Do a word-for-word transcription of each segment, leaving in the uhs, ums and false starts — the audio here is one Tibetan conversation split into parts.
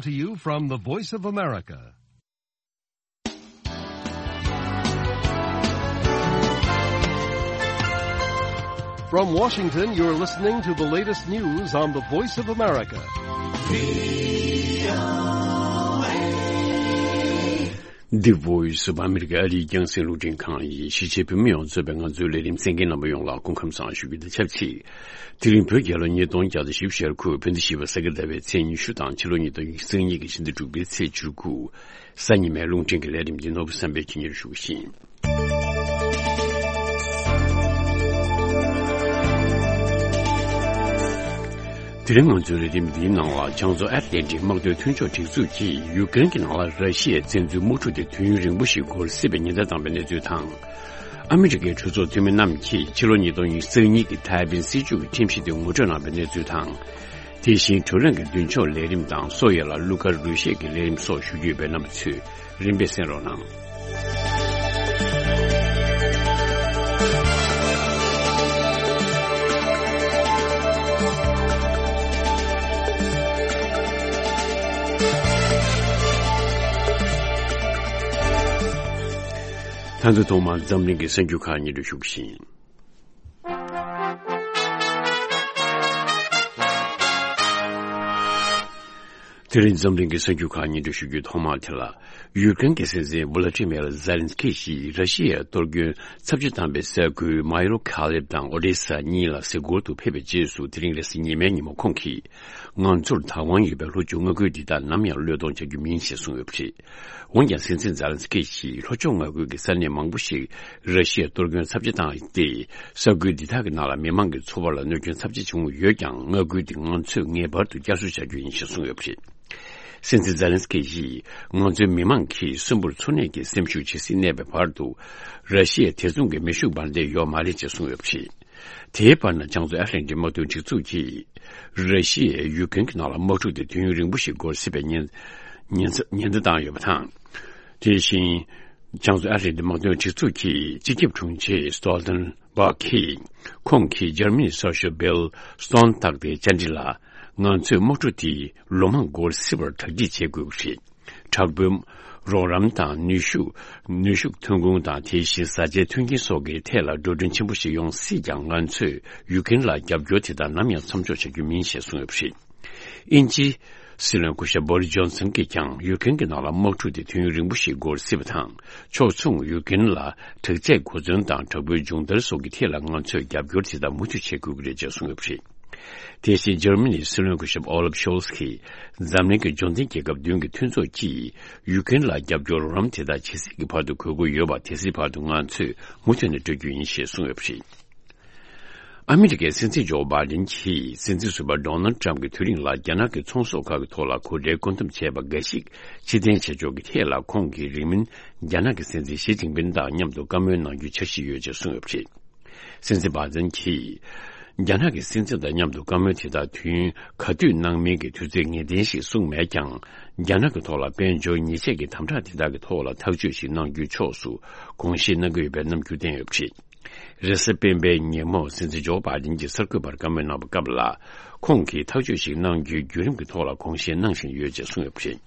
To you from the Voice of America. From Washington, you're listening to the latest news on the Voice of America. The Voice of America. ཨ་རིའི་རྒྱང་སྲིང་རླུང་འཕྲིན་ཁང་ཡིན། གཞིས་བྱེས་བོད་མི་ཡོངས་གཙོས་པའི་ང་ཚོའི་ལས་རིམ་གསན་མཁན་རྣམ་པ་ཡོངས་ལ་སྐུ་ཁམས་བཟང་ཞུ་རྒྱུ་དང་ཆབས་ཅིག་དེ་རིང་བོད་རྒྱལ་ལོ་ཉིས་སྟོང་བརྒྱ་དང་བཞི་བཅུ་ཞེ་དགུ། བོད་ཟླ་བཞི་པའི་གཟའ་ཟླ་བའི་ཚེས་ཉི་ཤུ་དང་ཕྱི་ལོ་ཉིས་སྟོང་ཉི་ཤུ་རྩ་གཉིས་ཀྱི་ཕྱི་ཟླ་དྲུག་པའི་ཚེས་བཅུ་དགུ། གཟའ་ཉི་མའི་རླུང་འཕྲིན་གྱི་ལས་རིམ་འདི་ནོར་བུ་བསམ་འཕེལ་གྱིས་སྙན་ཞུ་ཞུ་གི་ཡིན། དེ་རིང་ང་ཚོའི་ལས་རིམ་འདིའི་ནང་ལ། བྱང་མཚོ་ཨེཊ་ལན་ཊིག་དམག་དོན་མཐུན་ཕྱོགས་སྒྲིག་འཛུགས་ཀྱིས་ཡུཀ་རེན་གྱི་ནང་ལ་ར་ཤི་ཡའི་བཙན་འཛུལ་དམག་འཁྲུག་དེ་དུས་ཡུན་རིང་པོ་ཞིག་འགོར་སྲིད་པའི་ཉེན་བརྡ་བཏང་བའི་གནས་ཚུལ་དང་། ཨ་མི་རི་ཀའི་གྲོས་ཚོགས་འཐུས་མི་རྣམས་ཀྱིས་ཕྱི་ལོ་ཉིས་སྟོང་ཉི་ཤུ་རྩ་གཉིས་ཀྱི་ཐའེ་ཝན་སྲིད་བྱུས་ཀྱི་ཁྲིམས་གཞི་དེ་ངོ་སྤྲོད་གནང་བའི་གནས་ཚུལ་དང་། དེ་བཞིན་བགྲོ་གླེང་གི་མདུན་ལྕོག་ལས་རིམ་དང་། སོ་ཡོ་ལ་གླུ་གར་རོལ་གཞས་ཀྱི་ལས་རིམ་སོགས་ཞུ་རྒྱུ་ཡོད་པས། རྣམ་པ་ཚོས་རིམ་པས་གསན་རོགས་གནང་། ད་དུང་ཐོག་མར་འཛམ་གླིང་གི་གསར་འགྱུར་ཁག་སྙན་སྒྲོན་ཞུ་གི་ཡིན། དེ་རིང་འཛམ་གླིང་གི་གསར་འགྱུར་ཁག་སྙན་སྒྲོན་ཞུ་རྒྱུའི་ཐོག་མ་དེ་ལ། ཡུཀ་རེན་གྱི་སྲིད་འཛིན་ཝུ་ལ་ཏི་མེར་ཛེ་ལན་སི་ཀི་ཞིག་ར་ཤི་ཡའི་གཏོར་སྐྱོན་ཚབས་ཆེ་བཏང་པའི་ས་ཁུལ་མ་ཡོ་ཁ་ལེབ་དང་ཨོ་ཌེ་ས་གཉིས་ལ་གཟིགས་སྐོར་དུ་ཕེབས་པའི་རྗེས་སུ། དེ་རིང་རེས་གཟའ་ཉི་མའི་ཉིན་མོ་ཁོང་གིས། ང་ཚོར་བདག་དབང་ཡོད་པའི་ལྷོ་ཕྱོགས་མངའ་ཁུལ་འདི་དག་ནམ་ཡང་བློས་གཏོང་བྱ་རྒྱུ་མིན་ཞེས་གསུངས་ཡོད་པ་རེད། འོན་ཀྱང་། སྲིད་འཛིན་ཛེ་ལན་སི་ཀི་ཞིག་ལྷོ་ཕྱོགས་མངའ་ཁུལ་གྱི་ས་གནས་མང་པོ་ཞིག་ར་ཤི་ཡས་གཏོར་སྐྱོན་ཚབས་ཆེ་བཏང་སྟེ། ས་ཁུལ་འདི་དག་གི་ནང་ལ་མི་མང་གི་འཚོ་བ་ལ་གནོད་སྐྱོན་ཚབས་ཆེ་བྱུང་ཡོད་ཀྱང་། མངའ་ཁུལ་འདི་ང་ཚོས་ངེས་པར་དུ་བསྐྱར་གསོ་བྱ་རྒྱུ་ཡིན་ཞེས་གསུངས་ཡོད་པ་རེད། སྲིད་འཛིན་ཛེ་ལན་སི་ཀི་ཡིས། ང་ཚོའི་མི་མང་གིས་གསོན་པོར་འཚོ་གནས་ཀྱི་སེམས་ཤུགས་ཇི་སྲིད་གནས་པའི་བར་དུ། ར་ཤི་ཡས་དེ་མཚུངས་ཀྱི་མེ་ཤུགས་འབར་མདེལ་ཡོད་མ་རེད་ཅེས་གསུངས་ཡོད་པ་རེད། དེའི་བར་ན། བྱང་མཚོ་ཨེཊ་ལན་ཊིག་དམག་དོན་སྒྲིག་འཛུགས་ཀྱིས། ར་ཤི་ཡས་ཡུཀ་རེན་གྱི་ནང་ལ་དམག་འཁྲུག་དེ་དུས་ཡུན་རིང་པོ་ཞིག་འགོར་སྲིད་པའི་ཉེན་ཉེན་ཉེན་བརྡ་བཏང་ཡོད་པ་དང་། དེ་བཞིན། བྱང་མཚོ་ཨེཊ་ལན་ཊིག་དམག་དོན་སྒྲིག་འཛུགས་ཀྱི་སྤྱི་ཁྱབ་དྲུང་ཆེ་སྟོལ་ཏན་བྷག་གིས། ཁོང་གིས་འཇར་མ་ནིའི་གསར་ཤོག་བྷིལ་སྟོན་ཊག་ཏེའི་བཅར་འདྲི་ལ། ང་ཚོས་དམག་འཁྲུག་དེ་ལོ་མང་འགོར་སྲིད་པར་གྲ་སྒྲིག་བྱེད་དགོས་པ་རེད། དྲག་པོའི་རོགས་རམ་དང་། ནུས་ཤུགས། ནུས་ཤུགས་ཐོན་ཁུངས་དང་། དེ་བཞིན་བཟའ་བཅའི་མཐུན་རྐྱེན་སོགས་ཀྱི་ཐད་ལ་འགྲོ་གྲོན་ཆེན་པོ་ཞིག་ཡོང་སྲིད་ཀྱང་། ང་ཚོས་ཡུཀ་རེན་ལ་རྒྱབ་སྐྱོར་དེ་དག་ནམ་ཡང་མཚམས་འཇོག་བྱ་རྒྱུ་མིན་ཞེས་གསུངས་ཡོད་པ་རེད། དབྱིན་ཇིའི་སྲིད་བློན་སྐུ་ཞབས་བོ་རི་སི་ཇོན་སན་གྱིས་ཀྱང་། ཡུཀ་རེན་གྱི་ནང་ལ་དམག་འཁྲུག་དེ་དུས་ཡུན་རིང་པོ་ཞིག་འགོར་སྲིད་པ་དང་། ཕྱོགས་མཚུངས་ཡུཀ་རེན་ལ་དྲག་ཆས་གོ་མཚོན་དང་། དྲག་པོའི་སྦྱོང་བརྡར་སོགས་ཀྱི་ཐད་ལ་ང་ཚོས་རྒྱབ་སྐྱོར་དེ་དག་མུ་མཐུད་བྱེད་དགོས་ཀྱི་རེད་ཅེས་གསུངས་ཡོད་པ་རེད། དེ་བཞིན་འཇར་མ་ནིའི་སྲིད་བློན་སྐུ་ཞབས་ཨོ་ལབ་ཤོལ་ཚ་གིས། འཛམ་གླིང་གི་འབྱོར་ལྡན་རྒྱལ་ཁབ་བདུན་གྱི་མཐུན་ཚོགས་ཀྱིས་ཡུཀ་རེན་ལ་རྒྱབ་སྐྱོར་རོགས་རམ་དེ་དག་ཇི་སྲིད་ཀྱི་བར་དུ་དགོས་མཁོ་ཡོད་པ། དེ་སྲིད་བར་དུ་ང་ཚོས་མུ་མཐུད་ནས་སྤྲོད་རྒྱུ་ཡིན་ཞེས་གསུངས་ཡོད་པ་རེད། ཨ་མི་རི་ཀའི་སྲིད་འཛིན་ཇོ་བྷའི་ཌེན་གྱིས། སྲིད་འཛིན་ཟུར་པ་ཌོ་ནལ་ཊམ་གྱི་དུས་རིང་ལ་རྒྱ་ནག་གི་ཚོང་ཟོག་ཁག་གི་ཐོག་ལ་གོ་ཁྲལ་བཀོད་འདོམས་བྱས་པ་འགའ་ཞིག་ཕྱིར་འཐེན་བྱེད་ཕྱོགས་ཀྱི་ཐད་ལ། ཁོང་གིས་རིང་མིན་རྒྱ་ནག་གི་སྲིད་འཛིན་ཞི་ཅིན་ཕིན་དང་མཉམ་དུ་བཀའ་མོལ་གནང་རྒྱུའི་འཆར་གཞི་ཡོད་ཅེས་གསུངས་ཡོད་པ་རེད། སྲིད་འཛིན་བྷའི་ཌེན་གྱིས། རྒྱ་ནག་གི་སྲིད་འཛིན་དང་མཉམ་དུ་བཀའ་མོལ་དེ་དག་དུས་ཡུན་ག་དུས་གནང་མིན་གྱི་དུས་ཚོད་ངེས་གཏན་ཞིག་གསུངས་མེད་ཀྱང་། རྒྱ་ནག་གི་ཐོག་ལ་དཔལ་འབྱོར་ཉེས་ཆད་ཀྱི་དམ་དྲག་དེ་དག་གི་ཐོག་ལ་ཐག་གཅོད་ཞིག་གནང་རྒྱུའི་ཕྱོགས་སུ་དགོངས་བཞེས་གནང་གི་ཡོད་པའི་རྣམ་འགྱུར་བསྟན་ཡོད་པ་རེད། རེས་གཟའ་སྤེན་པའི་ཉིན་མོ། སྲིད་འཛིན་ཇོ་བྷའི་ཌེན་གྱིས་གསར་འགོད་པར་བཀའ་མོལ་གནང་བའི་སྐབས་ལ། ཁོང་གིས་ཐག་གཅོད་ཞིག་གནང་རྒྱུའི་བརྒྱུད་རིམ་གྱི་ཐོག་ལ་དགོངས་བཞེས་གནང་བཞིན་ཡོད་ཅེས་གསུངས་ཡོད་པ་རེད།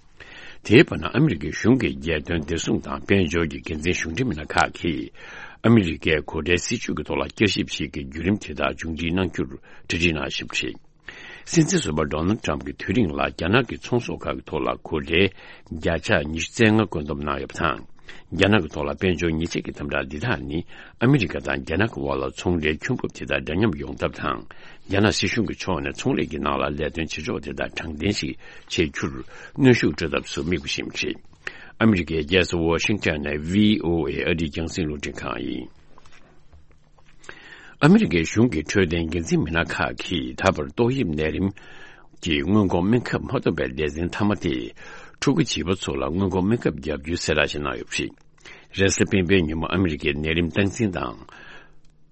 དེའི་བར་ན། ཨ་མི་རི་ཀའི་གཞུང་གི་རྒྱལ་དོན་བདེ་སྲུང་དང་དཔལ་འབྱོར་གྱི་འགན་འཛིན་གཞུང་འབྲེལ་མི་སྣ་ཁག་གིས། ཨ་མི་རི་ཀའི་གོ་ཁྲལ་སྲིད་ཇུས་ཀྱི་ཐོག་ལ་བསྐྱར་ཞིབ་ཞིག་གི་བརྒྱུད་རིམ་དེ་དག་མཇུག་སྒྲིལ་གནང་རྒྱུར་གྲ་སྒྲིག་གནང་བཞིན་པ་རེད། སྲིད་འཛིན་ཟུར་པ་ཌོ་ནལ་ཊམ་གྱི་དུས་རིང་ལ་རྒྱ་ནག་གི་ཚོང་ཟོག་ཁག་གི་ཐོག་ལ་གོ་ཁྲལ་བརྒྱ་ཆ་ཉི་ཤུ་རྩ་ལྔ་བཀོད་འདོམས་གནང་ཡོད་པ་དང་། རྒྱ་ནག་གི་ཐོག་ལ་དཔལ་འབྱོར་ཉེས་ཆད་ཀྱི་དམ་དྲག་འདི་དག་ནི། ཨ་མི་རི་ཀ་དང་རྒྱ་ནག་གི་དབར་ལ་ཚོང་འབྲེལ་ཁྱོན་འབབ་དེ་དག་འདྲ་མཉམ་ཡོང་ཐབས་དང་། རྒྱ་ནག་སྲིད་གཞུང་གི་ཕྱོགས་ནས་ཚོང་ལས་ཀྱི་ནང་ལ་ལས་དོན་བྱེད་ཕྱོགས་དེ་དག་དྲང་བདེན་ཞིག་བྱེད་རྒྱུར་གནོན་ཤུགས་སྤྲོད་ཐབས་སུ་དམིགས་པ་ཞིག་རེད། ཨ་མི་རི་ཀའི་རྒྱལ་ས་ཝ་ཤིང་ཊོན་ནས་བྷི་ཨོ་ཨེ་ཨ་རིའི་རྒྱང་སྲིང་རླུང་འཕྲིན་ཁང་ཡིན། ཨ་མི་རི་ཀའི་གཞུང་གི་འཕྲོད་བསྟེན་འགན་འཛིན་མི་སྣ་ཁག་གིས་ད་བར་ཏོག་དབྱིབས་ནད་རིམས་ཀྱི་སྔོན་འགོག་སྨན་ཁབ་མ་ཐོབ་པའི་ལེ་ཚན་མཐའ་མ་སྟེ། ཕྲུ་གུ་བྱིས་པ་ཚོ་ལ་སྔོན་འགོག་སྨན་ཁབ་བརྒྱབ་རྒྱུའི་གསལ་བསྒྲགས་ཤིག་གནང་ཡོད་པ་རེད། རེས་གཟའ་སྤེན་པའི་ཉིན་མོ་ཨ་མི་རི་ཀའི་ནད་རིམས་སྟངས་འཛིན་དང་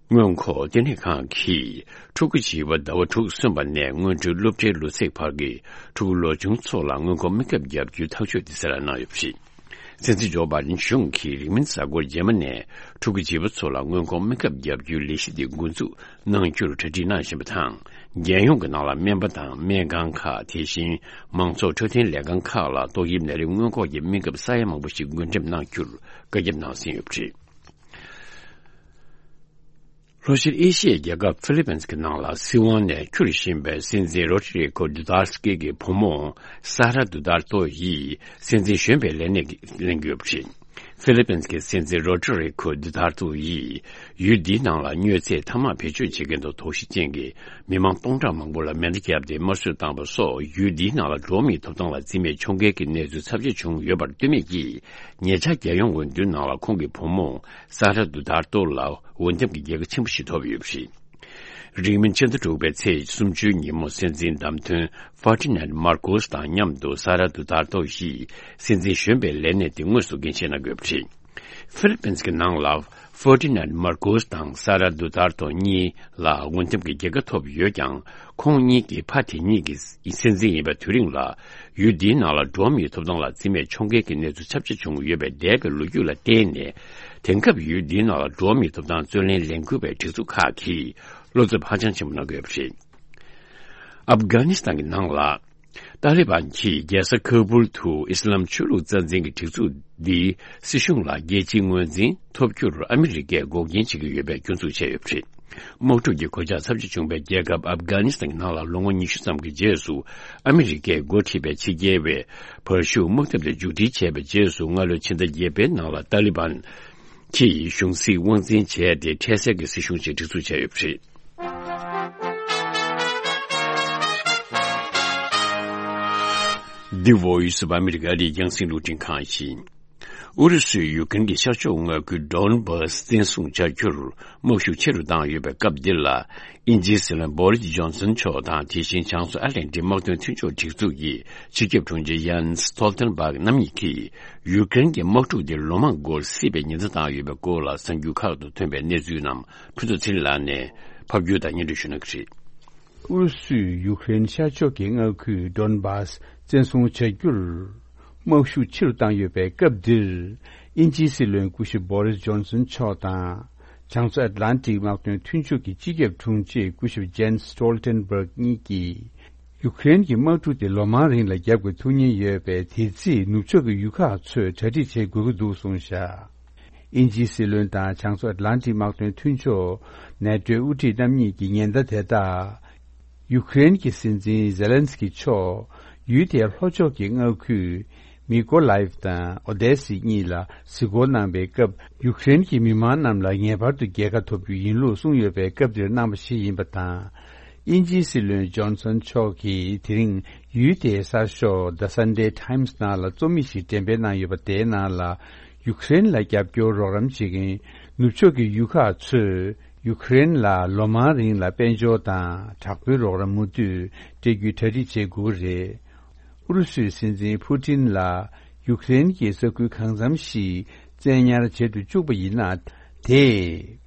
སྔོན་འགོག་ལྟེ་གནས་ཁང་གིས། ཕྲུ་གུ་བྱིས་པ་ཟླ་བ་དྲུག་སོན་པ་ནས་སྔོན་འགྲོའི་སློབ་གྲྭའི་ལོ་ཚད་བར་གྱི་ཕྲུ་གུ་ལོ་ཆུང་ཚོ་ལ་སྔོན་འགོག་སྨན་ཁབ་བརྒྱབ་རྒྱུའི་ཐག་གཅོད་དེ་གསལ་བསྒྲགས་གནང་ཡོད་པ་རེད། སྲིད་འཛིན་ཇོ་བྷའི་ཌེན་གཞུང་གིས་རིང་མིན་གཟའ་འཁོར་རྗེས་མ་ནས་ཕྲུ་གུ་བྱིས་པ་ཚོ་ལ་སྔོན་འགོག་སྨན་ཁབ་བརྒྱབ་རྒྱུའི་ལས་གཞི་དེ་འགོ་འཛུགས་གནང་རྒྱུར་གྲ་སྒྲིག་གནང་བཞིན་པ་དང་ རྒྱལ་ཡོངས་ཀྱི་ནང་ལ་སྨན་པ་དང་སྨན་ཁང་ཁག་དེ་བཞིན་མང་ཚོགས་འཕྲོད་བསྟེན་ལས་ཁང་ཁག་ལ་ཏོག་དབྱིབས་ནད་རིགས་སྔོན་འགོག་གི་སྨན་ཁབ་ས་ཡ་མང་པོ་ཞིག་འགོས་འགྲེམས་གནང་རྒྱུར་བཀའ་ཁྱབ་གནང་ཟིན་ཡོད་པ་རེད། ལྷོ་ཤར་ཨེ་ཤི་ཡའི་རྒྱལ་ཁབ་ཧྥི་ལི་པིན་གྱི་ནང་ལ་སྲིད་དབང་ནས་འཁྱུར་བཞིན་པའི་སྲིད་འཛིན་རོ་ཏྲི་རི་ཁོ་ཌུ་ཏར་ཀེ་གི་བུ་མོ་སཱ་ར་ཌུ་ཏར་ཏོ་ཡིས་སྲིད་འཛིན་གཞོན་པའི་ལས་གནས་ལེན་གྱི་ཡོད་པ་རེད། ཧྥི་ལི་པིན་གྱི་སྲིད་འཛིན་རོ་ཏྲི་རི་ཁོ་ཌུ་ཏར་ཏོ་ཡིས་ཡུལ་འདིའི་ནང་ལ་མྱོས་ཚད་ཐ་མག་བེད་སྤྱོད་བྱེད་མཁན་དང་དོགས་གཞི་ཅན་གྱི་མི་མང་སྟོང་ཕྲག་མང་པོ་ལ་མེ་མདའ་བརྒྱབ་སྟེ་དམར་གསོད་བཏང་པ་སོགས་ཡུལ་འདིའི་ནང་ལ་འགྲོ་བ་མིའི་ཐོབ་ཐང་ལ་བརྩི་མེད་འཁྱོངས་མཁན་གྱི་གནས་ཚུལ་ཚབས་ཆེ་བྱུང་ཡོད་པར་ལྟོས་མེད་ཀྱིས། ཉེ་ཆར་རྒྱལ་ཡོངས་འོས་བསྡུའི་ནང་ལ་ཁོང་གི་བུ་མོ་སཱ་ར་ཌུ་ཏར་ཏོ་ལ་འོས་འདེམས་ཀྱི་རྒྱལ་ཁ་ཆེན་པོ་ཞིག་ཐོབ་ཡོད་པ་རེད། རིང་མིན་ཕྱི་ཟླ་དྲུག་པའི་ཚེས་སུམ་ཅུའི་ཉིན་མོ་སྲིད་འཛིན་བདམས་ཐོན་ཧྥར་ཏི་ནན་མར་ཀོས་དང་མཉམ་དུ་སཱ་ར་ཌུ་ཏར་ཏོ་ཡིས་སྲིད་འཛིན་གཞོན་པའི་ལས་གནས་དེ་དངོས་སུ་འགན་བཞེས་གནང་དགོས་པ་རེད། ཧྥི་ལི་པིན་གྱི་ནང་ལ་ཧྥར་ཏི་ནན་མར་ཀོས་དང་སཱ་ར་ཌུ་ཏར་ཏོ་གཉིས་ལ་འོས་འདེམས་ཀྱི་རྒྱལ་ཁ་ཐོབ་ཡོད་ཀྱང་། ཁོང་གཉིས་ཀྱི་ཕ་དེ་ཉིད་ཀྱི་སྲིད་འཛིན་ཡིན་པའི་དུས་རིང་ལ། ཡུལ་འདིའི་ནང་ལ་འགྲོ་བ་མིའི་ཐོབ་ཐང་ལ་བརྩི་མེད་འཁྱོངས་མཁན་གྱི་གནས་ཚུལ་ཚབས་ཆེ་བྱུང་ཡོད་པའི་འདས་པའི་ལོ་རྒྱུས་ལ་བརྟེན་ནས། དེང་སྐབས་ཡུལ་འདིའི་ནང་ལ་འགྲོ་བ་མིའི་ཐོབ་ཐང་རྩོད་ལེན་ལས་འགུལ་བའི་སྒྲིག་འཛུགས་ཁག་གིས་བློ་འཚབ་ཧ་ཅང་ཆེན་པོ་གནང་གི་ཡོད་པ་རེད། ཨབ་གྷ་ནི་སི་ཐན་གྱི་ནང་ལ། ཏཱ་ལི་བན་གྱིས་རྒྱལ་ས་ཁ་བུལ་དུ་ཨི་སི་ལམ་ཆོས་ལུགས་རྩ་འཛིན་གྱི་སྒྲིག་འཛུགས་འདིའི་སྲིད་གཞུང་ལ་རྒྱལ་སྤྱིའི་ངོས་འཛིན་ཐོབ་རྒྱུར་ཨ་མི་རི་ཀས་འགོག་རྐྱེན་བྱེད་ཀྱི་ཡོད་པའི་སྐྱོན་འཛུགས་བྱས་ཡོད་པ་རེད། དམག་འཁྲུག་གི་གོད་ཆག་ཚབས་ཆེ་བྱུང་བའི་རྒྱལ་ཁབ་ཨབ་གྷ་ནི་སི་ཐན་གྱི་ནང་ལ་ལོ་ངོ་ཉི་ཤུ་ཙམ་གྱི་རྗེས་སུ་ཨ་མི་རི་ཀས་འགོ་ཁྲིད་པའི་ཕྱི་རྒྱལ་བའི་བར་ཤུགས་དམག་འཐབ་དེ་མཇུག་སྒྲིལ་བྱས་པའི་རྗེས་སུ། སྔ་ལོའི་ཕྱི་ཟླ་བརྒྱད་པའི་ནང་ལ་ཏཱ་ལི་བན་གྱིས་གཞུང་སྲིད་དབང་འཛིན་བྱས་ཏེ་འཕྲལ་སེལ་གྱི་སྲིད་གཞུང་ཞིག་སྒྲིག་འཛུགས་བྱས་ཡོད་པ་རེད། འདི་Voice of America ཨ་རིའི་རྒྱང་སྲིང་རླུང་འཕྲིན་ཁང་ཡིན། ཨུ་རུ་སུས་ཡུ་ཀེན་གྱི་ཤར་ཕྱོགས་མངའ་ཁུལ་ཌོན་སྦཱ་སི་བཙན་བཟུང་བྱ་རྒྱུར་དམག་ཤུགས་ཆེ་རུ་བཏང་ཡོད་པའི་སྐབས་འདིར་ལ། དབྱིན་ཇིའི་སྲིད་བློན་Boris Johnson མཆོག་དང་། དེ་བཞིན་བྱང་མཚོ་ཨ་ཊ་ལན་ཊིག་དམག་དོན་མཐུན་ཕྱོགས་སྒྲིག་འཛུགས་ཀྱི་སྤྱི་ཁྱབ་དྲུང་ཆེ་Jens Stoltenberg རྣམ་གཉིས་ཀྱིས་ཡུ་ཀེན་གྱི་དམག་འཁྲུག་འདི་ལོ་མང་འགོར་སྲིད་པའི་ཉེན་བརྡ་བཏང་ཡོད་པའི་སྐོར་ལ་གསར་འགྱུར་ཁག་ཏུ་ཐོན་པའི་གནས་ཚུལ་རྣམས་ཕུན་ཚོགས་ཚེ་རིང་ལགས་ནས་ཕབ་སྒྱུར་དང་སྙན་སྒྲོན་ཞུ་གནང་གི་རེད། ཨུ་རུ་སུས་ཡུ་ཀེ་རེན་ཤར་ཕྱོགས་ཀྱི་མངའ་ཁུལ་ཌོན་སྦཱ་སི་བཙན་བཟུང་བྱ་རྒྱུར། དམག་ཤུགས་ཆེ་རུ་བཏང་ཡོད་པའི་སྐབས་འདིར། དབྱིན་ཇིའི་སྲིད་བློན་སྐུ་ཞབས་Boris Johnson མཆོག་དང་། བྱང་མཚོ་ཨེཊ་ལན་ཊིག་དམག་དོན་མཐུན་ཕྱོགས་ཀྱི་སྤྱི་ཁྱབ་དྲུང་ཆེ་སྐུ་ཞབས་Jens Stoltenberg གཉིས་ཀྱིས། ཡུ་ཀེ་རེན་གྱི་དམག་འཁྲུག་དེ་ལོ་མང་རིང་ལ་རྒྱབ་དགོས་ཐུག་ཉེན་ཡོད་པས། དེ་རྩིས་ནུབ་ཕྱོགས་ཀྱི་ཡུལ་ཁག་ཚོས་གྲ་སྒྲིག་བྱེད་དགོས་ཀྱི་འདུག་གསུངས་བཞག་དབྱིན་ཇིའི་སྲིད་བློན་དང་བྱང་མཚོ་ཨེཊ་ལན་ཊིག་དམག་དོན་མཐུན་ཕྱོགས་ནེ་ཏོའི་དབུ་ཁྲིད་རྣམ་གཉིས་ཀྱི་ཉེན་བརྡ་དེ་དག་ཡུ་ཀེ་རེན་གྱི་སྲིད་འཛིན་ཛེ་ལན་སི་ཀི་མཆོག་ཡུལ་དེའི་ལྷོ་ཕྱོགས་ཀྱི་མངའ་ཁུལ་མི་ཀོ་ལའེབ་དང་ཨོ་དེ་སི་གཉིས་ལ་གཟིགས་སྐོར་གནང་པའི་སྐབས། ཡུ་ཀེ་རེན་གྱི་མི་མང་རྣམས་ལ་ངེས་པར་དུ་རྒྱལ་ཁ་ཐོབ་རྒྱུ་ཡིན་ལུགས་གསུངས་ཡོད་པའི་སྐབས་དེར་གནང་བ་ཞིག་ཡིན་པ་དང་། དབྱིན་ཇིའི་སྲིད་བློན་ཇོན་སན་མཆོག་གིས་དེ་རིང་ཡུལ་དེའི་གསར་ཤོག་The Sunday Times ནང་ལ་རྩོམ་ཡིག་ཞིག་འགྲེམས་སྤེལ་གནང་ཡོད་པ། དེའི་ནང་ལ། ཡུ་ཀེ་རེན་ལ་རྒྱབ་སྐྱོར་རོགས་རམ་བྱེད་མཁན་ནུབ་ཕྱོགས་ཀྱི་ཡུལ་ཁག་ཚོས་ཡུ་ཀེ་རེན་ལ་ལོ་མང་རིང་ལ་དཔལ་འབྱོར་དང་དྲག་པོའི་རོགས་རམ་མུ་མཐུད་སྤྲད་རྒྱུའི་གྲ་སྒྲིག་བྱེད་དགོས་ཀྱི་རེད། ཨུ་རུ་སུའི་སྲིད་འཛིན་ཕུ་ཏིན་ལ་ཡུ་ཀེ་རེན་གྱི་ས་ཁུལ་གང་འཚམ་ཞིག་བཙན་ཉར་བྱེད་དུ་བཅུག་པ་ཡིན་ན། དེས་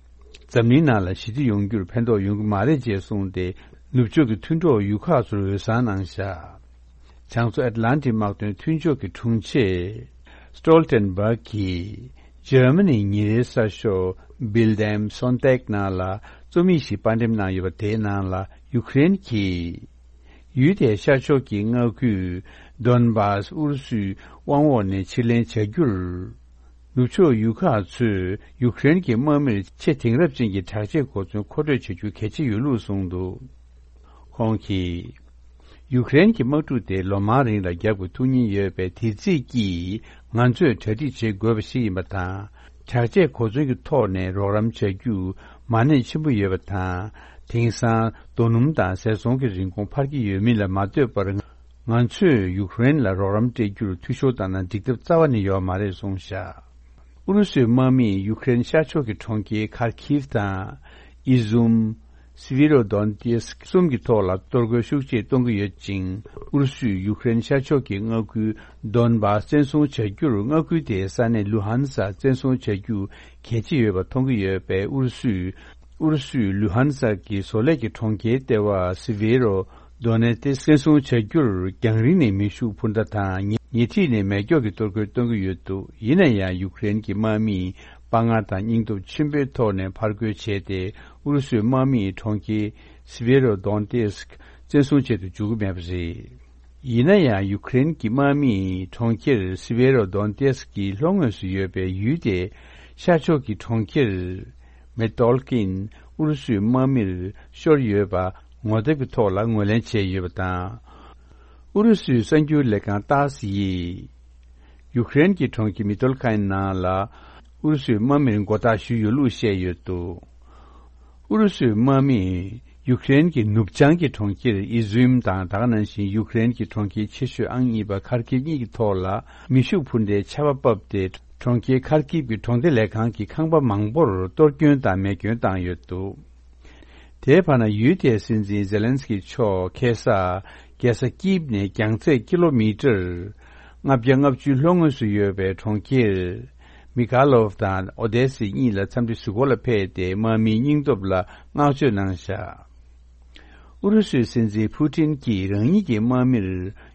འཛམ་གླིང་ནང་ལ་ཞི་བདེ་ཡོང་རྒྱུར་ཕན་ཐོགས་ཡོང་གི་མ་རེད་ཅེས་གསུངས་ཏེ། ནུབ་ཕྱོགས་ཀྱི་མཐུན་གྲོགས་ཡུལ་ཁག་ཚོར་འོས་གསར་གནང་བཞག་བྱང་མཚོ་ཨེཊ་ལན་ཊིག་དམག་དོན་མཐུན་ཕྱོགས་ཀྱི་དྲུང་ཆེ་སི་ཊོལ་ཊེན་བྷག་གིས་འཇར་མ་ནིའི་ཉིན་རེའི་གསར་ཤོག་Bild am Sonntag ནང་ལ་རྩོམ་ཡིག་ཞིག་དཔར་འགྲེམས་གནང་ཡོད་པ། དེའི་ནང་ལ་ཡུ་ཀེ་རེན་གྱིས་ཡུལ་དེའི་ཤར་ཕྱོགས་ཀྱི་མངའ་ཁུལ་ཌོན་སྦཱ་སི་ཨུ་རུ་སུའི་དབང་འོག་ནས་ཕྱིར་ལེན་བྱ་རྒྱུར། ནུབ་ཕྱོགས་ཡུལ་ཁག་ཚོས་ཡུ་ཀེ་རེན་གྱི་དམག་མིར་ཆེས་དེང་རབས་ཅན་གྱི་དྲག་ཆས་གོ་མཚོན་མཁོ་སྤྲོད་བྱ་རྒྱུ་གལ་ཆེ་ཡོད་ལུགས་གསུངས་འདུག་ཁོང་གིས། ཡུ་ཀེ་རེན་གྱི་དམག་འཁྲུག་དེ་ལོ་མང་རིང་ལ་རྒྱབ་དགོས་ཐུག་ཉེན་ཡོད་པས། དེ་རྩིས་ཀྱིས་ང་ཚོས་གྲ་སྒྲིག་བྱེད་དགོས་པ་ཞིག་ཡིན་པ་དང་། དྲག་ཆས་གོ་མཚོན་གྱི་ཐོག་ནས་རོགས་རམ་བྱ་རྒྱུ་མ་གནས་ཆེན་པོ་ཡོད་པ་དང་། དེང་སང་རྡོ་སྣུམ་དང་ཟས་བཙོང་གི་རིན་གོང་འཕར་གྱི་ཡོད་མིན་ལ་མ་ལྟོས་པར། ང་ཚོས་ཡུ་ཀེ་རེན་ལ་རོགས་རམ་སྤྲད་རྒྱུར་འཐུས་ཤོར་བཏང་ན་འགྲིག་ཐབས་རྩ་བ་ནས་ཡོད་མ་རེད་གསུངས་བཞག་ཨུ་རུ་སུའི་དམག་མིས་ཡུ་ཀེ་རེན་ཤར་ཕྱོགས་ཀྱི་གྲོང་ཁྱེར་ཁར་ཁིབ་དང་། ཨི་ཟུམ། སི་བྷི་རོ་དོན་ཏེ་སི་གསུམ་གྱི་ཐོག་ལ་གཏོར་རྒོལ་ཤུགས་ཆེ་གཏོང་གི་ཡོད་ཅིང་། ཨུ་རུ་སུས་ཡུ་ཀེ་རེན་ཤར་ཕྱོགས་ཀྱི་མངའ་ཁུལ་ཌོན་སྦཱ་སི་བཙན་བཟུང་བྱ་རྒྱུར། མངའ་ཁུལ་དེའི་ས་གནས་ལུ་ཧན་སག་བཙན་བཟུང་བྱ་རྒྱུ་གལ་ཆེ་ཡོད་པ་མཐོང་གི་ཡོད་པས། ཨུ་རུ་སུས། ཨུ་རུ་སུས་ལུ་ཧན་སག་གི་བཟོ་ལས་ཀྱི་གྲོང་ཁྱེར་ལྟེ་བ་སི་བྷི་རོ་དོ་ནེ་ཏེ་སི་བཙན་བཟུང་བྱ་རྒྱུར་རྒྱང་རིང་ནས་མེ་ཤུགས་འཕུར་མདའ་དང་། ཉེ་ཉེ་འཁྲིས་ནས་མེ་སྒྱོགས་ཀྱི་གཏོར་རྒོལ་གཏོང་གི་ཡོད་འདུག་ཡིན་ན་ཡང་ཡུ་ཀེ་རེན་གྱི་དམག་མིས་དཔའ་ངར་དང་སྙིང་སྟོབས་ཆེན་པོའི་ཐོག་ནས་ཕར་རྒོལ་བྱས་ཏེ། ཨུ་རུ་སུའི་དམག་མིས་གྲོང་ཁྱེར་ སི་བེ་རོ་དོན་ཏེས་ཀི་བཙན་བཟུང་བྱེད་དུ་འཇུག་གི་མེད་པ་རེད། ཡིན་ན་ཡང་ཡུ་ཀེ་རེན་གྱི་དམག་མིས་གྲོང་ཁྱེར་སི་བེ་རོ་དོན་ཏེས་ཀི་ལྷོ་ངོས་སུ་ཡོད་པའི་ཡུལ་དེ་ཤར་ཕྱོགས་ཀྱི་གྲོང་ཁྱེར་མེ་ཏོལ་ཀིན་ཨུ་རུ་སུའི་དམག་མིར་ཤོར་ཡོད་པ་ངོ་དེབ་ཀྱི་ཐོག་ལ་ངོས་ལེན་བྱས་ཡོད་པ་དང་། ཨུ་རུ་སུའི་གསར་འགྱུར་ལས་ཁང་ཏཱ་སི་ཡིས་ཡུ་ཀེ་རེན་གྱི་གྲོང་ཁྱེར་མེ་ཏོལ་ཀིན་ནང་ལ་ཨུ་རུ་སུའི་དམག་མིར་མགོ་བཏགས་ཞུས་ཡོད་ལུགས་བཤད་ཡོད་འདུག་ཨུ་རུ་སུའི་དམག་མིས་ཡུ་ཀེ་རེན་གྱི་ནུབ་བྱང་གི་གྲོང་ཁྱེར་ཨི་ཟུམ་དང་ད་ག་ནང་བཞིན་ཡུ་ཀེ་རེན་གྱི་གྲོང་ཁྱེར་ཆེ་ཤོས་ཨང་གཉིས་པ་ཁར་ཀིབ་གཉིས་ཀྱི་ཐོག་ལ་མེ་ཤུགས་འཕུར་མདའི་ཆར་པ་ཕབ་སྟེ། གྲོང་ཁྱེར་ཁར་ཀིབ་ཀྱི་གྲོང་སྡེ་ལས་ཁང་གི་ཁང་པ་མང་པོར་གཏོར་སྐྱོན་དང་མེ་སྐྱོན་བཏང་ཡོད་འདུག་དེའི་བར་ན་ཡུལ་དེའི་སྲིད་འཛིན་ཛེ་ལན་སི་ཀི་མཆོག་ཁ་སང་རྒྱལ་ས་ཀིབ་ནས་རྒྱང་ཚད་ཀི་ལོ་མི་ཊར་ལྔ་བརྒྱ་ལྔ་བཅུ་ལྷོ་ངོས་སུ་ཡོད་པའི་གྲོང་ཁྱེར་མི་ཀ་ལོབ་དང་ཨོ་དེ་སི་གཉིས་ལ་འཚམས་འདྲི་ཞུ་སྒོ་ལ་ཕེབས་ཏེ་དམག་མིའི་སྙིང་སྟོབས་ལ་བསྔགས་བརྗོད་གནང་བཞག་ཨུ་རུ་སུའི་སྲིད་འཛིན་ཕུ་ཏིན་གྱིས་རང་ཉིད་ཀྱི་དམག་མིར་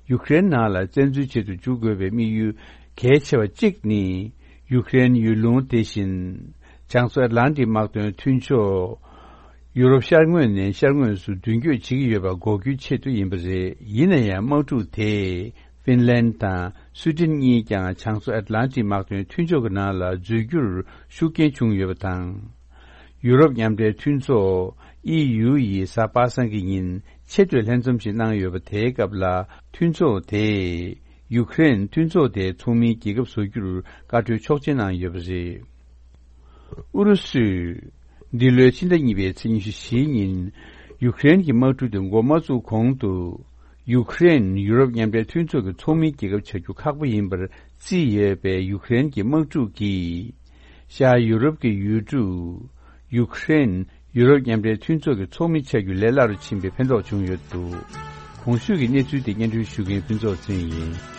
ཡུ་ཀེ་རེན་ནང་ལ་བཙན་འཛུལ་བྱེད་དུ་འཇུག་དགོས་པའི་དམིགས་ཡུལ་གལ་ཆེ་བ་གཅིག་ནི། ཡུ་ཀེ་རེན་ཡུལ་ལུང་དེ་བཞིན་བྱང་མཚོ་ཨེཊ་ལན་ཊིག་དམག་དོན་མཐུན་ཕྱོགས་ཡུ་རོབ་ཤར་ངོས་ནས་ཤར་ངོས་སུ་མདུན་སྐྱོད་བྱེད་ཀྱི་ཡོད་པ་འགོག་རྒྱུའི་ཆེད་དུ་ཡིན་པ་རེད། ཡིན་ན་ཡང་དམག་འཁྲུག་དེས་ཧྥིན་ལན་དང་སུའི་ཏན་གཉིས་ཀྱང་བྱང་མཚོ་ཨེཊ་ལན་ཊིག་དམག་དོན་མཐུན་ཕྱོགས་ཀྱི་ནང་ལ་འཛུལ་རྒྱུར་ཤུགས་རྐྱེན་བྱུང་ཡོད་པ་དང་། ཡུ་རོབ་མཉམ་འབྲེལ་མཐུན་ཚོགས་ཨི་ཡུ་ཡིས་གཟའ་པ་སངས་ཀྱི་ཉིན་ཆེས་མཐོའི་ལྷན་འཛོམས་ཤིག་གནང་ཡོད་པ། དེའི་སྐབས་ལ་མཐུན་ཚོགས་དེས་ཡུ་ཀེ་རེན་མཐུན་ཚོགས་དེའི་ཚོགས་མིའི་རྒྱལ་ཁབ་བཟོ་རྒྱུར་བཀའ་འཁྲོལ་ཆོག་མཆན་གནང་ཡོད་པ་རེད། ཨུ་རུ་སུས་འདི་ལོའི་ཕྱི་ཟླ་གཉིས་པའི་ཚེས་ཉི་ཤུ་བཞི་ཉིན་ཡུ་ཀེ་རེན་གྱི་དམག་འཁྲུག་དེ་འགོ་མ་བཙུགས་གོང་དུ། ཡུ་ཀེ་རེན་ཡུ་རོབ་མཉམ་འབྲེལ་མཐུན་ཚོགས་ཀྱི་ཚོགས་མིའི་རྒྱལ་ཁབ་བྱ་རྒྱུ་ཁག་པོ་ཡིན་པར་བརྩིས་ཡོད་པའི་ཡུ་ཀེ་རེན་གྱི་དམག་འཁྲུག་གིས། ཤར་ཡུ་རོབ་ཀྱི་ཡུལ་གྲུ་ཡུ་ཀེ་རེན་ཡུ་རོབ་མཉམ་འབྲེལ་མཐུན་ཚོགས་ཀྱི་ཚོགས་མི་ཆགས་རྒྱུ་ལས་སླ་རུ་ཕྱིན་པའི་ཕན་ཐོགས་བྱུང་ཡོད་འདུག་གོང་ཞུས་ཀྱི་གནས་ཚུལ་དེ་སྙན་སྒྲོན་ཞུ་མཁན་ཕུན་ཚོགས་ཚེ་རིང་ཡིན།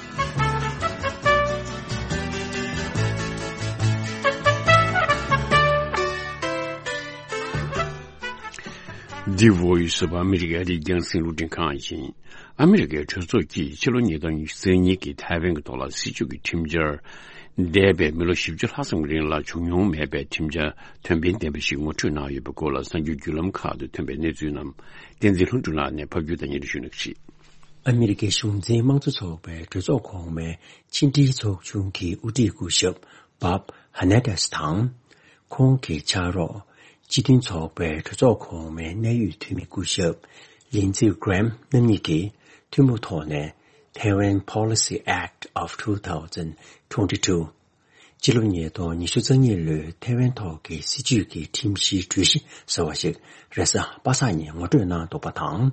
འདི་Voice of America ཨ་རིའི་རྒྱང་སྲིང་རླུང་འཕྲིན་ཁང་ཡིན། ཨ་མི་རི་ཀའི་གྲོས་ཚོགས་ཀྱིས་ཕྱི་ལོ་ཉིས་སྟོང་ཉི་ཤུ་རྩ་གཉིས་ཀྱི་ཐའེ་ཝན་གྱི་ཐོག་ལ་སྲིད་བྱུས་ཀྱི་ཁྲིམས་འཆར། འདས་པའི་མི་ལོ་བཞི་བཅུ་ལྷག་ཙམ་གྱི་རིང་ལ་བྱུང་མྱོང་མེད་པའི་ཁྲིམས་འཆར་དོན་ཕན་ལྡན་པ་ཞིག་ངོ་སྤྲོད་གནང་ཡོད་པའི་སྐོར་ལ་གསར་འགྱུར་བརྒྱུད་ལམ་ཁག་ཏུ་ཐོན་པའི་གནས་ཚུལ་རྣམས་བསྟན་འཛིན་ལྷུན་གྲུབ་ལགས་ནས་ཕབ་སྒྱུར་དང་སྙན་སྒྲོན་ཞུ་གནང་གི་རེད། ཨ་མི་རི་ཀའི་གཞུང་འཛིན་དམངས་གཙོ་ཚོགས་པའི་གྲོས་ཚོགས་གོང་མའི་ཕྱི་འབྲེལ་ཚོགས་ཆུང་གི་དབུ་ཁྲིད་སྐུ་ཞབས་བྷབ་ཧ་ནེ་ཏེས་དང་། ཁོང་གི་ཕྱག་རོགས་སྤྱི་མཐུན་ཚོགས་པའི་གྲོས་ཚོགས་གོང་མའི་གནད་ཡོད་འཐུས་མི་སྐུ་ཞབས་ལིན་ཙི་ཀེ་རེམ་རྣམ་གཉིས་ཀྱིས་ཐུན་མོང་ཐོག་ནས་Taiwan Policy Act of two thousand twenty-two། སྤྱི་ལོ་ཉིས་སྟོང་ཉི་ཤུ་རྩ་གཉིས་ལོའི་ཐའེ་ཝན་ཐོག་གི་སྲིད་བྱུས་ཀྱི་ཁྲིམས་གཞིའི་གྲོས་གཞི་ཟེར་བ་ཞིག་རེས་གཟའ་པ་སངས་ཉིན་ངོ་སྤྲོད་གནང་འདུག་པ་དང་།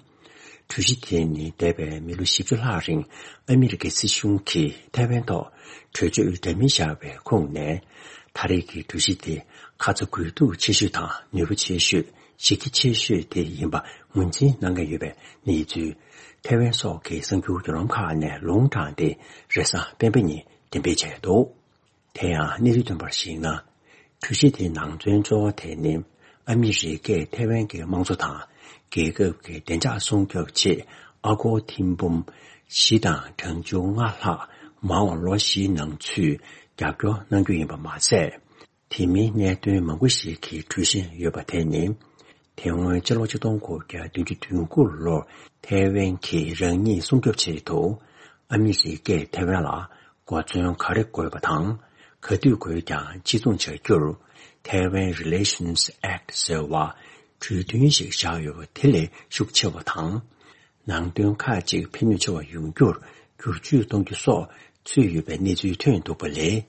གྲོས་གཞི་དེ་ནི་འདས་པའི་མི་ལོ་བཞི་བཅུ་ལྷག་རིང་ཨ་མི་རི་ཀའི་སྲིད་གཞུང་གིས་ཐའེ་ཝན་ཐོག་གྲོས་ཆོད་འདྲ་མིན་བཞག་པའི་ཁུངས་ནས། ད་རེས་ཀྱི་གྲོས་གཞི་དེ་ཁ་ཚ་དགོས་གཏུག་ཆེ་ཤོས་དང་ནུས་པ་ཆེ་ཤོས་གཞི་རྒྱ་ཆེ་ཤོས་དེ་ཡིན་པ་ངོས་འཛིན་གནང་གི་ཡོད་པའི་གནས་ཚུལ་ཐའེ་ཝན་སོགས་ཀྱི་གསར་འགྱུར་བརྒྱུད་ལམ་ཁག་ནས་ལུང་དྲངས་ཏེ་རེས་གཟའ་སྤེན་པ་ཉིན་འགྲེམས་སྤེལ་བྱས་འདུག་དེ་ཡང་གནས་ཚུལ་ཐོན་པར་གཞིགས་ན། གྲོས་གཞི་དེའི་ནང་དོན་གཙོ་བོ་དེ་ནི་ཨ་མི་རི་ཀས་ཐའེ་ཝན་གྱི་དམངས་གཙོ་དང་རྒྱལ་ཁབ་ཀྱི་བདེ་འཇགས་སྲུང་སྐྱོབ་ཆེད་ཨ་སྒོར་ཐེར་འབུམ་བཞི་དང་གྲངས་ཆུང་ལྔ་ལྷག་མ་འོངས་ལོ་བཞིའི་ནང་ཚུད་རྒྱབ་སྐྱོར་གནང་རྒྱུ་ཡིན་པ་མ་ཟད། དེ་མིན་གནད་དོན་མང་པོ་ཞིག་གི་གྲོས་གཞི་ཡོད་པ་དེ་ནི། དེ་སྔོན་ཕྱི་ལོ་ཆིག་སྟོང་དགུ་བརྒྱ་བདུན་ཅུ་དོན་དགུ་ལོར་ཐའེ་ཝན་གྱིས་རང་ཉིད་སྲུང་སྐྱོབ་ཆེད་དུ་ཨ་མི་རི་ཀས་ཐའེ་ཝན་ལ་གོ་མཚོན་ག་རེ་དགོས་པ་དང་། ག་དུས་དགོས་ཀྱང་གཅིག་མཚུངས་བྱ་རྒྱུར་Taiwan Relations Act ཟེར་བ་གྲོས་མཐུན་ཞིག་བཞག་ཡོད་པ་དེ་ལས་ཤུགས་ཆེ་བ་དང་། ནང་དོན་ཁག་ཅིག་ཕན་ནུས་ཆེ་བ་ཡོང་རྒྱུར་བསྒྱུར་བཅོས་གཏོང་རྒྱུ་སོགས་ཚུད་ཡོད་པའི་གནས་ཚུལ་ཐོན་འདུག་པ་ལས།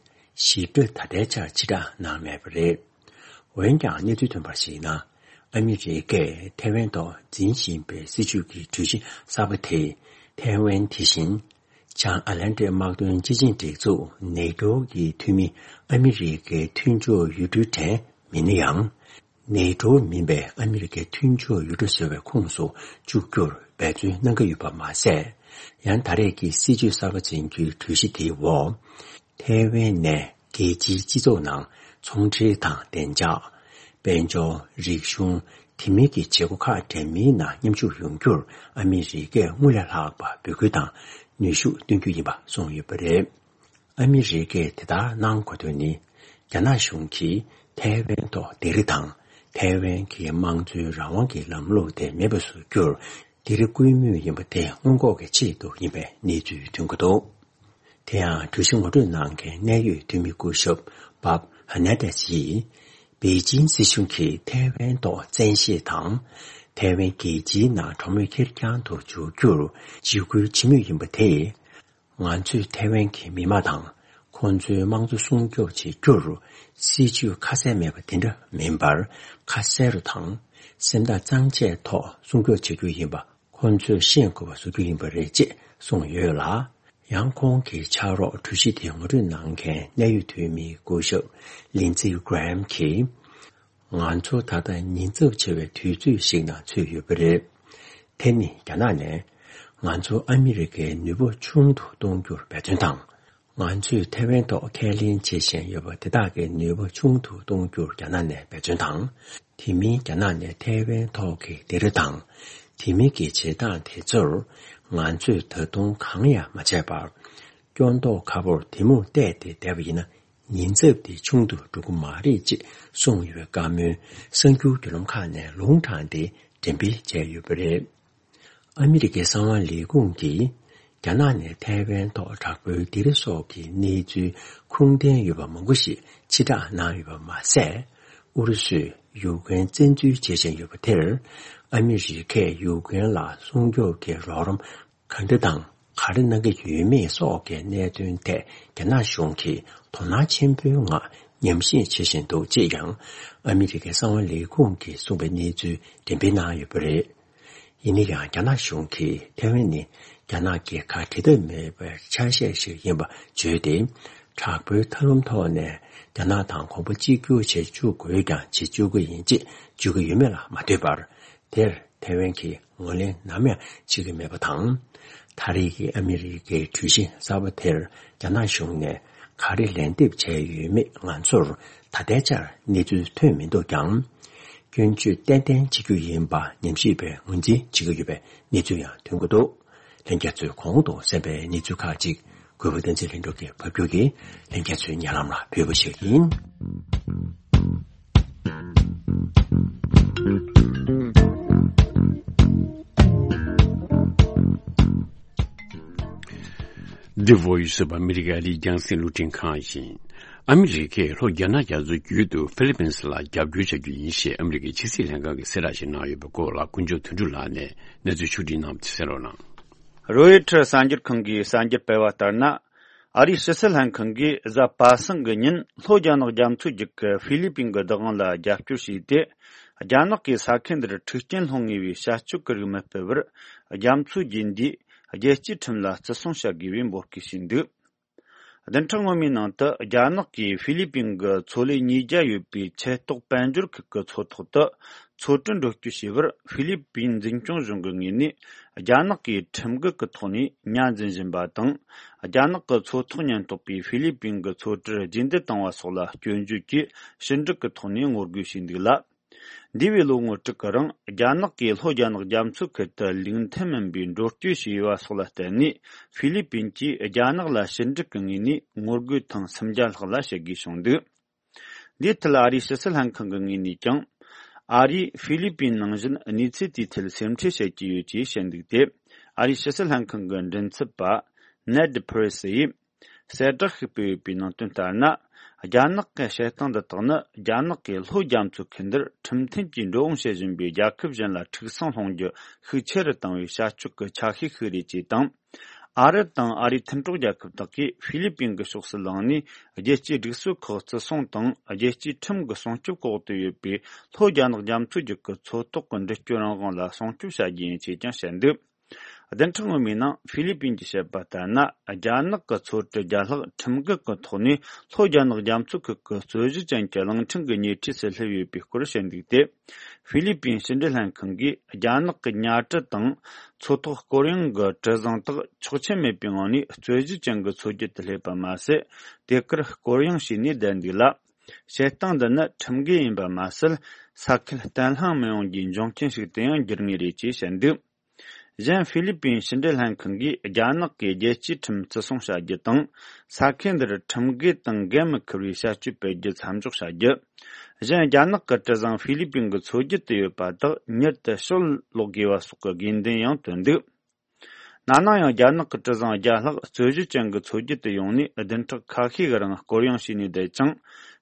ཞིབ་ཕྲ་ད་ལྟའི་ཆར་ཕྱིར་བསྒྲགས་གནང་མེད་པ་རེད། འོན་ཀྱང་གནས་ཚུལ་ཐོན་པར་གཞིགས་ན། ཨ་མི་རི་ཀས་ཐའེ་ཝན་ཐོག་འཛིན་བཞིན་པའི་སྲིད་བྱུས་ཀྱི་གྲོས་གཞི་གསར་པ་དེས་ཐའེ་ཝན་དེ་བཞིན་བྱང་ཨ་ལན་ཏི་དམག་དོན་སྤྱི་ཆིངས་སྒྲིག་འཛུགས་ནེ་ཏོ་གི་འཐུས་མི་ཨ་མི་རི་ཀའི་མཐུན་ཕྱོགས་ཡུལ་གྲུའི་གྲས་མིན་ན་ཡང་། ནེ་ཏོ་མིན་པའི་ཨ་མི་རི་ཀའི་མཐུན་ཕྱོགས་ཡུལ་གྲུ་བཟོ་བའི་ཁོངས་སུ་བཅུག་རྒྱུར་འབད་བརྩོན་གནང་གི་ཡོད་པ་མ་ཟད། ཡང་ད་རེས་ཀྱི་སྲིད་བྱུས་གསར་པ་འཛིན་རྒྱུའི་གྲོས་གཞི་དེའི་འོག་ཐའེ་ཝན་ནས་རྒྱལ་སྤྱིའི་སྤྱི་ཚོགས་ནང་ཚོང་འབྲེལ་དང་བདེ་འཇགས། དཔལ་འབྱོར། རིག་གཞུང་། དེ་མིན་གྱི་བྱེད་སྒོ་ཁག་འདྲ་མིན་ནང་མཉམ་ཞུགས་ཡོང་རྒྱུར་ཨ་མི་རི་ཀས་སྔར་ལས་ལྷག་པ་འབོད་སྐུལ་དང་ནུས་ཤུགས་བཏོན་རྒྱུ་ཡིན་པ་གསུངས་ཡོད་པ་རེད། ཨ་མི་རི་ཀས་དེ་ལྟར་གནང་དགོས་དོན་ནི། རྒྱ་ནག་གཞུང་གིས་ཐའེ་ཝན་ཐོག་སྡེ་རིགས་དང་ ཐའེ་ཝན་གྱི་དམངས་གཙོའི་རང་དབང་གི་ལམ་ལུགས་དེ་མེད་པ་བཟོ་རྒྱུར་འདིར་སྐུལ་མོས་ཡིན་པ་དེ་སྔོན་འགོག་གི་ཆེད་དུ་ཡིན་པའི་གནས་ཚུལ་ཐོན་གྱི་འདུག། དེ་ཡང་གྲོས་གཞི་ངོ་སྤྲོད་གནང་མཁན་གནད་ཡོད་འཐུས་མི་སྐུ་ཞབས་བྷབ་ཧ་ནེ་ཏེས་ཡིས། པེ་ཅིན་སྲིད་གཞུང་གིས་ཐའེ་ཝན་ཐོག་བཙན་ཤེད་དང་། ཐའེ་ཝན་རྒྱལ་སྤྱིའི་ནང་གྲོས་མོལ་ཁེར་རྐྱང་དུ་འཇོག་རྒྱུར་འཇིགས་སྐུལ་བྱེད་མུས་ཡིན་པ་དེས། ང་ཚོས་ཐའེ་ཝན་གྱི་མི་དམངས་དང་ཁོང་ཚོའི་དམངས་གཙོ་སྲུང་སྐྱོབ་བྱེད་རྒྱུར་སྲིད་ཇུས་ཁ་གསལ་མེད་པ་དེ་འདྲ་མིན་པར། ཁ་གསལ་རུ་དང་སེམས་ཐག་གཙང་བཅད་ཐོག་སྲུང་སྐྱོབ་བྱེད་རྒྱུ་ཡིན་པ་ཁོང་ཚོས་ཤེས་དགོས་པ་བཟོ་རྒྱུ་ཡིན་པ་རེད་ཅེས་གསུངས་ཡོད་ལ། ཡང་ཁོང་གི་ཕྱག་རོགས་གྲོས་གཞི་དེ་ངོ་སྤྲོད་གནང་མཁན་གནད་ཡོད་འཐུས་མི་སྐུ་ཞབས་ལིན་ཙི་གྷི་རམ་གྱིས། ང་ཚོ་ད་ལྟ་ཉེན་ཚབས་ཆེ་བའི་དུས་ཚོད་ཞིག་ནང་ཚུད་ཡོད་པ་རེད། དེ་ནི་རྒྱ་ནག་ནས་ང་ཚོ་ཨ་མི་རི་ཀའི་ནུས་པ་ཆུང་དུ་གཏོང་རྒྱུར་འབད་བརྩོན་དང་། ང་ཚོས་ཐའེ་ཝན་ཐོག་ཁས་ལེན་བྱེད་བཞིན་ཡོད་པ་དེ་དག་གི་ནུས་པ་ཆུང་དུ་གཏོང་རྒྱུར་རྒྱ་ནག་ནས་འབད་བརྩོན་དང་། དེ་མིན་རྒྱ་ནག་ནས་ཐའེ་ཝན་ཐོག་གི་སྡེ་ར་དང་། དེ་མིན་གྱི་བྱེད་སྟངས་དེ་ཚོར་ང་ཚོས་ད་དུང་གང་ཡང་མ་བྱས་པར། སྐྱོན་ཐོག་ཁ་པོར་དེ་མུར་བལྟས་ཏེ་བསྡད་པ་ཡིན་ན། ཉེན་ཚབས་དེ་ཆུང་དུ་འགྲོ་གི་མ་རེད་ཅེས་གསུངས་ཡོད་པའི་བཀའ་མོལ་གསར་འགྱུར་བརྒྱུད་ལམ་ཁག་ནས་ལུང་དྲངས་ཏེ་འགྲེམས་སྤེལ་བྱས་ཡོད་པ་རེད། ཨ་མི་རི་ཀའི་གསང་བ་ལས་ཁུངས་ཀྱིས་རྒྱ་ནག་ནས་ཐའེ་ཝན་ཐོག་དྲག་པོའི་སྡེ་ར་སོགས་ཀྱི་གནས་ཚུལ་ཁུངས་ལྡན་ཡོད་པ་མང་པོ་ཞིག་ཕྱིར་བསྒྲགས་གནང་ཡོད་པ་མ་ཟད། ཨུ་རུ་སུས་ཡུཀ་རེན་བཙན་འཛུལ་བྱེད་བཞིན་ཡོད་པ་དེར། ཨ་མི་རི་ཀས་ཡུཀ་རེན་ལ་སྲུང་སྐྱོབ་ཀྱི་རོགས་རམ་ག་འདྲ་དང་ག་རེ་གནང་གི་ཡོད་མེད་སོགས་ཀྱི་གནད་དོན་ཐད་རྒྱ་ནག་གཞུང་གིས་དོ་སྣང་ཆེན་པོའི་ངང་ཉམས་ཞིབ་བྱེད་བཞིན་འདུག་ཅེས་ཀྱང་ཨ་མི་རི་ཀའི་གསང་བ་ལས་ཁུངས་ཀྱིས་གསུངས་པའི་གནས་ཚུལ་འགྲེམས་སྤེལ་གནང་ཡོད་པ་རེད། ཡིན་ན་ཡང་རྒྱ་ནག་གཞུང་གིས་ཐའེ་ཝན་ནི་རྒྱ་ནག་གི་ཁ་འབྲལ་ཐབས་མེད་པའི་ཆ་ཤས་ཤིག་ཡིན་པ་བརྗོད་དེ། དྲག་པོའི་ཐབས་ལམ་ཐོག་ནས་རྒྱ་ནག་དང་གོམ་པ་གཅིག་གྱུར་བྱེད་བཅུག་དགོས་ཀྱང་བྱེད་བཅུག་གི་ཡིན་ཅེས་བརྗོད་ཀྱི་ཡོད་མེད་ལ་མ་ལྟོས་པར། དེར་ཐའེ་ཝན་གྱིས་ངོས་ལེན་ནམ་ཡང་བྱེད་ཀྱི་མེད་པ་དང་། ད་རེས་ཀྱི་ཨ་མི་རི་ཀའི་གྲོས་གཞི་གསར་པ་དེར་རྒྱ་ནག་གཞུང་ནས་ག་རེ་ལན་འདེབས་བྱས་ཡོད་མེད་ང་ཚོར་ད་ལྟའི་ཆར་གནས་ཚུལ་ཐོན་མི་འདུག་ཀྱང་། སྐྱོན་བརྗོད་ཏན་ཏན་བྱེད་རྒྱུ་ཡིན་པ་ཉམས་ཞིབ་པས་ངོས་འཛིན་བྱེད་ཀྱི་ཡོད་པའི་གནས་ཚུལ་ཡང་ཐོན་གྱི་འདུག། ལྷན་རྒྱས་ཚོས་གོང་དུ་གསན་པའི་གནས་ཚུལ་ཁག་ཅིག་གུས་པ་བསྟན་འཛིན་ལྷུན་གྲུབ་ཀྱིས་ཕབ་སྒྱུར་གྱིས་ལྷན་རྒྱས་ཚོའི་སྙན་ལམ་ལ་ཕུལ་བ་ཞིག་ཡིན། The Voice of America ཨ་རིའི་རྒྱང་སྲིང་རླུང་འཕྲིན་ཁང་ཡིན། ཨ་མི་རི་ཀས་ལྷོ་རྒྱ་ནག་རྒྱ་མཚོ་བརྒྱུད་དུ་ཧྥི་ལི་པིན་སི་ལ་རྒྱབ་སྐྱོར་བྱ་རྒྱུ་ཡིན་ཞེས་ཨ་མི་རི་ཀའི་ཕྱི་སྲིད་ལྷན་ཁང་གིས་གསལ་བསྒྲགས་ཤིག་གནང་ཡོད་པའི་སྐོར་ལ་དཀོན་མཆོག་དོན་གྲུབ་ལགས་ནས་གནས་ཚུལ་ཕྱོགས་བསྒྲིགས་གནང་བ་དེ་གསན་རོགས་གནང་། རོའི་ཊར་གསར་འགྱུར་ཁང་གིས་གསར་འགྱུར་སྤེལ་བ་ལྟར་ན། ཨ་རིའི་ཕྱི་སྲིད་ལྷན་ཁང་གིས་གཟའ་པ་སངས་ཀྱི་ཉིན་ལྷོ་རྒྱ་ནག་རྒྱ་མཚོ་རྒྱུད་ཀྱི་ཧྥི་ལི་པིན་གྱི་བདག་དབང་ལ་རྒྱབ་སྐྱོར་བྱས་ཏེ། རྒྱ་ནག་གིས་ས་ཁུལ་འདིར་འཁྲུག་རྐྱེན་སློང་ངེས་པའི་བྱ་སྤྱོད་ཀྱི་རིགས་མི་སྤེལ་བར། རྒྱ་མཚོ་རྒྱས་འདིས་རྒྱལ་སྤྱིའི་ཁྲིམས་ལ་བརྩི་སྲུང་བྱ་དགོས་པའི་འབོད་སྐུལ་བྱས་འདུག། བདུན་ཕྲག་སྔོན་མའི་ནང་དུ་རྒྱ་ནག་གིས་ཧྥི་ལི་པིན་གྱི་མཚོ་ལས་ཉིས་བརྒྱ་ཡོད་པའི་ཆེ་ཐོག་དཔལ་འབྱོར་ཁུལ་གྱི་མཚོ་ཐོག་ཏུ་མཚོ་གྲུ་འགྲུལ་སྐྱོད་བྱས་པར་ཧྥི་ལི་པིན་འཛིན་སྐྱོང་གཞུང་གི་ངོས་ནས་རྒྱ་ནག་གིས་ཁྲིམས་འགལ་གྱི་ཐོག་ནས་ཉར་འཛིན་བཞིན་པ་དང་། རྒྱ་ནག་གི་མཚོ་ཐོག་ཉེན་རྟོག་པས་ཧྥི་ལི་པིན་གྱི་མཚོ་གྲུར་རྗེས་འདེད་བཏང་བ་སོགས་ལ་སྐྱོན་བརྗོད་ཀྱིས་ཕྱི་འབྲེལ་གྱི་ཐོག་ནས་ངོ་རྒོལ་བྱས་འདུག་ལ། འདས་པའི་ལོ་ངོ་དྲུག་གི་རིང་རྒྱ་ནག་གིས་ལྷོ་རྒྱ་ནག་རྒྱ་མཚོའི་ཁུལ་དུ་ལུགས་མཐུན་མིན་པའི་འགྲོ་སྐྱོད་བྱས་པ་སོགས་ལ་བརྟེན་ནས་ཧྥི་ལི་པིན་གྱིས་རྒྱ་ནག་ལ་ཕྱི་འབྲེལ་གྱི་ངོས་ནས་ངོ་རྒོལ་ཐེངས་སུམ་བརྒྱ་ལྷག་ལ་བྱེད་དགོས་བྱུང་འདུག། འདིའི་ཐད་ཨ་རིའི་ཕྱི་སྲིད་ལྷན་ཁང་གི་ངོས་ནས་ཀྱང་། ཨ་རིས་ཧྥི་ལི་པིན་ནང་བཞིན་གནས་ཚུལ་དེའི་ཐད་སེམས་ཁྲལ་བྱེད་ཀྱི་ཡོད་ཅེས་བཤད་འདུག་སྟེ། ཨ་རིའི་ཕྱི་སྲིད་ལྷན་ཁང་གི་མགྲིན་ཚབ་པ་ནེད་པི་རེས་ཡིས། གསལ་བསྒྲགས་ཤིག་སྤེལ་ཡོད་པའི་ནང་དོན་ལྟར་ན། རྒྱ་ནག་གི་བྱེད་སྟངས་འདི་དག་ནི་རྒྱ་ནག་གིས་ལྷོ་རྒྱ་མཚོའི་ཁུལ་འདིར་ཁྲིམས་མཐུན་གྱིས་འགྲོ་འོང་བྱེད་བཞིན་པའི་རྒྱལ་ཁབ་གཞན་ལ་འཁྲུག་སྲིང་སློང་རྒྱུ་ཤུགས་ཆེ་རུ་བཏང་བའི་བྱ་སྤྱོད་ཀྱི་ཆ་ཤས་ཤིག་རེད་ཅེས་དང་། ཨ་རི་དང་ཨ་རིའི་མཐུན་གྲོགས་རྒྱལ་ཁབ་དག་གིས་ཧྥི་ལི་པིན་གྱི་ཕྱོགས་སུ་ལངས་ནས་རྒྱལ་སྤྱིའི་སྒྲིག་སྲོལ་ཁག་བརྩི་སྲུང་དང་རྒྱལ་སྤྱིའི་ཁྲིམས་ཀྱི་སྲུང་སྐྱོབ་འོག་ཏུ་ཡོད་པའི་ལྷོ་རྒྱ་ནག་རྒྱ་མཚོ་རྒྱུད་ཀྱི་མཚོ་ཐོག་གི་འགྲུལ་སྐྱོད་རང་དབང་ལ་སྲུང་སྐྱོབ་བྱ་རྒྱུ་ཡིན་ཅེས་ཀྱང་བཤད་འདུག། བདུན་ཕྲག་སྔོན་མའི་ནང་ཧྥི་ལི་པིན་གྱིས་བཤད་པ་ལྟར་ན། རྒྱ་ནག་གི་མཚོ་གྲུ་བརྒྱ་ལྷག་ཁྲིམས་འགལ་གྱི་ཐོག་ནས་ལྷོ་རྒྱ་ནག་རྒྱ་མཚོ་ཁུལ་གྱི་རྩོད་གཞི་ཅན་གྱི་གླིང་ཕྲན་གྱི་ཉེ་འཁྲིས་སུ་སླེབས་ཡོད་པའི་སྐོར་བཤད་འདུག་སྟེ། ཧྥི་ལི་པིན་ཕྱི་འབྲེལ་ལྷན་ཁང་གིས་རྒྱ་ནག་གི་ཉ་གྲུ་དང་མཚོ་ཐོག་སྐོར་གཡེང་གི་གྲུ་གཟིངས་དག་ཆོག་མཆན་མེད་པའི་ངང་ནས་རྩོད་གཞི་ཅན་གྱི་མཚོ་རྒྱུད་དུ་སླེབས་པ་མ་ཟད། དེ་གར་སྐོར་གཡེང་བྱས་ནས་བསྡད་འདུག་ལ། བྱེད་སྟངས་འདི་ནི་ཁྲིམས་འགལ་ཡིན་པ་མ་ཟད། ས་ཁུལ་བརྟན་ལྷིང་མི་ཡོང་རྒྱུའི་འབྱུང་རྐྱེན་ཞིག་ཏུ་ཡང་འགྱུར་ངེས་རེད་ཅེས་བཤད་འདུག། གཞན་ཧྥི་ལི་པིན་ཕྱི་འབྲེལ་ལྷན་ཁང་གིས་རྒྱ་ནག་གིས་རྒྱལ་སྤྱིའི་ཁྲིམས་བརྩི་སྲུང་བྱ་རྒྱུ་དང་། ས་ཁུལ་འདིར་ཁྲིམས་འགལ་དང་འགན་མི་འཁུར་བའི་བྱ་སྤྱོད་སྤེལ་རྒྱུ་མཚམས་འཇོག་བྱ་རྒྱུ། གཞན་རྒྱ་ནག་གི་གྲུ་གཟིངས་ཧྥི་ལི་པིན་གྱི་མཚོ་རྒྱུད་དུ་ཡོད་པ་དག་མྱུར་དུ་ཕྱིར་སློག་དགོས་པ་སོགས་ཀྱི་དགོས་འདུན་ཡང་བཏོན་འདུག། ན་ནིང་ཡང་རྒྱ་ནག་གི་གྲུ་གཟིངས་བརྒྱ་ལྷག་རྩོད་གཞི་ཅན་གྱི་མཚོ་རྒྱུད་དུ་ཡོང་ནས་བདུན་ཕྲག་ཁ་ཤས་ཀྱི་རིང་སྐོར་གཡེང་བྱས་ནས་བསྡད་ཅིང་།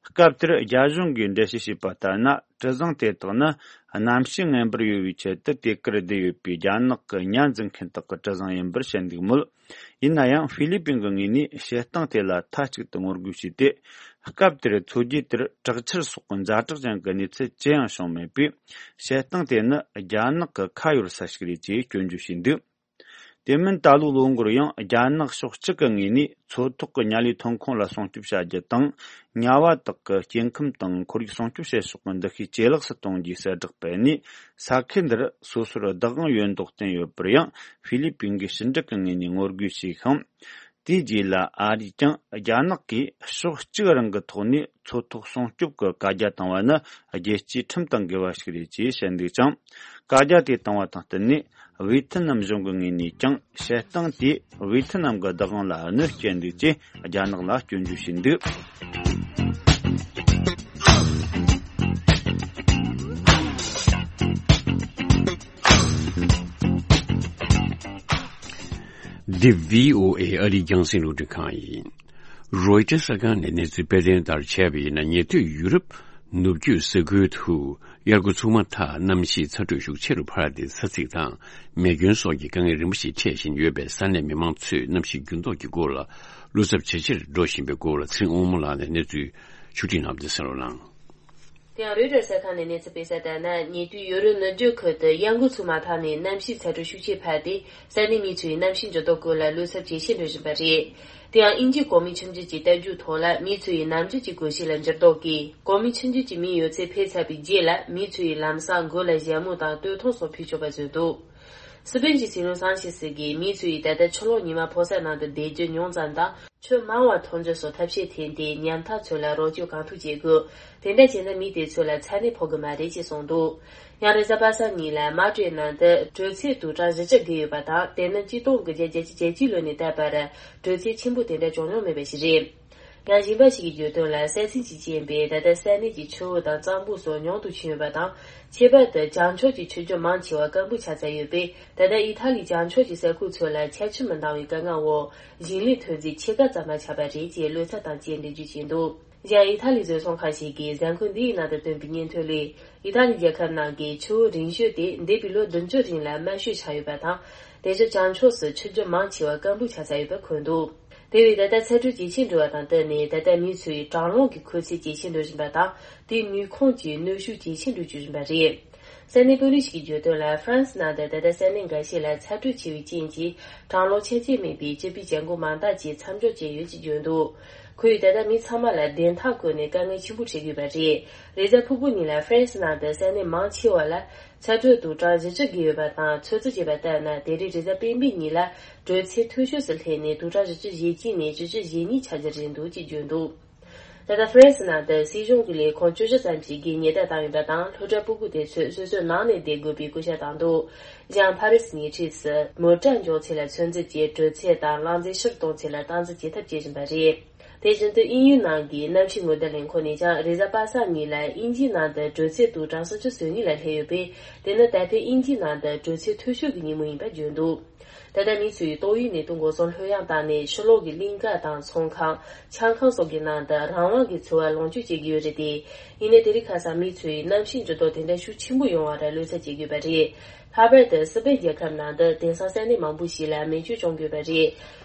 སྐབས་དེར་རྒྱ་གཞུང་གིས་འགྲེལ་བཤད་བྱས་པ་ལྟར་ན། གྲུ་གཟིངས་དེ་དག་ནི་གནམ་གཤིས་ངན་པར་གཡོལ་བའི་ཆེད་དུ་དེ་གར་བསྡད་ཡོད་པའི་རྒྱ་ནག་གི་ཉ་འཛིན་མཁན་དག་གི་གྲུ་གཟིངས་ཡིན་པར་བཤད་འདུག་མོད། ཡིན་ན་ཡང་ཧྥི་ལི་པིན་གྱི་ངོས་ནས་བཤད་སྟངས་དེ་ལ་མཐའ་གཅིག་ཏུ་ངོ་རྒོལ་བྱས་ཏེ། སྐབས་དེར་མཚོ་རྒྱུད་དེར་དྲག་ཆར་སོགས་ཀྱི་ཛ་དྲག་ཅན་གྱི་གནས་ཚུལ་ཅི་ཡང་བྱུང་མེད་པས། བཤད་སྟངས་དེ་ནི་རྒྱ་ནག་གི་ཁ་གཡར་ས་ཞིག་རེད་ཅེས་སྐྱོན་བརྗོད་བྱས་འདུག། དེ་མིན་ད་ལོའི་ལོ་འགོར་ཡང་རྒྱ་ནག་ཕྱོགས་གཅིག་གི་ངོས་ནས་མཚོ་ཐོག་གི་ཉ་ལི་ཐོན་ཁུངས་ལ་སྲུང་སྐྱོབ་བྱ་རྒྱུ་དང་། ཉ་བ་དག་གི་སྐྱེ་ཁམས་དང་ཁོར་ཡུག་སྲུང་སྐྱོབ་བྱེད་ཕྱོགས་ཀྱི་འདུ་ཤེས་ཇེ་ལེགས་སུ་གཏོང་རྒྱུའི་གསལ་བསྒྲགས་སྤེལ་ནས། ས་ཁུལ་འདིར་སོ་སོར་བདག་དབང་ཡོད་མདོག་བསྟན་ཡོད་པར་ཡང་ཧྥི་ལི་པིན་གྱི་ཕྱི་འབྲེལ་གྱི་ངོས་ནས་ངོ་རྒོལ་བྱས་ཤིང་། དེའི་རྗེས་ལ་ཨ་རིས་ཀྱང་རྒྱ་ནག་གིས་ཕྱོགས་གཅིག་རང་གི་ཐོག་ནས་མཚོ་ཐོག་སྲུང་སྐྱོབ་ཀྱི་བཀའ་རྒྱ་བཏང་བ་ནི་རྒྱལ་སྤྱིའི་ཁྲིམས་དང་འགལ་བ་ཞིག་རེད་ཅེས་བཤད་འདུག་ཅིང་། བཀའ་རྒྱ་དེ་བཏང་བ་དང་བསྟུན་ནས་ཝེ་ཐི་ནམ་གཞུང་གི་ངོས་ནས་ཀྱང་བཤད་སྟངས་དེས་ཝེ་ཐི་ནམ་གྱི་བདག་དབང་ལ་གནོད་སྐྱེལ་འདུག་ཅེས་རྒྱ་ནག་ལ་སྐྱོན་བརྗོད་བྱས་འདུག། འདི་བྷི་ཨོ་ཨེ་ཨ་རིའི་རྒྱང་སྲིང་རླུང་འཕྲིན་ཁང་ཡིན། རོའི་ཊར་གསར་ཁང་ནས་གནས་ཚུལ་སྤེལ་དོན་ལྟར་བྱས་པ་ཡིན་ན། ཉེ་དུས་ཡུ་རོབ་ནུབ་རྒྱུད་ས་ཁུལ་དུ་དབྱར་ཁུག་ཚུགས་མ་ཐག་གནམ་གཤིས་ཚ་དྲོད་ཤུགས་ཆེ་རུ་འཕར་ཏེ། ཚ་ཚིག་དང་མེ་སྐྱོན་སོགས་ཀྱི་དཀའ་ངལ་རིམ་པ་ཞིག་འཕྲད་བཞིན་ཡོད་པས། ས་གནས་མི་མང་ཚོས་གནམ་གཤིས་འགྱུར་ལྡོག་གི་སྐོར་ལ་བློ་འཚབ་ཇེ་ཆེར་འགྲོ་བཞིན་པའི་སྐོར་ལ་ཚེ་རིང་དབང་མོ་ལགས་ནས་གནས་ཚུལ་ཕྱོགས་སྒྲིག་གནང་བ་དེ་གསན་རོགས་གནང་། དེ་ཡང་རོའི་ཊར་གསར་ཁང་ནས་གནས་ཚུལ་སྤེལ་གསལ་ལྟར་ན། ཉེ་དུས་ཡུ་རོབ་ནུབ་རྒྱུད་ཁུལ་དུ་དབྱར་ཁུག་ཚུགས་མ་ཐག་ནས་གནམ་གཤིས་ཚ་དྲོད་ཤུགས་ཆེ་འཕར་ཏེ། ས་གནས་མི་ཚོས་གནམ་གཤིས་འགྱུར་ལྡོག་སྐོར་ལ་བློ་འཚབ་ཇེ་ཆེར་འགྲོ་བཞིན་པ་རེད། དེ་ཡང་དབྱིན་ཇིའི་གོ་མིན་ཆུང་བརྗོད་ཀྱི་ལྟ་རྒྱུག་ཐོག་ལ། མི་ཚོ་ཡི་ནམ་རྒྱུན་གྱི་དགོས་གཞི་ལ་འགྱུར་ལྡོག་གིས། གོ་མིན་ཆུང་བརྗོད་ཀྱི་མིའི་ཡོད་ཚད་འཕེལ་ཚར་བའི་རྗེས་ལ། མི་ཚོ་ཡིས་ལམ་སང་མགོ་ལ་ཞྭ་མོ་དང་སྟོད་ཐུང་སོགས་ཕུད་ཆོག་པ་བཟོས་འདུག། སི་པེན་གྱི་སྲིད་བློན་སན་ཆེ་སི་གིས་མི་ཚོ་ཡིས་ད་ལྟ་ཕྱི་ལོགས་ཉི་མ་ཕོ་གསར་ནང་དུ་བསྡད་རྒྱུ་ཉུང་ཙམ་དང་། ཆུ་མང་བ་འཐུང་རྒྱུ་སོགས་ཐབས་ཤེས་འཐེན་ཏེ། ཉམ་ཐག་ཚོ་ལ་རོགས་སྐྱོར་གང་ཐུབ་བྱེད་དགོས། དེ་འདྲ་བྱས་ན་མི་དེ་ཚོ་ལ་ཚ་ནད་ཕོག་གི་མ་རེད་ཅེས་གསུངས་འདུག། ཡང་རེས་གཟའ་པ་སངས་ཉིན་ལ་མ་ཏྲོའི་ནང་དུ་དྲོད་ཚད་དུ་གྲངས་བཞི་བཅུ་བརྒལ་ཡོད་པ་དང་། དེ་ནི་ཆིག་སྟོང་དགུ་བརྒྱ་བརྒྱད་ཅུ་གྱ་གཅིག་ལོ་ནས་ད་བར་དྲོད་ཚད་ཆེན་པོ་དེ་འདྲ་བྱུང་མྱོང་མེད་པ་ཞིག་རེད། ཡང་གཞན་པ་ཞིག་གིས་བརྗོད་དོན་ལ། ས་ཚིགས་ཀྱིས་རྐྱེན་པས་ད་ལྟ་ས་གནས་ཀྱི་ཆུ་བོ་དང་གཙང་པོ་སོགས་ཉུང་དུ་ཕྱིན་ཡོད་པ་དང་། ཁྱད་པར་དུ་བྱང་ཕྱོགས་ཀྱི་ཆུ་རྒྱུད་མང་ཆེ་བ་སྐམ་པོ་ཆགས་ཚར་ཡོད་པས། ད་ལྟ་ཨི་ཐ་ལིའི་བྱང་ཕྱོགས་ཀྱི་ས་ཁུལ་ཚོ་ལ་ཆར་ཆུ་མི་འདང་བའི་དཀའ་ངལ་འོག་ཞིང་ལས་ཐོན་རྫས་ཕྱེད་ཀ་ཙམ་མ་ཆགས་པ་རེད་ཅེས་བློ་འཚབ་དང་བཅས་འགྲེལ་བརྗོད་བྱས་འདུག། གཞན་ཨི་ཐ་ལིའི་བཟོ་ཚོང་ཁང་ཞིག་གིས་གཟའ་འཁོར་འདིའི་ནང་དུ་བཏོན་པའི་སྙན་ཐོ་ལས། ཨི་ཐ་ལི་རྒྱལ་ཁབ་ནང་གི་ཆུ་བོ་རིང་ཤོས་དེ་འདས་པའི་ལོ་བདུན་ཅུ་རིང་ལ་དམའ་ཤོས་ཆགས་ཡོད་པ་དང་། དེ་བཞིན་བྱང་ཕྱོགས་སུ་ཆུ་རྒྱུད་མང་ཆེ་བ་སྐམ་པོ་ཆགས་ཚར་ཡོད་པ་འཁོད་འདུག། དེ་བས་ད་ལྟ་ཚ་དྲོད་ཇེ་ཆེར་འགྲོ་བ་དང་བསྟུན་ནས། ད་ལྟ་མི་ཚོའི་གྲང་རླུང་གི་ཁུལ་ཚད་ཇེ་ཆེར་འགྲོ་བཞིན་པ་དང་། དེས་ནུས་ཁུངས་ཀྱི་གནོན་ཤུགས་ཇེ་ཆེར་འགྲོ་བཅུག་བཞིན་པ་རེད། ས་གནས་དཔོན་རིགས་ཤིག་གིས་བརྗོད་དོན་ལ། ཧྥ་རན་སི་ནང་དུ་ད་ལྟ་ས་གནས་འགའ་ཤས་ལ་ཚ་དྲོད་ཆེ་བའི་རྐྱེན་གྱིས། གྲང་རླུང་ཆ་རྐྱེན་མེད་པའི་སྤྱི་པའི་བྱེད་སྒོ་མང་དག་ཅིག་མཚམས་འཇོག་བྱས་ཡོད་ཅེས་བརྗོད་འདུག། ཁོས་ད་ལྟ་མི་ཚང་མ་ལ་བདེན་མཐའ་བཀོད་ནས་དཀའ་ངལ་ཆེན་པོ་འཕྲད་ཀྱི་ཡོད་པ་རེད། རེས་གཟའ་ཕུར་བུ་ཉིན་ལ་ཧྥ་རན་སི་ནང་དུ་ས་གནས་མང་ཆེ་བ་ལ། ཚ་དྲོད་དུ་གྲངས་བཞི་བཅུ་བརྒལ་ཡོད་པ་དང་། ཚོད་བསྲེ་བྱས་པ་ལྟར་ན། དེ་རིང་རེས་གཟའ་སྤེན་པའི་ཉིན་ལ་དྲོད་ཚད་མཐོ་ཤོས་སུ་སླེབས་ནས། དུ་གྲངས་བཞི་བཅུ་ཞེ་གཅིག་ནས་བཞི་བཅུ་ཞེ་གཉིས་ཆགས་ཀྱི་རེད་འདུག་ཅེས་བརྗོད་འདུག། ད་ལྟ་ཧྥ་རན་སི་ནང་དུ་སྲིད་གཞུང་གི་ལས་ཁུངས་བཅུ་བཞི་ཙམ་ཞིག་གིས་ཉེས་རྡུང་བཏང་ཡོད་པ་དང་། སློབ་གྲྭ་ཕྲུ་གུ་དེ་ཚོས་སོ་སོའི་ནང་ནས་བསྡད་དགོས་པའི་སྐུལ་ལྕག་བཏང་འདུག། གཞན་ཕ་རི་སི་ཉེ་འཁྲིས་སུ་མོ་ཊ་འཇོག་ཚད་ལ་ཚོད་འཛིན་གྱིས། དྲོད་ཚད་དང་རླངས་རྫས་ཕྱིར་གཏོང་ཚད་ལ་སྟངས་འཛིན་བྱེད་ཐབས་བྱེད་བཞིན་པ་རེད། དེ་བཞིན་དུ་དབྱིན་ཡུལ་ནང་གི་གནམ་གཤིས་སྔོན་བརྡ་ལས་ཁུངས་ནས་ཀྱང་། རེས་གཟའ་པ་སངས་ཉིན་ལ་དབྱིན་ཇིའི་ནང་དུ་དྲོད་ཚད་དུ་གྲངས་སུམ་ཅུ་སོ་གཉིས་ལ་སླེབས་ཡོད་པས། དེ་ནི་ད་ཕན་དབྱིན་ཇིའི་ནང་དུ་དྲོད་ཚད་མཐོ་ཤོས་ཀྱི་ཉིན་མོ་ཡིན་པ་བརྗོད་འདུག། ད་ལྟ་མི་ཚོས་ཏོག་དབྱིབས་ནད་དུག་འགོག་སྲུང་ལྷོད་ཡངས་བཏང་ནས། ཕྱི་ལོགས་ཀྱི་གླིང་ག་དང་ཚོང་ཁང་། ཆང་ཁང་སོགས་ཀྱི་ནང་དུ་རང་དབང་གིས་འཚོ་བ་ལོངས་སྤྱོད་བྱེད་ཀྱི་ཡོད་རེད་དེ། ཡིན་ནའི་དེ་རིང་ཁ་སང་མི་ཚོས་གནམ་གཤིས་འགྱུར་ལྡོག་དེ་འདྲ་ཤུགས་ཆེན་པོ་ཡོང་བར་བློ་འཚབ་བྱེད་ཀྱི་ཡོད་པ་རེད། ལྷག་པར་དུ་སི་པེན་རྒྱལ་ཁབ་ནང་དུ་དེང་སང་ས་གནས་མང་པོ་ཞིག་ལ་མེ་མཆོད་བྱུང་ཡོད་པ་རེད།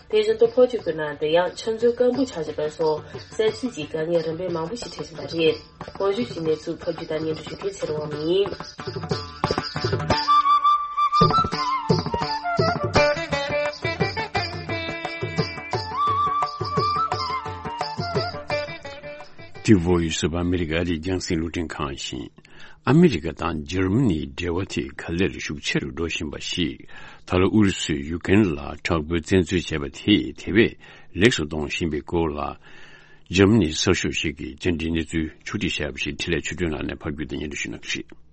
དེ་བཞིན་དུ་ཕོ་ཆུ་ཁུལ་ནང་དུ་ཡང་ཆུ་མཛོད་སྐམ་པོ་ཆགས་བཞིན་པ་སོགས་ས་ཚིགས་ཀྱི་དཀའ་ངལ་རིམ་པས་མང་པོ་ཞིག་འཕྲད་བཞིན་པ་རེད། གོང་ཞུས་ཀྱི་གནས་ཚུལ་ཕབ་སྒྱུར་དང་སྙན་སྒྲོན་ཞུ་མཁན་ཚེ་རིང་དབང་མོ་ཡིན། འདི་བོད་ཡུལ་སུ་བ་ཨ་མི་རི་ཀ་ཨ་རིའི་རྒྱང་སྲིང་རླུང་འཕྲིན་ཁང་ཡིན། ཨ་མི་རི་ཀ་དང་འཇར་མ་ནིའི་འབྲེལ་བ་དེ་ག་ལེར་ཤུགས་ཆེ་རུ་འགྲོ་བཞིན་པ་ཞིག། ད་ལོ་ཨུ་རུ་སུས་ཡུ་ཀེ་རེན་ལ་དྲག་པོའི་བཙན་འཛུལ་བྱས་པ་དེས་དེ་བས་ལེགས་སུ་གཏོང་བཞིན་པའི་སྐོར་ལ། འཇར་མ་ནིའི་གསར་ཤོག་ཞིག་གིས་བཅར་འདྲིའི་གནས་ཚུལ་ཕྱོགས་སྒྲིག་བྱས་པ་ཞིག་འཕྲིན་ལས་ཆོས་སྒྲོན་ལགས་ནས་ཕབ་སྒྱུར་དང་སྙན་སྒྲོན་ཞུ་གནང་གི་རེད།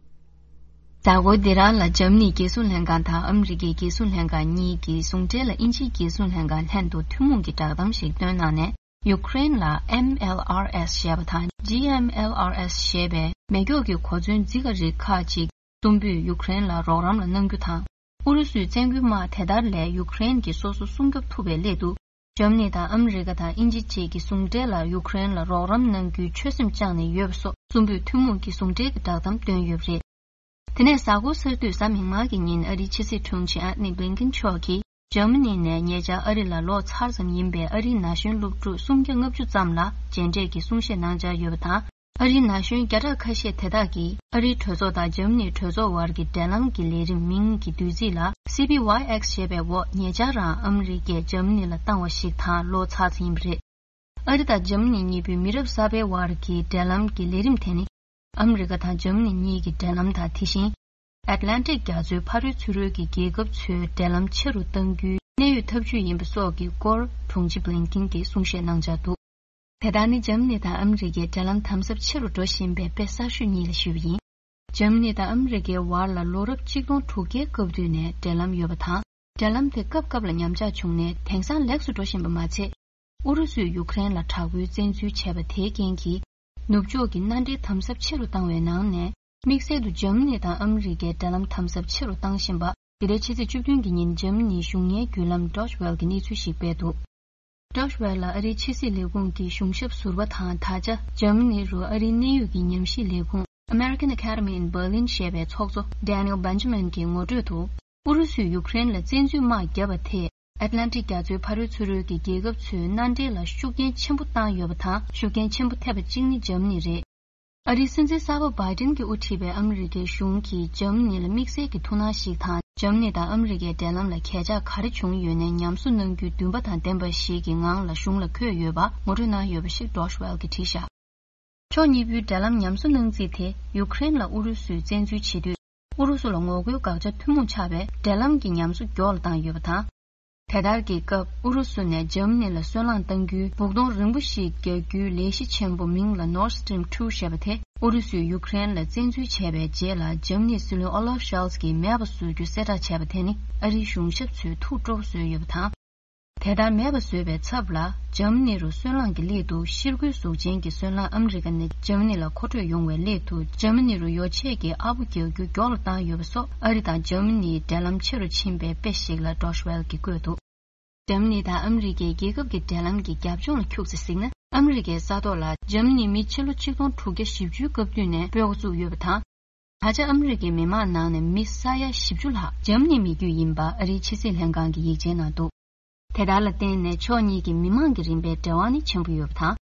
མདང་དགོང་འདི་རང་ལ་འཇར་མ་ནིའི་རྒྱལ་སྲུང་ལྷན་ཁང་དང་ཨ་མི་རི་ཀའི་རྒྱལ་སྲུང་ལྷན་ཁང་གཉིས་ཀྱི་ཟུང་འབྲེལ་ལ་དབྱིན་ཇིའི་རྒྱལ་སྲུང་ལྷན་ཁང་ལྷན་དུ་ཐུན་མོང་གི་བསྒྲགས་གཏམ་ཞིག་བཏོན་གནང་ནས། ཡུཀ་རེན་ལ་ཨེམ་ཨེལ་ཨར་ཨེས་ཞེས་པ་དང་ཇི་ཨེམ་ཨེལ་ཨར་ཨེས་ཞེས་པའི་མེ་སྒྱོགས་ཀྱི་གོ་མཚོན་རྫིག་པ་རིགས་ཁག་ཅིག་གསུམ་པོས་ཡུཀ་རེན་ལ་རོགས་རམ་ལ་གནང་རྒྱུ་དང་། ཨུ་རུ་སུའི་བཙན་རྒོལ་དམག་དེ་དག་ལས་ཡུཀ་རེན་གྱིས་སོ་སོ་སྲུང་སྐྱོབ་ཐུབ་པའི་སླད་དུ། འཇར་མ་ནི་དང་ཨ་མི་རི་ཀ་དང་དབྱིན་ཇི་བཅས་ཀྱི་ཟུང་འབྲེལ་ལ་ཡུཀ་རེན་ལ་རོགས་རམ་གནང་རྒྱུའི་ཆོད་སེམས་བཅངས་ནས་ཡོད་པ་སོགས་གསུམ་པོས་ཐུན་མོང་གི་ཟུང་འབྲེལ་གྱི་བསྒྲགས་གཏམ་བཏོན་ཡོད་པ་རེད། དེ་ནས་གཟའ་འཁོར་གསར་དུས་གཟའ་མིག་དམར་གྱི་ཉིན་ཨ་རིའི་ཕྱི་སྲིད་དྲུང་ཆེ་ཨན་ཐོ་ནི་བྷི་ལིན་ཀིན་མཆོག་གིས་འཇར་མ་ནི་ནས་ཉེ་ཆར་ཨ་རི་ལ་ལོག་ཚར་ཙམ་ཡིན་པའི་ཨ་རིའི་ན་གཞོན་སློབ་ཕྲུག་སུམ་བརྒྱ་ལྔ་བཅུ་ཙམ་ལ་མཇལ་འཕྲད་ཀྱི་གསུང་བཤད་གནང་འཆར་ཡོད་པ་དང་། ཨ་རིའི་ན་གཞོན་བརྒྱ་ཕྲག་ཁ་ཤས་དེ་དག་གིས་ཨ་རིའི་གྲོས་ཚོགས་དང་འཇར་མ་ནིའི་གྲོས་ཚོགས་དབར་གྱི་འབྲེལ་ལམ་གྱི་ལས་རིམ་མིང་གི་བསྡུས་ཚིག་ལ་སི་པི་ཝའི་ཨེགས་ཞེས་པའི་འོག་ཉེ་ཆར་རང་ཨ་མི་རི་ཀས་འཇར་མ་ནི་ལ་བཏང་བ་ཞིག་དང་ལོག་ཚར་ཙམ་ཡིན་པ་རེད། ཨ་རི་དང་འཇར་མ་ནི་གཉིས་པོའི་མི་རབས་གསར་པའི་དབར་གྱི་འབྲེལ་ལམ་གྱི་ལས་རིམ་དེ་ནི། ཨ་མི་རི་ཀ་དང་འཇར་མ་ནི་གཉིས་ཀྱི་འབྲེལ་ལམ་དང་དེ་བཞིན། ཨེཊ་ལན་ཊིག་རྒྱ་མཚོའི་ཕ་རོལ་ཚུར་རོལ་གྱི་རྒྱལ་ཁབ་ཚོའི་འབྲེལ་ལམ་ཆེ་རུ་གཏང་རྒྱུའི་གནད་ཡོད་ཐབས་ཇུས་ཡིན་པ་སོགས་ཀྱི་སྐོར་དྲུང་ཆེ་བྷི་ལིན་ཀིན་གྱིས་གསུང་བཤད་གནང་འཆར་འདུག་དེ་དག་ནི་འཇར་མ་ནི་དང་ཨ་མི་རི་ཀའི་འབྲེལ་ལམ་དམ་ཟབ་ཆེ་རུ་འགྲོ་བཞིན་པའི་དཔེ་གསར་ཤོས་གཉིས་ལ་ཞུས་པ་ཡིན། འཇར་མ་ནི་དང་ཨ་མི་རི་ཀའི་དབར་ལ་ལོ་རབས་གཅིག་སྟོང་དྲུག་བརྒྱའི་སྐབས་དུས་ནས་འབྲེལ་ལམ་ཡོད་པ་དང་། འབྲེལ་ལམ་དེ་སྐབས་སྐབས་ལ་ཉམས་ཆག་བྱུང་ནས་དེང་སང་ལེགས་སུ་འགྲོ་བཞིན་པ་མ་ཚད། ཨུ་རུ་སུས་ཡུཀ་རེན་ལ་དྲག་པོའི་བཙན་འཛུལ་བྱས་པ་དེའི་རྐྱེན་གྱིས། ནུབ་ཕྱོགས་ཀྱི་མནའ་འབྲེལ་དམ་ཟབ་ཆེ་རུ་བཏང་བའི་ནང་ནས། དམིགས་བསལ་དུ་འཇར་མ་ནི་དང་ཨ་མི་རི་ཀའི་འབྲེལ་ལམ་དམ་ཟབ་ཆེ་རུ་བཏང་བཞིན་པ། འདི་ལོའི་ཕྱི་ཚེས་བཅུ་བདུན་གྱི་ཉིན་འཇར་མ་ནིའི་གཞུང་གཉེར་བརྒྱུད་ལམ་Deutsche Welle་གྱིས་གནས་ཚུལ་ཞིག་སྤེལ་འདུག Deutsche Welle་ལ་ཨ་རིའི་ཕྱི་སྲིད་ལས་ཁུངས་ཀྱི་གཞུང་ཞབས་ཟུར་པ་དང་ད་ཆ་འཇར་མ་ནི་རུ་ཨ་རིའི་གནད་ཡོད་ཀྱི་ཉམས་ཞིབ་ལས་ཁུངས་American Academy in Berlin་ཞེས་པའི་ཚོགས་གཙོ་Daniel Benjamin་གྱི་ངོ་སྤྲོད་དུ། ཨུ་རུ་སུས་ཡུཀ་རེན་ལ་བཙན་འཛུལ་དམག་བརྒྱབ་པ་དེས་ཨེཊ་ལན་ཊིག་རྒྱ་མཚོའི་ཕ་རོལ་ཚུར་རོལ་གྱི་རྒྱལ་ཁབ་ཚོའི་མནའ་འབྲེལ་ལ་ཤུགས་རྐྱེན་ཆེན་པོ་བཏང་ཡོད་པ་དང་། ཤུགས་རྐྱེན་ཆེན་པོ་ཐེབས་པ་གཅིག་ནི་འཇར་མ་ནི་རེད། ཨ་རིའི་སྲིད་འཛིན་གསར་པ་བྷའི་ཏིན་གྱིས་དབུ་ཁྲིད་པའི་ཨ་མི་རི་ཀའི་གཞུང་གིས་འཇར་མ་ནི་ལ་དམིགས་བསལ་གྱི་ཐུགས་སྣང་ཞིག་དང་། འཇར་མ་ནི་དང་ཨ་མི་རི་ཀའི་འབྲེལ་ལམ་ལ་གས་ཆག་ག་རེ་བྱུང་ཡོད་ནའི་ཉམས་གསོ་གནང་རྒྱུའི་འདུན་པ་དང་ལྡན་པ་ཞིག་གི་ངང་ལ་གཞུང་ལ་འཁོད་ཡོད་པ་ངོ་སྤྲོད་གནང་ཡོད་པ་ཞིག་Deutsche Welle་གྱིས་བྲིས་བཞག་ཕྱོགས་གཉིས་པོའི་འབྲེལ་ལམ་ཉམས་གསོ་གནང་རྩིས་དེ་ཡུཀ་རེན་ལ་ཨུ་རུ་སུས་བཙན་འཛུལ་བྱེད་དུས། ཨུ་རུ་སུ་ལ་ངོ་རྒོལ་དགག་བྱ་ཐུན་མོང་ཆགས་པའི་འབྲེལ་ལམ་གྱི་ཉམས་གསོ་མགྱོགས་ལ་བཏང་ཡོད་པ་དང་། དེ་ལྟར་གྱི་སྐབས་ཨུ་རུ་སུ་ནས་འཇར་མ་ནི་ལ་སོལ་རླངས་གཏང་རྒྱུའི་སྦུག་དོང་རིང་པོ་ཞིག་རྒྱག་རྒྱུའི་ལས་གཞི་ཆེན་པོ་མིང་ལ་Nord Stream two་ཞེས་པ་དེ་ཨུ་རུ་སུས་ཡུཀ་རེན་ལ་བཙན་འཛུལ་བྱས་པའི་རྗེས་ལ་འཇར་མ་ནིའི་སྲིད་བློན་Olaf Scholz་གྱིས་མེད་པ་བཟོ་རྒྱུ་གསལ་བསྒྲགས་བྱས་པ་དེ་ནི་ཨ་རིའི་གཞུང་ཞབས་ཚོས་ཐུགས་སྤྲོ་པོ་བཟོས་ཡོད་པ་དང་། དེ་ལྟར་མེད་པ་བཟོས་པའི་ཚབ་ལ་འཇར་མ་ནི་རུ་སོལ་རླངས་ཀྱི་སླད་དུ་ཤེལ་སྒོའི་གཟུགས་ཅན་གྱི་སོལ་རླངས་ཨ་མི་རི་ཀ་ནས་འཇར་མ་ནི་ལ་མཁོ་སྤྲོད་ཡོང་བའི་སླད་དུ་འཇར་མ་ནི་རུ་ཡོ་ཆས་ཀྱི་ཨར་པོ་རྒྱག་རྒྱུ་མགྱོགས་ལ་བཏང་ཡོད་པ་སོགས་ཨ་རི་དང་འཇར་མ་ནིའི་འབྲེལ་ལམ་ཆེ་རུ་ཕྱིན་པའི་དཔེ་ཞིག་ལ་Deutsche Welle་གྱིས་བཀོད་འདུག་འཇར་མ་ནི་དང་ཨ་མི་རི་ཀའི་རྒྱལ་ཁབ་ཀྱི་འབྲེལ་ལམ་གྱི་རྒྱབ་ལྗོངས་ལ་འཁྱུག་ཙམ་གཟིགས་ན། ཨ་མི་རི་ཀའི་ས་ཐོག་ལ་འཇར་མ་ནི་མི་ཕྱི་ལོ་ཆིག་སྟོང་དྲུག་བརྒྱ་བཞི་བཅུའི་སྐབས་དུས་ནས་སྤོས་ཀ་བཙུགས་ཡོད་པ་དང་། ད་ཆ་ཨ་མི་རི་ཀའི་མི་མང་ནང་ནས་མི་ས་ཡ་བཞི་བཅུ་ལྷག་འཇར་མ་ནི་མི་རྒྱུད་ཡིན་པ་ཨ་རིའི་ཕྱི་སྲིད་ལྷན་ཁང་གི་ཡིག་ཆའི་ནང་འདུག་དེ་དག་ལ་བརྟེན་ནས་ཕྱོགས་གཉིས་ཀྱི་མི་མང་གི་རིམ་པའི་འབྲེལ་བ་ནི་ཆེན་པོ་ཡོད་པ་དང་།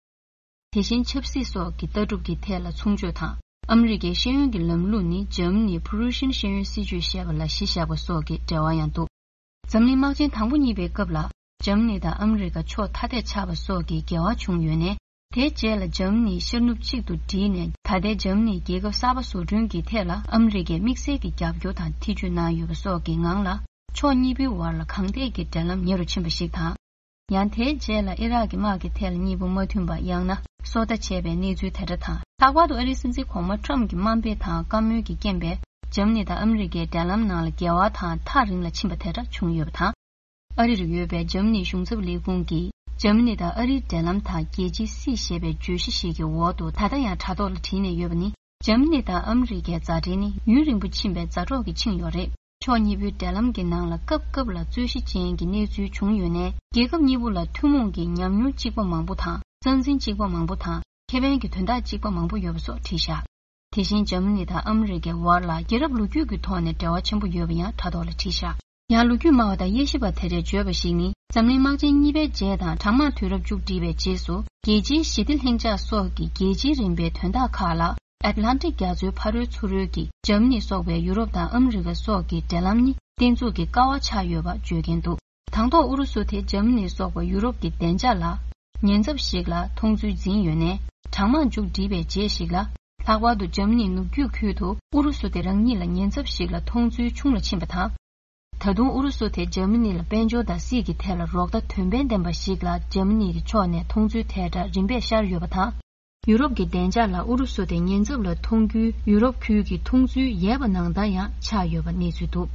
དེ་བཞིན་ཆབ་སྲིད་སོགས་ཀྱི་ལྟ་གྲུབ་ཀྱི་ཐད་ལ་མཚུངས་ཆོས་དང་། ཨ་མི་རི་ཀའི་ཤེས་ཡོན་གྱི་ལམ་ལུགས་ནི་འཇར་མ་ནིའི་Prussian་ཤེས་ཡོན་སྲིད་བྱུས་ཞེས་པ་ལ་གཞི་བཞག་པ་སོགས་ཀྱི་འབྲེལ་བ་ཡང་འདུག་འཛམ་གླིང་དམག་ཆེན་དང་པོ་གཉིས་པའི་སྐབས་ལ། འཇར་མ་ནི་དང་ཨ་མི་རི་ཀ་ཕྱོགས་ཐ་དད་ཆགས་པ་སོགས་ཀྱི་འགལ་བ་བྱུང་ཡོད་ནའི། དེའི་རྗེས་ལ་འཇར་མ་ནི་ཤར་ནུབ་གཅིག་ཏུ་བསྒྲིལ་ནས་ད་ལྟའི་འཇར་མ་ནིའི་རྒྱལ་ཁབ་གསར་པ་བཟོ་སྐྲུན་གྱི་ཐད་ལ་ཨ་མི་རི་ཀས་དམིགས་བསལ་གྱི་རྒྱབ་སྐྱོར་དང་ཐེ་ཇུས་གནང་ཡོད་པ་སོགས་ཀྱི་ངང་ལ། ཕྱོགས་གཉིས་པོའི་བར་ལ་གང་ཐད་ཀྱི་འབྲེལ་ལམ་ཉེ་རུ་ཕྱིན་པ་ཞིག་དང་། ཡང་དེའི་རྗེས་ལ་ཨི་རག་གི་དམག་གི་ཐད་ལ་གཉིས་པོ་མ་མཐུན་པ་ཡང་ན་སོ་ལྟ་བྱས་པའི་གནས་ཚུལ་དེ་འདྲ་དང་། ལྷག་པར་དུ་ཨ་རིའི་སྲིད་འཛིན་གོང་མ་ཊམ་གྱི་དམའ་འབེབས་དང་བཀའ་མོལ་གྱི་རྐྱེན་པས་འཇར་མ་ནི་དང་ཨ་མི་རི་ཀའི་འབྲེལ་ལམ་ནང་ལ་འགལ་བ་དང་ཐག་རིང་ལ་ཕྱིན་པ་དེ་འདྲ་བྱུང་ཡོད་པ་དང་། ཨ་རི་རུ་ཡོད་པའི་འཇར་མ་ནིའི་གཞུང་ཚབ་ལས་ཁུངས་ཀྱིས་འཇར་མ་ནི་དང་ཨ་རིའི་འབྲེལ་ལམ་དང་རྒྱལ་སྤྱིའི་སྲིད་ཞེས་པའི་བརྗོད་གཞི་ཞིག་གི་འོག་ཏུ་ད་ལྟ་ཡང་དྲ་ཐོག་ལ་བྲིས་ནས་ཡོད་པ་ནི། འཇར་མ་ནི་དང་ཨ་མི་རི་ཀའི་མཛའ་འབྲེལ་ནི་ཡུན་རིང་པོ་ཕྱིན་པའི་མཛའ་གྲོགས་ཀྱིས་འཆིང་ཡོད་རེད། ཕྱོགས་གཉིས་པོའི་འབྲེལ་ལམ་གྱི་ནང་ལ་སྐབས་སྐབས་ལ་རྩོད་གཞི་ཅན་གྱི་གནས་ཚུལ་བྱུང་ཡོད་ནའི། རྒྱལ་ཁབ་གཉིས་པོ་ལ་ཐུན་མོང་གི་ཉམས་མྱོང་གཅིག་པ་མང་པོ་དང་། རྩ་འཛིན་གཅིག་པ་མང་པོ་དང་། ཁེ་ཕན་གྱི་དོན་དག་གཅིག་པ་མང་པོ་ཡོད་པ་སོགས་བྲིས་བཞག་དེ་བཞིན་འཇར་མ་ནི་དང་ཨ་མི་རི་ཀའི་བར་ལ་རྒྱལ་རབས་ལོ་རྒྱུས་ཀྱི་ཐོག་ནས་འབྲེལ་བ་ཆེན་པོ་ཡོད་པ་ཡང་དྲ་ཐོག་ལ་བྲིས་བཞག་ཡང་ལོ་རྒྱུས་སྨྲ་བ་དང་དབྱེ་ཞིབ་པ་དེ་འདྲས་བརྗོད་པ་ཞིག་ནི། འཛམ་གླིང་དམག་ཆེན་གཉིས་པའི་རྗེས་དང་གྲང་དམག་དུས་རབས་མཇུག་བསྒྲིལ་བའི་རྗེས་སུ། རྒྱལ་སྤྱིའི་ཞི་བདེ་ལྷིང་འཇགས་སོགས་ཀྱི་རྒྱལ་སྤྱིའི་རིམ་པའི་དོན་དག་ཁག་ལ། ཨེཊ་ལན་ཊིག་རྒྱ་མཚོའི་ཕ་རོལ་ཚུར་རོལ་གྱི་འཇར་མ་ནི་སོགས་པའི་ཡུ་རོབ་དང་ཨ་མི་རི་ཀ་སོགས་ཀྱི་འབྲེལ་ལམ་ནི་བརྟན་ཚུགས་ཀྱི་ཀ་བ་ཆགས་ཡོད་པ་བརྗོད་མཁན་འདུག་དང་ཐོག་ཨུ་རུ་སུ་དེ་འཇར་མ་ནི་སོགས་པ་ཡུ་རོབ་ཀྱི་བདེ་འཇགས་ལ་ཉེན་ཚབས་ཤིག་ལ་མཐོང་ཚུལ་འཛིན་ཡོད་ནའི། གྲང་དམག་མཇུག་བསྒྲིལ་བའི་རྗེས་ཤིག་ལ། ལྷག་པར་དུ་འཇར་མ་ནིའི་ནུབ་རྒྱུད་ཁུལ་དུ་ཨུ་རུ་སུ་དེ་རང་ཉིད་ལ་ཉེན་ཚབས་ཤིག་ལ་མཐོང་ཚུལ་ཆུང་ལ་ཕྱིན་པ་དང་། ད་དུང་ཨུ་རུ་སུ་དེ་འཇར་མ་ནི་ལ་དཔལ་འབྱོར་དང་སྲིད་ཀྱི་ཐད་ལ་རོགས་ཟླ་དོན་ཕན་ལྡན་པ་ཞིག་ལ་འཇར་མ་ནི་གི་ཕྱོགས་ནས་མཐོང་ཚུལ་དེ་འདྲ་རིམ་པས་ཤར་ཡོད་པ་དང་། ཡུ་རོབ་ཀྱི་བདེ་འཇགས་ལ་ཨུ་རུ་སུ་དེ་ཉེན་ཚབས་ལ་མཐོང་རྒྱུའི་ཡུ་རོབ་ཁུལ་གྱི་མཐོང་ཚུལ་ཡོད་པ་ནང་ལྟར་ཡང་ཆགས་ཡོད་པ་གནས་ཚུལ་འདུག་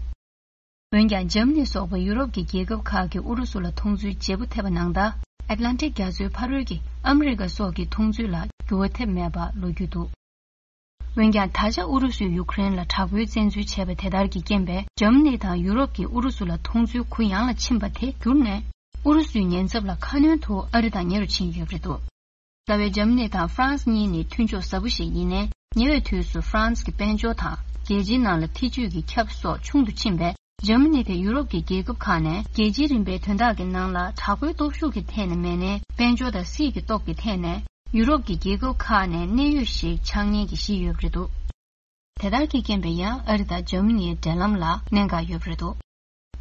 འོན་ཀྱང་འཇར་མ་ནི་སོགས་པ་ཡུ་རོབ་ཀྱི་རྒྱལ་ཁབ་ཁག་གིས་ཨུ་རུ་སུ་ལ་མཐོང་ཚུལ་བརྗེ་པོ་ཐེབས་པ་ནང་ལྟར། ཨེཊ་ལན་ཊིག་རྒྱ་མཚོའི་ཕ་རོལ་གྱི་ཨ་མི་རི་ཀ་སོགས་ཀྱི་མཐོང་ཚུལ་ལ་འགྱུར་བ་ཐེབས་མེད་པ་ལོ་རྒྱུས་འདུག་འོན་ཀྱང་ད་ཆ་ཨུ་རུ་སུས་ཡུཀ་རེན་ལ་དྲག་པོའི་བཙན་འཛུལ་བྱས་པ་དེ་ལྟར་གྱི་རྐྱེན་པས། འཇར་མ་ནི་དང་ཡུ་རོབ་ཀྱིས་ཨུ་རུ་སུ་ལ་མཐོང་ཚུལ་གུ་ཡངས་ལ་ཕྱིན་པ་དེ་གྱུར་ནས། ཨུ་རུ་སུའི་ཉེན་ཚབས་ལ་ཁ་སྣོན་དུ་ཨ་རི་དང་ཉེ་རུ་ཕྱིན་ཡོད་པ་རེད་འདུག་རྩ་བའི་འཇར་མ་ནི་དང་ཧྥ་རན་སི་གཉིས་ནི་མཐུན་ཕྱོགས་ཟབ་པོ་ཞིག་ཡིན་ནའི། ཉེ་བའི་དུས་སུ་ཧྥ་རན་སི་གི་དཔལ་འབྱོར་དང་། རྒྱལ་སྤྱིའི་ནང་ལ་ཐེ་ཇུས་ཀྱི་ཁྱབ་སོགས་ཆུང་དུ་ཕྱིན་པས། འཇར་མ་ནི་དེ་ཡུ་རོབ་ཀྱི་རྒྱལ་ཁབ་ཁག་ནས་རྒྱལ་སྤྱིའི་རིམ་པའི་དོན་དག་གི་ནང་ལ་དྲག་པོའི་སྟོབས་ཤུགས་ཀྱི་ཐད་ནས་མེད་ནའི། དཔལ་འབྱོར་དང་སྲིད་ཀྱི་སྟོབས་ཀྱི་ཐད་ནས་ཡུ་རོབ་ཀྱི་རྒྱལ་ཁབ་ཁག་ནས་གནད་ཡོད་ཞིག་ཆགས་ཉེན་གྱི་གཞི་ཡོད་པ་རེད་འདུག་དེ་ལྟར་གྱི་རྐྱེན་པས་ཡང་ཨ་རི་དང་འཇར་མ་ནིའི་འབྲེལ་ལམ་ལ་གནད་འགག་ཡོད་པ་རེད་འདུག་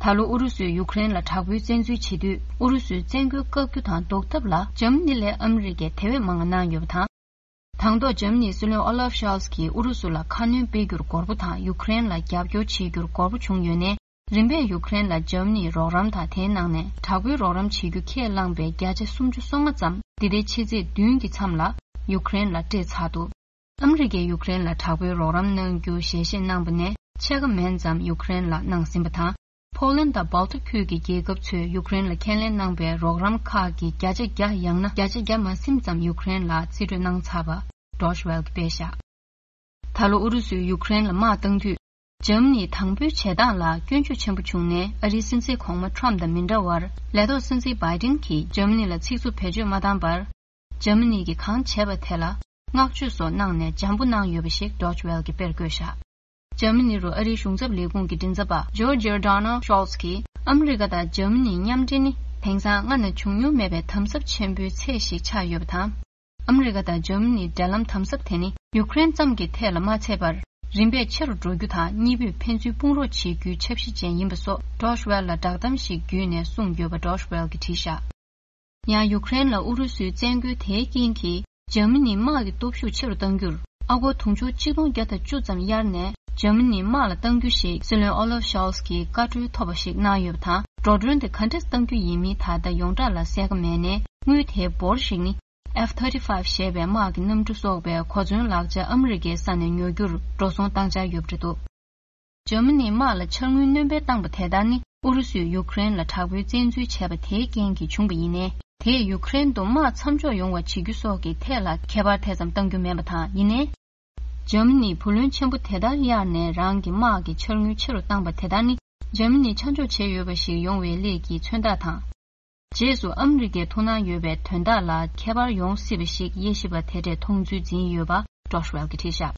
ད་ལོ་ཨུ་རུ་སུས་ཡུཀ་རེན་ལ་དྲག་པོའི་བཙན་འཛུལ་བྱེད་དུས། ཨུ་རུ་སུའི་བཙན་རྒོལ་བཀག་རྒྱུ་དང་ཟློག་ཐབས་ལ་འཇར་མ་ནི་ལས་ཨ་མི་རི་ཀས་དེ་བས་མང་བ་གནང་ཡོད་པ་དང་། དང་ཐོག་འཇར་མ་ནིའི་སྲིད་བློན་ཨོ་ལབ་ཤོལ་ཚ་གིས་ཨུ་རུ་སུ་ལ་ཁ་སྣོན་སྤེལ་རྒྱུར་དགོས་པ་དང་། ཡུཀ་རེན་ལ་རྒྱབ་སྐྱོར་བྱེད་རྒྱུར་དགོས་པ་བྱུང་ཡོད་ནའི། རིམ་པས་ཡུཀ་རེན་ལ་འཇར་མ་ནིའི་རོགས་རམ་དང་། དེའི་ནང་ནས་དྲག་པོའི་རོགས་རམ་བྱེད་རྒྱུ་ཁས་བླངས་པའི་བརྒྱ་ཆ་སུམ་ཅུ་སོ་ལྔ་ཙམ་འདི་ཟླའི་ཕྱི་ཚེས་བདུན་གྱི་མཚམས་ལ་ཡུཀ་རེན་ལ་སྤྲད་ཚར་འདུག་ཨ་མི་རི་ཀས་ཡུཀ་རེན་ལ་དྲག་པོའི་རོགས་རམ་གནང་རྒྱུ་ཞལ་བཞེས་གནང་པ་ནས་ཕྱེད་ཀ་མན་ཙམ་ཡུཀ་རེན་ལ་གནང་ཟིན་པ་དང་། ཕོ་ལན་དང་སྦལ་ཏིག་ཁུལ་གྱི་རྒྱལ་ཁབ་ཚོས་ཡུཀ་རེན་ལ་ཁས་ལེན་གནང་པའི་རོགས་རམ་ཁག་གི་བརྒྱ་ཆ་བརྒྱ་ཡང་ན་བརྒྱ་ཆ་བརྒྱ་མ་ཟིན་ཙམ་ཡུཀ་རེན་ལ་རྩིས་སྤྲོད་གནང་ཚར་བ་ཌོ་ཆི་ཝེལ་གྱིས་སྤེལ་བཞག་ད་ལོ་ཨུ་རུ་སུས་ཡུཀ་རེན་ལ་དམག་བཏང་དུས། འཇར་མ་ནིས་དང་པོའི་བྱེད་སྟངས་ལ་སྐྱོན་བརྗོད་ཆེན་པོ་བྱུང་ནས། ཨ་རིའི་སྲིད་འཛིན་གོང་མ་ཁྲོམ་དང་མི་འདྲ་བར། ལས་ཐོག་སྲིད་འཛིན་བྷའི་ཏིན་གྱིས་འཇར་མ་ནི་ལ་ཚིག་རྩུབ་བེད་སྤྱོད་མ་བཏང་བར། འཇར་མ་ནི་གིས་གང་བྱས་པ་དེ་ལ་བསྔགས་བརྗོད་སོགས་གནང་ནས་འཇམ་པོ་གནང་ཡོད་པ་ཞིག་ཌོ་ཆི་ཝེལ་གྱིས་དཔེར་བཀོད་བཞག་འཇར་མ་ནི་རུ་ཨ་རིའི་གཞུང་ཚབ་ལས་ཁུངས་ཀྱི་མགྲིན་ཚབ་པ་ཇོར་ཇི་ཡོར་ཌོ་ནལ་ཤོལ་ཚ་གིས། ཨ་མི་རི་ཀ་དང་འཇར་མ་ནིའི་མཉམ་འབྲེལ་ནི་དེང་སང་སྔ་ན་བྱུང་མྱོང་མེད་པའི་དམ་ཟབ་ཆེན་པོའི་ཚད་ཞིག་ཆགས་ཡོད་པ་དང་། ཨ་མི་རི་ཀ་དང་འཇར་མ་ནིའི་འབྲེལ་ལམ་དམ་ཟབ་དེ་ནི་ཡུཀ་རེན་ཙམ་གྱི་ཐད་ལ་མ་ཚད་པར། རིམ་པས་ཆེ་རུ་འགྲོ་རྒྱུ་དང་། གཉིས་པོས་ཕན་ཚུན་དཔུང་རོགས་བྱེད་རྒྱུའི་འཆར་གཞི་ཅན་ཡིན་པ་སོགས་ཌོ་ཆི་ཝེལ་ལ་བསྒྲགས་གཏམ་ཞིག་བརྒྱུད་ནས་གསུངས་ཡོད་པ་ཌོ་ཆི་ཝེལ་གྱིས་བྲིས་བཞག་ཡང་ཡུཀ་རེན་ལ་ཨུ་རུ་སུའི་བཙན་རྒོལ་དེའི་རྐྱེན་གྱིས། འཇར་མ་ནིའི་དམག་གི་སྟོབས་ཤུགས་ཆེ་རུ་གཏང་རྒྱུར། ཨ་སྒོར་དུང་ཕྱུར་ཆིག་སྟོང་བརྒྱ་དང་བཅུ་ཙམ་གཡར་ནས། འཇར་མ་ནིའི་དམག་ལ་གཏང་རྒྱུ་ཞིག་སྲིད་བློན་ཨོ་ལབ་ཤོལ་ཚ་གིས་བཀའ་འཁྲོལ་ཐོབ་པ་ཞིག་གནང་ཡོད་པ་དང་། འགྲོ་གྲོན་དེ་ག་འདྲས་གཏང་རྒྱུ་ཡིན་མིན་ད་ལྟ་ཡོངས་གྲགས་ལ་གསལ་ཁ་མེད་ནའི། དངུལ་དེའི་འབོར་ཞིག་ནི། F thirty-five ཞེས་པའི་དམག་གི་གནམ་གྲུ་སོགས་པའི་གོ་མཚོན་ལག་ཆ་ཨ་མི་རི་ཀའི་ས་ནས་ཉོ་རྒྱུར་འགྲོ་སོང་བཏང་འཆར་ཡོད་པ་རེད་འདུག་འཇར་མ་ནིའི་དམག་ལ་འཆར་དངུལ་སྣོན་སྤེལ་བཏང་པ་དེ་ལྟར་ནི། ཨུ་རུ་སུས་ཡུཀ་རེན་ལ་དྲག་པོའི་བཙན་འཛུལ་བྱས་པ་དེའི་རྐྱེན་གྱིས་བྱུང་བ་ཡིན་ནའི། དེས་ཡུཀ་རེན་དུ་དམག་མཚམས་འཇོག་ཡོང་བ་བྱེད་རྒྱུ་སོགས་ཀྱི་ཐད་ལ་ཁྱད་པར་དེ་ཙམ་གཏང་རྒྱུ་མིན་པ་དང་། ཡིན་ནའི། འཇར་མ་ནིས་བུ་ལོན་ཆེན་པོ་དེ་ལྟར་གཡར་ནས་རང་གི་དམག་གི་འཆར་དངུལ་ཆེ་རུ་བཏང་པ་དེ་ལྟར་ནི། འཇར་མ་ནི་ཆ་འཇོག་བྱས་ཡོད་པ་ཞིག་ཡོང་བའི་སླད་ཀྱི་མཚོན་རྟགས་དང་། རྗེས་སུ་ཨ་མི་རི་ཀའི་ཐུགས་སྣང་ཡོད་པའི་དོན་དག་ལ་ཁྱད་པར་ཡོང་སྲིད་པ་ཞིག་དབྱེ་ཞིབ་པ་དེ་འདྲས་མཐོང་ཚུལ་འཛིན་ཡོད་པ་ཌོ་ཆི་ཝེལ་གྱིས་བྲིས་བཞག་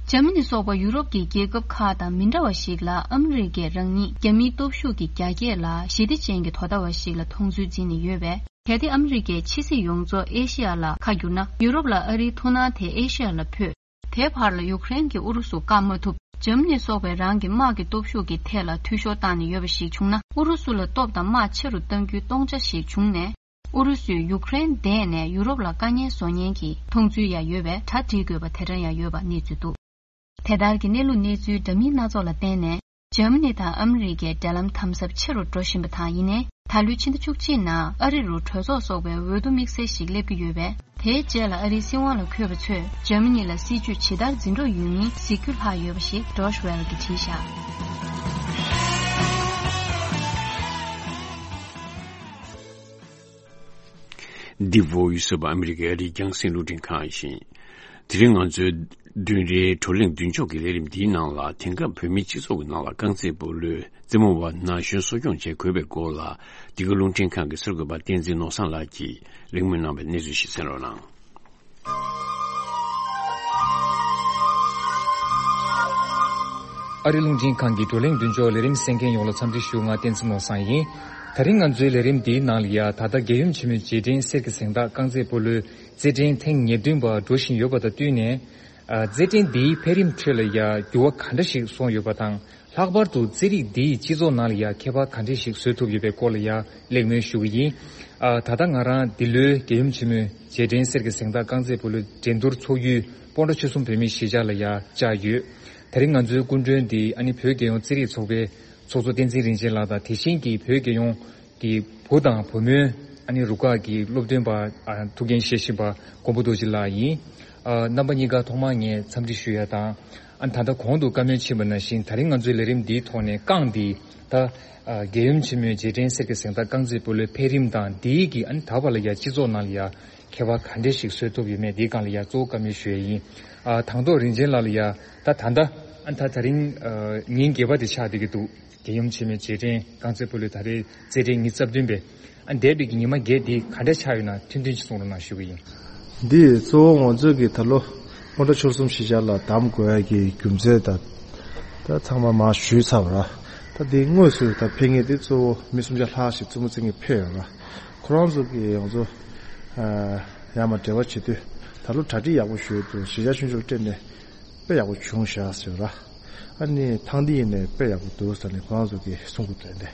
འཇར་མ་ནི་སོགས་པ་ཡུ་རོབ་ཀྱི་རྒྱལ་ཁབ་ཁག་དང་མི་འདྲ་བ་ཞིག་ལ། ཨ་མི་རི་ཀས་རང་ཉིད་རྒྱ་མིའི་སྟོབས་ཤུགས་ཀྱི་རྒྱ་སྐྱེད་ལ་ཞི་བདེ་ཅན་གྱི་དོ་ཟླ་བ་ཞིག་ལ་མཐོང་ཚུལ་འཛིན་ནས་ཡོད་པས། གལ་ཏེ་ཨ་མི་རི་ཀའི་ཕྱི་སྲིད་ཡོངས་རྫོགས་ཨེ་ཤེ་ཡ་ལ་ཁ་བསྒྱུར་ན། ཡུ་རོབ་ལ་ཨ་རིའི་ཐུགས་སྣང་དེ་ཨེ་ཤེ་ཡ་ལ་འཕོས། དེའི་བར་ལ་ཡུཀ་རེན་གྱིས་ཨུ་རུ་སུ་བཀག་མ་ཐུབ། འཇར་མ་ནི་སོགས་པས་རང་གི་དམག་གི་སྟོབས་ཤུགས་ཀྱི་ཐད་ལ་འཐུས་ཤོར་བཏང་ནས་ཡོད་པ་ཞིག་བྱུང་ན། ཨུ་རུ་སུ་ལ་སྟོབས་དང་དམག་ཆེ་རུ་གཏང་རྒྱུའི་སྟོང་ཆ་ཞིག་བྱུང་ནས། ཨུ་རུ་སུས་ཡུཀ་རེན་འདས་ནས་ཡུ་རོབ་ལ་དཀའ་ངལ་བཟོ་ཉེན་གྱི་མཐོང་ཚུལ་ཡང་ཡོད་པས། གྲ་སྒྲིག་དགོས་པ་དེ་འདྲ་ཡང་ཡོད་པ་གནས་ཚུལ་འདུག་དེ་ལྟར་གྱི་གནས་ལུགས་གནས་ཚུལ་འདྲ་མིན་སྣ་ཚོགས་ལ་བརྟེན་ནས། འཇར་མ་ནི་དང་ཨ་མི་རི་ཀའི་འབྲེལ་ལམ་དམ་ཟབ་ཆེ་རུ་འགྲོ་བཞིན་པ་དང་། ཡིན་ནའི། ད་ལོའི་ཕྱི་ཟླ་བཅུ་གཅིག་ནང་ཨ་རི་རུ་གྲོས་ཚོགས་སོགས་པའི་འོས་བསྡུ་དམིགས་བསལ་ཞིག་སླེབས་ཀྱི་ཡོད་པས། དེའི་རྗེས་ལ་ཨ་རིའི་སྲིད་དབང་ལ་འཁོད་པ་ཚོས་འཇར་མ་ནི་ལ་སྲིད་ཇུས་ཇི་ལྟར་འཛིན་གྲོགས་ཡོད་མིན་གཟིགས་རྒྱུ་ལྷག་ཡོད་པ་ཞིག་ཌོ་ཆི་ཝེལ་གྱིས་བྲིས་བཞག་འདི་བོད་ཡུལ་ས་ཨ་མི་རི་ཀའི་ཨ་རིའི་རྒྱང་སྲིང་རླུང་འཕྲིན་ཁང་ཡིན། དེ་རིང་ང་ཚོའི་བདུན་རེའི་བགྲོ་གླེང་མདུན་ལྕོག་གི་ལས་རིམ་འདིའི་ནང་ལ། དེང་སྐབས་བོད་མིའི་སྤྱི་ཚོགས་ཀྱི་ནང་ལ་རྐང་རྩེད་སྤོ་ལོའི་རྩེད་མོ་བ་ན་གཞོན་གསོ་སྐྱོང་བྱེད་དགོས་པའི་སྐོར་ལ། འདི་ག་རླུང་འཕྲིན་ཁང་གི་གསར་འགོད་པ་བསྟན་འཛིན་ནོར་བཟང་ལགས་ཀྱིས་གླེང་མོལ་གནང་བའི་གནས་ཚུལ་ཞིག་གསན་རོགས་གནང་། ཨ་རི་རླུང་འཕྲིན་ཁང་གི་བགྲོ་གླེང་མདུན་ལྕོག་ལས་རིམ་གསན་མཁན་ཡོངས་ལ་འཚམས་འདྲི་ཞུ། ང་བསྟན་འཛིན་ནོར་བཟང་ཡིན། ད་རིང་ང་ཚོའི་ལས་རིམ་འདིའི་ནང་ལ་ཡ། ད་ལྟ་རྒྱལ་ཡུམ་ཆེན་མོའི་རྗེས་དྲན་གསེར་གྱི་གཟེངས་རྟགས་རྐང་རྩེད་སྤོ་ལོའི་རྩེད་འགྲན་ཐེངས་ཉེར་བདུན་པ་འགྲོ་བཞིན་ཡོད་པ་དང་བསྟུན་ནས། ཨ། རྩེད་འགྲན་འདིའི་འཕེལ་རིམ་ཁྲོད་ལ་ཡ་འགྱུར་བ་ག་འདྲ་ཞིག་སོང་ཡོད་པ་དང་། ལྷག་པར་དུ་རྩེད་རིགས་འདིས་སྤྱི་ཚོགས་ནང་ལ་ཡ་ཁྱད་པར་ག་འདྲ་ཞིག་བཟོ་ཐུབ་ཡོད་པའི་སྐོར་ལ་ཡ་གླེང་མོལ་ཞུ་གི་ཡིན། ཨ། ད་ལྟ་ང་རང་འདི་ལོའི་རྒྱལ་ཡུམ་ཆེན་མོའི་རྗེས་དྲན་གསེར་གྱི་གཟེངས་རྟགས་རྐང་རྩེད་སྤོ་ལོའི་འགྲན་བསྡུར་ཚོགས་ཡུལ་སྤོན་ཊ་ཆོལ་གསུམ་བོད་མིའི་གཞིས་ཆགས་ལ་ཡ་བཅར་ཡོད། དེ་རིང་ང་ཚོའི་སྐུ་མགྲོན་འདི་ཨ་ནི་བོད་རྒྱལ་ཡོངས་རྩེད་རིགས་ཚོགས་པའི་ཚོགས་གཙོ་བསྟན་འཛིན་རིན་ཆེན་ལགས་དང་། དེ་བཞིན་གྱི་བོད་རྒྱལ་ཡོངས་ཀྱི་བུ་དང་བུ་མོའི་ ཨ་ནི་རུ་ཁག་གི་སློབ་སྟོན་པ་ཨ་ཐུགས་འགན་བཞེས་བཞིན་པ་མགོན་པོ་རྡོ་རྗེ་ལགས་ཡིན། ཨ་རྣམ་པ་གཉིས་ཀ་ཐོག་མར་ངས་འཚམས་འདྲི་ཞུ་ཡ་དང་། ཨ་ནི་ད་ལྟ་གོང་དུ་བཀའ་མོལ་ཕྱིན་པ་ནང་བཞིན་ད་རིང་ང་ཚོའི་ལས་རིམ་འདིའི་ཐོག་ནས་རྐང་འདི་ད་ཨ་རྒྱལ་ཡུམ་ཆེན་མོའི་རྗེས་དྲན་གསེར་གྱི་གཟེངས་རྟགས་རྐང་རྩེད་སྤོ་ལོའི་འཕེལ་རིམ་དང་འདིའི་གི་ཨ་ནི་ད་བར་ལ་ཡ་སྤྱི་ཚོགས་ནང་ལ་ཡ་ཁྱད་པར་ག་འདྲས་ཤིག་བཟོ་ཐུབ་ཡོད་མེད་འདིའི་སྒང་ལ་ཡ་གཙོ་བོ་བཀའ་མོལ་ཞུ་ཡ་ཡིན། ཨ་དང་ཐོག་རིན་ཆེན་ལགས་ལ་ཡ་ད་ད་ལྟ་ཨ་ནི་ད་ད་རིང་ཨ་ཉིན་བརྒྱད་པ་དེ་ཆགས་བསྡད་ཀྱི་འདུག་རྒྱལ་ཡུམ་ཆེན་མོའི་རྗེས་དྲན་རྐང་རྩེད་སྤོ་ལོའི་ད་རེས་རྩེད་འགྲན་ཉི་ཤུ་རྩ་བདུན་པའི་ཨ་འདས་པའི་གི་ཉི་མ་བརྒྱད་འདི་ག་འདྲ་ཆགས་ཡོད་ན་ཐུང་ཐུང་ཅིག་གསུང་རོགས་གནང་ཞུ་གི་ཡིན། འདི་གཙོ་བོ་ང་ཚོས་ཀྱི་ད་ལོ་སྔོན་འགྲོ་ཆོལ་གསུམ་གཞིས་ཆགས་ལ་གདམ་དགོས་ཡ་གི་རྒྱུ་མཚན་དང་ད་ཚང་མ་མར་ཞུས་ཚར་བ་ར། ད་འདི་དངོས་སུ་ད་ཕེབས་མཁན་འདི་གཙོ་བོ་མི་སུམ་བརྒྱ་ལྷག་ཞིག་བཙུན་མོ་བཙན་གྱིས་ཕེབས་ཡོད་ར། ཁོ་རང་ཚོ་གི་ང་ཚོ་ཡར་མར་འབྲེལ་བ་བྱེད་དུས་ད་ལོ་གྲ་སྒྲིག་ཡག་པོ་ཞུས་འདུག་གཞིས་ཆགས་ཆུང་ཆུང་ལ་སྤྲད་ནས་དཔེ་ཡག་པོ་བྱུང་བཞག་ཟེར་ར། ཨ་ནི་ཐང་འདི་ཡིན་ནས་དཔེ་ཡག་པོ་འདུག་ཟེར་ནས་ཁོ་རང་ཚོ་གིས་གསུང་གི་འདུག་ཨ་ནི།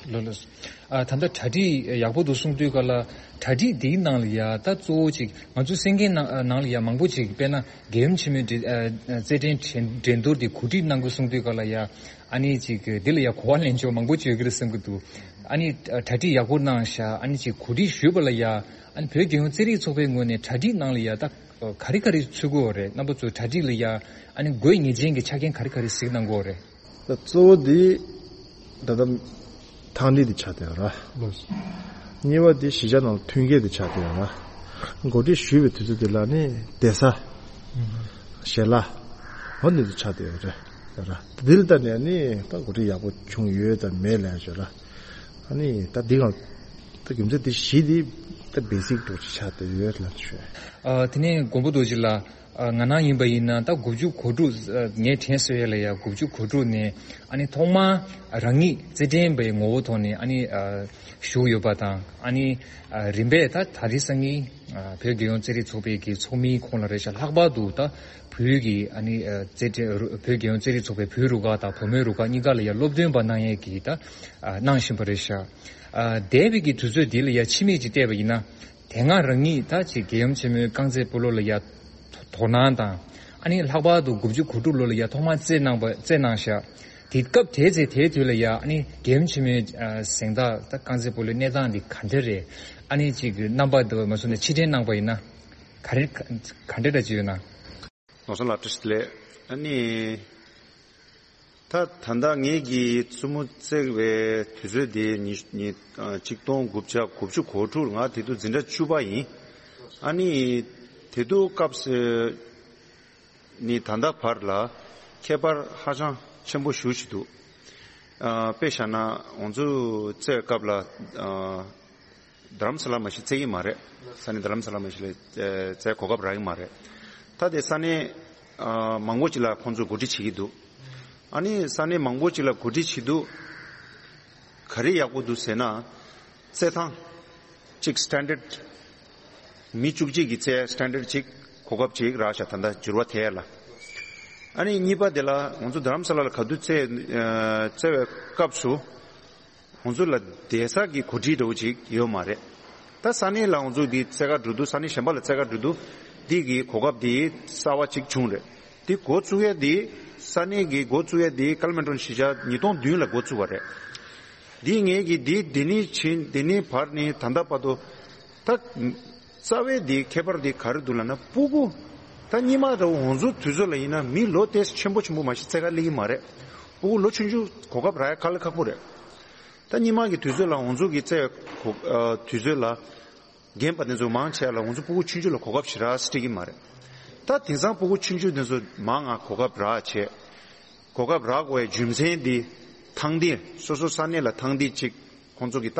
ལགས་ལགས། ཨ་ད་ལྟ་གྲ་སྒྲིག་ཡག་པོ་འདུག་གསུང་དུས་ག་ལ་གྲ་སྒྲིག་འདིའི་ནང་ལ་ཡ་ད་གཙོ་བོ་ཅིག་ང་ཚོ་གསན་མཁན་ནང་ནང་ལ་ཡ་མང་པོ་ཅིག་དཔེར་ན་རྒྱལ་ཡུམ་ཆེན་མོའི་འགྲན་ཨ་རྩེད་འགྲན་འགྲན་འགྲན་བསྡུར་འདི་གོ་སྒྲིག་གནང་དགོས་གསུང་དུས་ག་ལ་ཡ་ཨ་ནི་ཅིག་འདི་ལ་ཡ་གོ་བ་ལེན་ཕྱོགས་མང་པོ་ཅིག་ཡོད་ཀྱི་རེད་བསམ་གྱི་འདུག་ཨ་ནི་གྲ་སྒྲིག་ཡག་པོ་གནང་ཤག་ཨ་ནི་ཅིག་གོ་སྒྲིག་ཞུས་པ་ལ་ཡ་ཨ་ནི་བོད་རྒྱལ་ཡོངས་རྩེད་རིགས་ཚོགས་པའི་ངོས་ནས་གྲ་སྒྲིག་ནང་ལ་ཡ་ད་ག་རེ་ག་རེ་ཚུད་དགོས་རེད། རྣམ་པ་ཚོ་གྲ་སྒྲིག་ལ་ཡ་ཨ་ནི་དགོས་ངེས་ཅན་གྱི་ཆ་རྐྱེན་ག་རེ་ག་རེ་གཟིགས་གནང་དགོས་རེད། ད་གཙོ་བོ་འདི་ད་ལྟ་ཐང་འདི་འདི་ཆགས་བསྡད་ཡོད་ར། ལགས་སོ། གཉིས་པ་འདི་གཞིས་ཆགས་ནང་ལ་མཐུན་རྐྱེན་འདི་ཆགས་བསྡད་ཡོད་ར། གོ་སྒྲིག་ཞུས་པའི་དུས་ཚོད་འདི་ལ་ནི་བསྡད་ས། ཨུ་ཧུ། ཞལ་ལག་འོ་འདི་འདི་ཆགས་བསྡད་ཡོད་རེད་ཡོད་ར། འདི་ལ་ལྟ་ནས་ནི་ད་གོ་སྒྲིག་ཡག་པོ་བྱུང་ཡོད་དམ་མེད་ལབ་ཡོད་ར། ཨ་ནི་ད་འདི་ག་ད་རྒྱུ་མཚན་འདི་བཞི་འདི་ད་བེ་སིག་འདྲ་ཅིག་ཆགས་བསྡད་ཡོད་ལབ་ཞུ། ཨ་དེ་ནས་མགོན་པོ་རྡོ་རྗེ་ལགས། ང་རང་ཡིན་པ་ཡིན་ན་ད་དགུ་བཅུ་གོ་དྲུག་ངས་དྲན་གསོ་ཡས་ལ་ཡ་དགུ་བཅུ་གོ་དྲུག་ནས་ཨ་ནི་ཐོག་མར་རང་ཉིད་རྩེད་འགྲན་པའི་ངོ་བོ་ཐོག་ནས་ཨ་ནི་ཞུགས་ཡོད་པ་དང་ཨ་ནི་རིམ་པས་ད་ད་རེས་སང་ཉིན་བོད་རྒྱལ་ཡོངས་རྩེད་རིགས་ཚོགས་པའི་གི་ཚོགས་མིའི་ཁོངས་ལ་རེད་ཤག་ལྷག་པར་དུ་ད་བོད་ཀྱི་ཨ་ནི་རྩེད་འགྲན་བོད་རྒྱལ་ཡོངས་རྩེད་རིགས་ཚོགས་པའི་བོད་རུ་ཁག་དང་བུ་མོའི་རུ་ཁག་གཉིས་ཀ་ལ་ཡ་སློབ་སྟོན་པ་གནང་ཡས་ཀྱི་ད་གནང་བཞིན་པ་རེད་ཤག་འདས་པའི་གི་དུས་ཚོད་འདི་ལ་ཡ་ཕྱི་མིག་ཅིག་བལྟས་པ་ཡིན་ན། དེ་སྔ་རང་ཉིད་ད་ཅིག་རྒྱལ་ཡུམ་ཆེན་མོའི་རྐང་རྩེད་སྤོ་ལོ་ལ་ཡ་དོ་སྣང་དང་ཨ་ནི་ལྷག་པར་དུ་དགུ་བཅུ་གོ་དྲུག་ལོ་ལ་ཡ་ཐོག་མར་རྩེད་གནང་པ་རྩེད་གནང་ཤག་དེ་སྐབས་དེའི་ཚེ་དེའི་དུས་ལ་ཡ་ཨ་ནི་རྒྱལ་ཡུམ་ཆེན་མོའི་གཟེངས་རྟགས་ད་རྐང་རྩེད་སྤོ་ལོའི་གནས་སྟངས་འདི་ག་འདྲ་རེད། ཨ་ནི་ཅིག་རྣམ་པ་འདི་མ་སོང་ནས་ཕྱིར་དྲན་གནང་པ་ཡིན་ན་ག་རེ་ག་འདྲ་འདྲ་ཅིག་ཡོད་ན། ནོར་བཟང་ལགས་བཀྲ་ཤིས་བདེ་ལེགས། ཨ་ནི། ད་ད་ལྟ་ངེད་ཀྱིས་བཙུན་མོ་རྩེ་བའི་དུས་ཚོད་དེ་ཉི་ཉི་ཆིག་སྟོང་དགུ་བརྒྱ་དགུ་བཅུ་གོ་དྲུག་ང་དེ་དུས་འཛིན་གྲྭ་བཅུ་པ་ཡིན། ཨ་ནི་དེ་དུས་སྐབས་སུ་ནི་ད་ལྟ་བར་ལ་ཁྱད་པར་ཧ་ཅང་ཆེན་པོ་ཞེ་ཅིག་འདུག་ཨ་དཔེ་བཞག་ན་ང་ཚོ་རྩེ་བའི་སྐབས་ལ་ཨ། རྡ་རམ་ས་ལ་མ་གཞི་རྩེ་གི་མ་རེད། ས་གནས་རྡ་རམ་ས་ལ་མ་གཞི་ལ་རྩེ་གོ་སྐབས་རག་གི་མ་རེད། ད་དེ་ས་གནས་ཨ་མང་པོ་ཅིག་ལ་ཁོང་ཚོས་གོ་སྒྲིག་བྱེད་ཀྱི་འདུག་ཨ་ནི་ས་གནས་མང་པོ་ཅིག་ལ་གོ་སྒྲིག་བྱེད་དུས་ག་རེ་ཡག་པོ་འདུག་ཟེར་ན། རྩེད་ཐང་གཅིག་སི་ཊན་ཌར་ཌི། མི་བཅུ་གཅིག་གི་རྩེ་སི་ཊན་ཌར་ཌི་གཅིག་གོ་སྐབས་གཅིག་རག་ཤག་ད་ལྟ་འགྱུར་བ་ཐེབས་ཡ་ལ། ཨ་ནི་གཉིས་པ་དེ་ལ་ང་ཚོ་རྡ་རམ་ས་ལ་ལ་ག་དུས་རྩེ་ཨ་རྩེ་བའི་སྐབས་སུ། ཁོང་ཚོ་ལ་བསྡད་ས་གི་གོ་སྒྲིག་འདྲ་བོ་ཅིག་ཡོད་མ་རེད། ད་ས་གནས་ལ་ང་ཚོ་འདི་རྩེད་གར་འགྲོ་དུས་ས་གནས་གཞན་པ་ལ་རྩེད་གར་འགྲོ་དུས་འདི་གི་གོ་སྐབས་འདི་གསར་བ་ཅིག་བྱུང་རེད། འདི་འགོ་བཙུགས་ཡས་འདི་ས་གནས་ཀྱི་འགོ་བཙུགས་ཡས་འདི་ཀལ་མན་ཊོན་གཞིས་ཆགས་ཉིས་སྟོང་བདུན་ལ་འགོ་བཙུགས་པ་རེད། འདི་ངེད་ཀྱི་འདི་འདི་ནས་ཕྱིན་འདི་ནས་བར་ནས་ད་ལྟ་བར་དུ་ད་རྩ་བའི་འདི་ཁྱད་པར་འདི་ག་རེ་འདུག་ལབ་ན་སྤུ་གུ་ད་སྔོན་མ་འདྲ་བོ་ང་ཚོ་དུས་ཚོད་ལ་ཡིན་ན་མི་ལོ་དེ་ཆེན་པོ་ཆེན་པོ་མ་གཞི་རྩེད་གར་སླེབས་ཀྱི་མ་རེད། སྤུ་གུ་ལོ་ཆུང་ཆུང་གོ་སྐབས་རག་ཡ་དཀའ་ལས་ཁག་པོ་རེད། ད་སྔོན་མ་གི་དུས་ཚོད་ལ་ང་ཚོ་གི་རྩེད་གོ་ཨ་དུས་ཚོད་ལ་རྒན་པ་དེ་ཚོ་མང་ཆེ་བ་ལ་ང་ཚོ་སྤུ་གུ་ཆུང་ཆུང་ལ་གོ་སྐབས་ཞེ་དྲག་སྤྲད་ཀྱི་མ་རེད། ད་དེང་སང་སྤུ་གུ་ཆུང་ཆུང་དེ་ཚོ་མང་ང་གོ་སྐབས་རག་བྱས། གོ་སྐབས་རག་དགོས་པའི་རྒྱུ་མཚན་འདི་ཐང་འདི་སོ་སོ་ས་གནས་ལ་ཐང་འདི་གཅིག་ཁོང་ཚོ་གི་ད་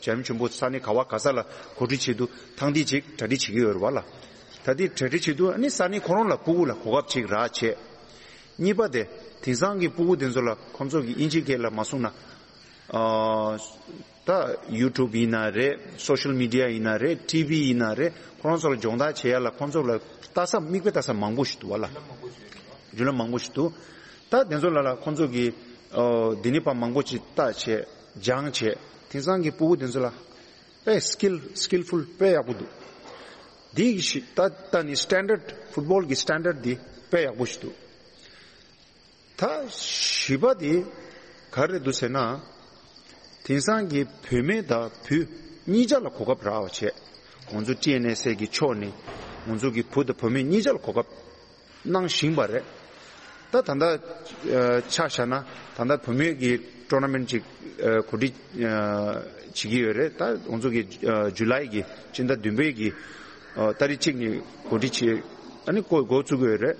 བྱམས་ཆེན་པོ་ས་གནས་ག་བ་ག་ས་ལ་གོ་སྒྲིག་བྱེད་དུས་ཐང་འདི་གཅིག་གྲ་སྒྲིག་བྱེད་ཀྱི་ཡོད་རེད་བ་ལ། ད་འདི་གྲ་སྒྲིག་བྱེད་དུས་ཨ་ནི་ས་གནས་ཁོ་རང་ལ་སྤུ་གུ་ལ་གོ་སྐབས་གཅིག་རག་བྱས། གཉིས་པ་དེ་དེང་སང་གི་སྤུ་གུ་དེ་ཚོ་ལ་ཁོང་ཚོ་གི་དབྱིན་ཇིའི་སྐད་ལ་མ་གསུངས་ན། ཨ། ད་ཡུ་ཊུབ་ཡིན་ན་རེད། སོ་ཤལ་མི་ཌི་ཡ་ཡིན་ན་རེད། ཊི་ཝི་ཡིན་ན་རེད། ཁོ་རང་ཚོ་ལ་སྦྱོང་བརྡར་བྱེད་ཡ་ལ་ཁོང་ཚོ་ལ་ལྟ་ས་མིག་དཔེ་ལྟ་ས་མང་པོ་ཞིག་འདུག་བ་ལ། བརྒྱུད་ལམ་མང་པོ་ཞིག་འདུག་ད་དེ་ཚོ་ལ་ལ་ཁོང་ཚོ་གི་ཨོ་འདི་ནི་པ་མང་པོ་ཅིག་ལྟ་བྱས་སྦྱང་བྱས། དེང་སང་གི་སྤུ་གུ་དེ་ཚོ་ལ་དཔེ་སི་ཀིལ་སི་ཀིལ་ཕུལ་དཔེ་ཡག་པོ་འདུག་འདི་གི་ཤི་ད་ད་ནི་སི་ཊན་ཌར་ཌི་ཕུཊ་བྷོལ་གི་སི་ཊན་ཌར་ཌི་འདི་དཔེ་ཡག་པོ་ཞིག་འདུག་ད་བཞི་པ་དེ་ག་རེ་འདུག་ཟེར་ན། དེང་སང་གི་བུད་མེད་དང་བུ་ གཉིས་ཆ་ལ་གོ་སྐབས་རག་པ་བྱས། ང་ཚོ་ཊི་ཨེན་ཨེས་ཨེ་གི་ཕྱོགས་ནས་ང་ཚོ་གི་བུ་དང་བུ་མོ་གཉིས་ཆ་ལ་གོ་སྐབས་གནང་བཞིན་པ་རེད། ད་ད་ལྟ་ཨ་ཆ་བཞག་ན་ད་ལྟ་བུ་མོའི་གི་ཊོར་ན་མེན་ཊི་ཅིག་ཨ་གོ་སྒྲིག་ཨ་བྱེད་ཀྱི་ཡོད་རེད། ད་ང་ཚོ་གི་ཨ་ཇུ་ལའི་གི་སྤྱི་ཟླ་བདུན་པའི་གི་ཨ་ཏ་རིག་གཅིག་ནས་གོ་སྒྲིག་བྱེད། ཨ་ནི་འགོ་འགོ་བཙུགས་ཀྱི་ཡོད་རེད།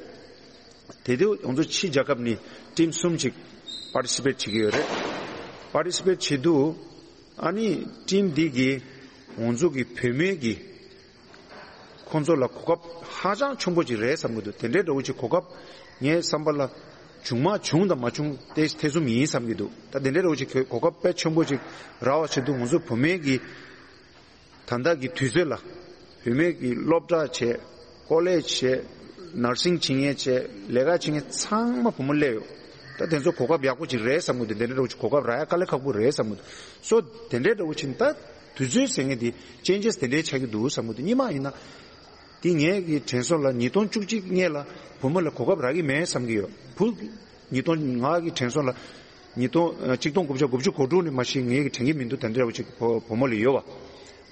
དེ་དུས་ང་ཚོ་ཕྱི་རྒྱལ་ཁབ་ནས་ཊིམ་གསུམ་ཅིག་པར་ཊི་སི་པེཊ་བྱེད་ཀྱི་ཡོད་རེད། པར་ཊི་སི་པེཊ་བྱེད་དུས་ཨ་ནི་ཊིམ་འདི་གིས་ང་ཚོ་གི་བུད་མེད་ཀྱི་ཁོང་ཚོ་ལ་གོ་སྐབས་ཧ་ཅང་ཆེན་པོ་ཅིག་རེད་བསམ་གྱི་འདུག་དེ་འདྲའི་འདྲ་བོ་ཅིག་གོ་སྐབས་ངའི་བསམ་པ་ལ་བྱུང་མ་བྱུང་དང་མ་བྱུང་དེ་ཐེ་ཚོམ་ཡིན་བསམ་གྱི་འདུག་ད་དེ་འདྲའི་འདྲ་བོ་ཅིག་གོ་སྐབས་དཔེ་ཆེན་པོ་ཅིག་རག་པ་བྱེད་དུས་ང་ཚོ་བུད་མེད་ཀྱི་ད་ལྟ་གི་དུས་ཚོད་ལ་བུད་མེད་ཀྱི་སློབ་གྲྭ་བྱས། ཀོ་ལེཇ་བྱས། ནར་སིང་བྱེད་མཁན་བྱས། ལས་ཀ་བྱེད་མཁན་ཚང་མ་བུ་མོ་སླེབས་ཡོད། ད་དེ་ཚོ་གོ་སྐབས་ཡག་པོ་ཅིག་རེད་བསམ་གྱི་འདུག་དེ་འདྲ་འདྲ་བོ་ཅིག་གོ་སྐབས་རག་ཡ་དཀའ་ལས་ཁག་པོ་རེད་བསམ་གྱི་འདུག་སོ་དེ་འདྲ་འདྲ་བོ་ཅིག་ད་དུས་ཚོད་ཟེར་མཁན་དེ་ཅེན་ཇེས་དེ་འདྲའི་ཆགས་ཀྱི་འདུག་བསམ་གྱི་འདུག་སྔོན་མ་ཡིན་ན། དེ་ངའི་གི་དྲན་སོང་ལ་ཉིས་སྟོང་བཅུ་གཅིག་སྔོན་ལ་བུ་མོ་ལ་གོ་སྐབས་རག་གི་མེད་བསམ་གྱི་ཡོད། བུ། ཉིས་སྟོང་ང་གི་དྲན་སོང་ལ། ཉིས་སྟོང་ཨ་གཅིག་སྟོང་དགུ་བརྒྱ་དགུ་བཅུ་གོ་དྲུག་ནས་མ་གཞི་ངའི་གི་དྲན་གྱི་མི་འདུག་དེ་འདྲ་བ་ཅིག་བུ་བུ་མོ་ལ་ཡོད་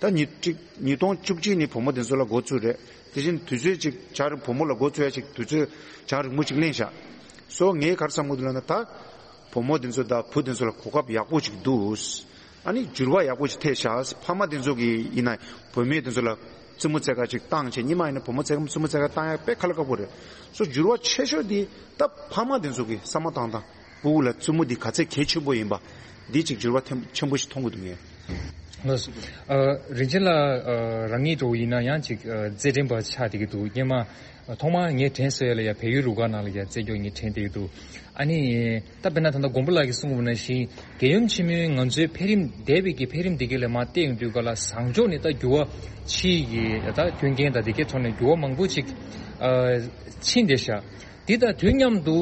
པ། ད་ཉིས་གཅིག་ཉིས་སྟོང་བཅུ་གཅིག་ནས་བུ་མོ་དེ་ཚོ་ལ་འགོ་བཙུགས་རེད། དེ་བཞིན་དུས་ཚོད་ཅིག་བྱ་རིང་བུ་མོ་ལ་འགོ་བཙུགས་ཡ་ཅིག་དུས་ཚོད་བྱ་རིང་མོ་ཅིག་ལེན་བཞག་སོ་ངས་ག་རེ་བསམ་གྱི་འདུག་ལབ་ན་ད། བུ་མོ་དེ་ཚོ་དང་བུ་དེ་ཚོ་ལ་གོ་སྐབས་ཡག་པོ་ཅིག་འདུག་ཨ་ནི་འགྱུར་བ་ཡག་པོ་ཅིག་ཐེབས་ཤག་ཕ་མ་དེ་ཚོ་གིས་ཡིན་ན་བུད་མེད་དེ་ཚོ་ལ་བཙུན་མོ་རྩེད་གར་ཅིག་བཏང་བྱས། སྔོན་མ་ཡིན་ན་བུ་མོ་རྩེད་བཙུན་མོ་རྩེད་གར་བཏང་ཡ་དཔེ་ཁག་ལ་ཁག་པོ་རེད། སོ་འགྱུར་བ་ཆེ་ཤོས་དེ་ད་ཕ་མ་དེ་ཚོ་གིས་བསམ་བློ་བཏང་སྟངས། ཕྲུ་གུ་ལ་བཙུན་མོ་འདི་ག་ཚད་གལ་ཆེན་པོ་ཡིན་པ་འདི་ཅིག་འགྱུར་བ་ཐེམ་ཆེན་པོ་ཞིག་མཐོང་གི་འདུག་ངས། ལགས་སོ། ཨ་རིན་ཆེན་ལགས། ཨ་རང་ཉིད་འདྲ་བོ་ཡིན་ན་ཡང་ཅིག་ཨ་རྩེད་འགྲན་པ་ཆགས་བསྡད་ཀྱི་འདུག་སྔོན་མ། ཨ་ཐོག་མར་ངས་དྲན་གསོ་ཡ་ལ་ཡ་བལ་ཡུལ་རུ་ཁག་ནང་ལ་ཡ་རྩེད་འཇོག་ངས་དྲན་བསྡད་ཀྱི་འདུག་ཨ་ནི། ད་དཔེར་ན་ད་ལྟ་མགོན་པོ་ལགས་ཀྱིས་གསུངས་པ་ནང་བཞིན་རྒྱལ་ཡུམ་ཆེན་མོའི་ང་ཚོའི་འཕེལ་རིམ་འདས་པའི་གི་འཕེལ་རིམ་འདི་ག་ལ་མར་བལྟས་ཡོང་དུས་ག་ལ་བཟང་ཕྱོགས་ནས་ད་འགྱུར་བ་ཕྱིའི་གི་ད་སྐྱོན་རྐྱེན་དང་འདི་གའི་ཐོག་ནས་འགྱུར་བ་མང་པོ་ཅིག་ཨ་ཕྱིན་བསྡད་ཤག་འདི་དང་དུས་མཉམ་དུ་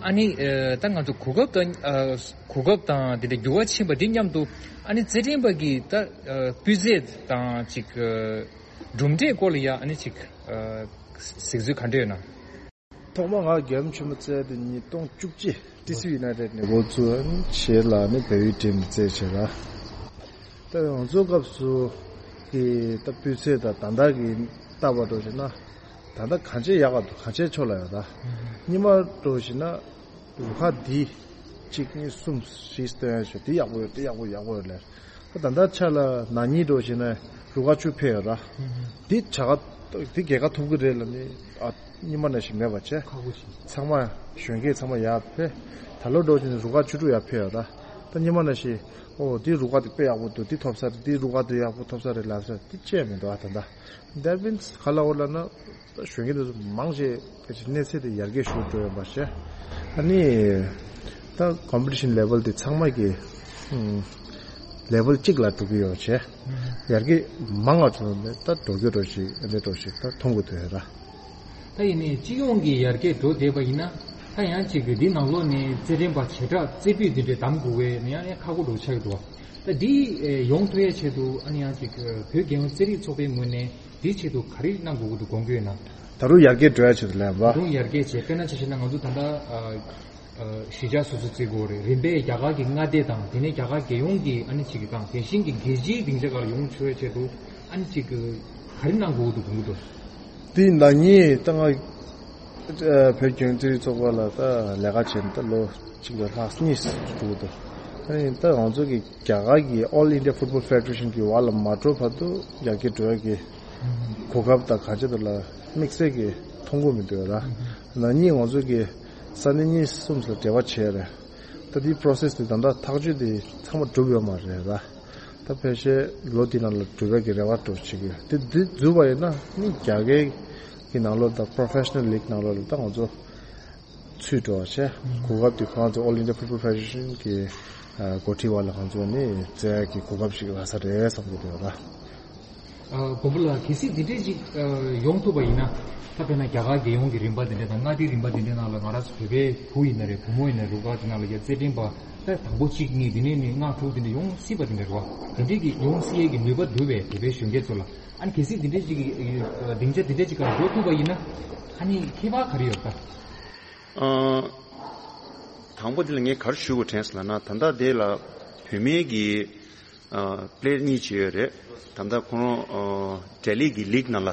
ཨ་ནི་ཨ་ད་ང་ཚོ་གོ་སྐབས་དང་ཨ་གོ་སྐབས་དང་འདི་འདྲ་འགྱུར་བ་ཕྱིན་པ་འདི་མཉམ་དུ་ཨ་ནི་རྩེད་འགྲན་པ་གི་ད་ཨ་སྤུས་ཚད་དང་ཅིག་ཨ་གྲུབ་འབྲས་སྐོར་ལ་ཡ་ཨ་ནི་ཅིག་ཨ་གཟིགས་ཚུལ་ག་འདྲ་ཡོད་ན། ཐོག་མ་ང་རྒྱལ་ཡུམ་ཆེན་མོ་རྩེད་དེ་ཉིས་སྟོང་བཅུ་གཅིག་ཊི་སི་ཡུ་ནའི་ཊེཌ་ནས་འགོ་བཙུགས་བྱས་ལ་ནི་བལ་ཡུལ་ཊིམ་རྩེད་བྱས་ལ། ད་ང་ཚོའི་སྐབས་སུ་གི་ད་སྤུས་ཚད་དང་ད་ལྟ་གི་ལྟ་བ་འགྲོ་བཞིན་ན། ད་ལྟ་གང་ཆེ་ཡག་ག་འདུག་གང་ཆེ་ཆོག་ལ་ཡོད་ད། སྔོན་མ་འགྲོ་བཞིན་ན་རུ་ཁག་འདི་གཅིག་གཉིས་གསུམ་བཞི་སྟོན་ཡ་ཞོ་འདི་ཡག་པོ་ཡོད་འདི་ཡག་པོ་ཡག་པོ་ཡོད་ལས། ད་ལྟ་ཆ་ལ་ན་ནིང་འགྲོ་བཞིན་ན་རུ་ཁག་བཅུ་ཕེབས་ཡོད་ར། འདི་བྱ་དགའ་འདི་རྒྱལ་ཁ་ཐོབ་ཀྱི་རེད་ལ་ནི་ཨ་སྔོན་མ་ནང་བཞིན་མེད་པ་བྱས། ཁག་པོ་ཞིག་ཚང་མ་གཞོན་སྐྱེས་ཚང་མ་ཡར་ཕེབས། ད་ལོ་འགྲོ་བཞིན་ན་རུ་ཁག་བཅུ་དྲུག་ཡར་ཕེབས་ཡོད་ར། ད་སྔོན་མ་ནང་བཞིན་ཨོ་འདི་རུ་ཁག་འདི་དཔེ་ཡག་པོ་འདུག་འདི་ཐོབ་ས་རེད། འདི་རུ་ཁག་འདི་ཡག་པོ་ཐོབ་ས་རེད་ལབ་ས་འདི་བཅས་མི་འདུག་ཨ་ད་ལྟ། That means ག་ལ་འོ་ལ་ན། ད་གཞོན་སྐྱེས་དེ་ཚོ་མང་ཆེ་ག་ཅིག་གནས་ཚད་དེ་ཡར་རྒྱས་ཞུ་འགྲོ་ཡོད་པ་བྱས། ཨ་ནི། ད་ཀོམ་པི་ཊི་ཤན་ལེ་ཝལ་དེ་ཚང་མ་གི་ལེ་ཝལ་གཅིག་ལ་འགྲོ་གི་ཡོད་བྱས། ཡར་རྒྱས་མང་ང་བྱུང་ནས་ད་འགྲོ་རྒྱུ་འགྲོ་ཞིག་ཨ་ནི་འགྲོ་ཞིག་ད་མཐོང་གི་འདུག་ཡ་ར། ད་ཡིན་ནའི་སྤྱི་ཡོངས་ཀྱི་ཡར་རྒྱས་འགྲོ་བསྡད་པ་ཡིན་ན། ད་ཡང་གཅིག་གི་འདི་ནང་ལོགས་ནས་རྩེད་འགྲན་པ་བྱེ་བྲག་རྩེ་ཕུད་འདི་འདྲའི་གདམ་དགོས་པས་ན་ཡང་ཡང་ཁག་པོ་འགྲོ་ཆགས་ཀྱི་འདུག་ད་འདི་ཡོང་ཐུབ་ཡའི་ཆེད་དུ་ཨ་ནི་ཡང་གཅིག་བོད་རྒྱལ་ཡོངས་རྩེད་རིགས་ཚོགས་པའི་ངོས་ནས། དེའི་ཆེད་དུ་ག་རེ་གནང་དགོས་ཀྱི་འདུག་དགོངས་ཀྱི་ཡོད་ན། ད་རུང་ཡར་རྒྱས་འགྲོ་ཡ་ཆེད་དུ་ལས་པ། ད་རུང་ཡར་རྒྱས་བྱས་དཔེར་ན་ཆ་བཞག་ན་ང་ཚོ་ད་ལྟ་ཨ་ཨ་གཞིས་ཆགས་སོ་སོ་བརྩི་དགོས་རེད། རིམ་པས་རྒྱ་གར་གྱི་མངའ་སྡེ་དང་དེ་ནས་རྒྱ་གར་རྒྱལ་ཡོངས་ཀྱི་ཨ་ནི་ཅིག་གི་དང་དེ་བཞིན་གྱི་རྒྱལ་སྤྱིའི་སྡིངས་ཆ་སྒང་ལ་ཡོང་ཆོག་ཡ་ཆེད་དུ་ཨ་ནི་ཅིག་གི་ག་རེ་གནང་དགོས་ཀྱི་འདུག་དགོངས་ཀྱི་འདུག་དེ་ན་ངས་ད་ང་ཨ་བོད་རྒྱལ་ཡོངས་རྩེད་རིགས་ཚོགས་པ་ལ་ད་ལས་ཀ་བྱས་ནས་ད་ལོ་གཅིག་ལ་ལྷག་གཉིས་འགྲོ་གི་འདུག་ཨ་ནི་ད་ང་ཚོ་གི་རྒྱ་གར་གྱི་All India Football Federation གི་འོག་ལ་མ་འགྲོ་བར་དུ་ཡར་རྒྱས་འགྲོ་ཡ་གི་གོ་སྐབས་དང་གང་ཅི་དག་ལ་དམིགས་བསལ་གྱི་མཐོང་གི་མི་འདུག་ར། ན་ནིང་ང་ཚོ་གི་ས་གནས་གཉིས་གསུམ་ལ་འབྲེལ་བ་བྱས་རེད། ད་དེའི་process དེ་ད་ལྟ་ཐག་གཅོད་དེ་ཚང་མ་གྲུབ་ཡོད་མ་རེད་ར། ད་ཕལ་ཆེར་ལོ་འདི་ནང་ལ་གྲུབ་ཡ་གི་རེ་བ་འདྲ་བྱེད་ཀྱི་ཡོད། དེ་འདི་འཛུལ་བ་ཡིན་ན་ནི་རྒྱ་སྐད་ཀྱི་ནང་ལོགས་དང་Professional League ནང་ལོགས་ལ་ད་ང་ཚོ་ཚུད་འགྲོ་བ་བྱས། གོ་སྐབས་དེ་ཁོང་ཚོ་All India Football Federation གི་ཨ་འགོ་ཁྲིད་པ་ལ་ཁོང་ཚོ་ནི་བཙལ་ཡག་གི་གོ་སྐབས་ཤིག་རག་ས་རེད་བསམ་གྱི་འདུག་ད། ཨ་མགོན་པོ་ལགས། གལ་སྲིད་འདི་འདྲས་ཅིག་ཨ་ཡོང་ཐུབ་པ་ཡིན་ན། ད་དཔེར་ན་རྒྱ་གར་རྒྱལ་ཡོངས་ཀྱི་རིམ་པ་འདི་འདྲས་དང་མངའ་སྡེའི་རིམ་པ་འདི་འདྲས་ནང་ལ་ང་རང་ཚོ་བོད་པའི་བུ་ཡིན་ན་རེད། བུ་མོ་ཡིན་ན་རུ་ཁག་འདི་ནང་ལ་ཡ་རྩེད་འགྲན་པ་ད་དང་པོ་གཅིག་གཉིས་འདི་ནས་ནི་ལྔ་དྲུག་འདི་འདྲས་ཡོང་སྲིད་པ་འདི་འདྲས་རེད་བ། འདི་འདྲས་ཀྱི་ཡོང་སྲིད་ཡས་ཀྱི་ནུས་པ་འདུག་པས་བོད་པའི་གཞོན་སྐྱེས་ཚོ་ལ། ཨ་ནི་གལ་སྲིད་འདི་འདྲས་ཅིག་གི་ཨ་སྡིངས་ཆ་འདི་འདྲས་ཅིག་ག་འགྲོ་ཐུབ་པ་ཡིན་ན། ཨ་ནི་ཁྱད་པར་ག་རེ་ཡོད་ད། ཨ། དང་པོ་དེ་ལ་ངས་ག་རེ་ཞུ་དགོས་དྲན་སོང་ལབ་ན། ད་ལྟ་དེ་ལ་བུད་མེད་ཀྱི་ ཨ་པི་ལེ་ཡར་གཉིས་ཅིག་ཡོད་རེད། ད་ལྟ་ཁོ་རང་ཨ་ལྡི་ལི་གི་ལིག་ནང་ལ་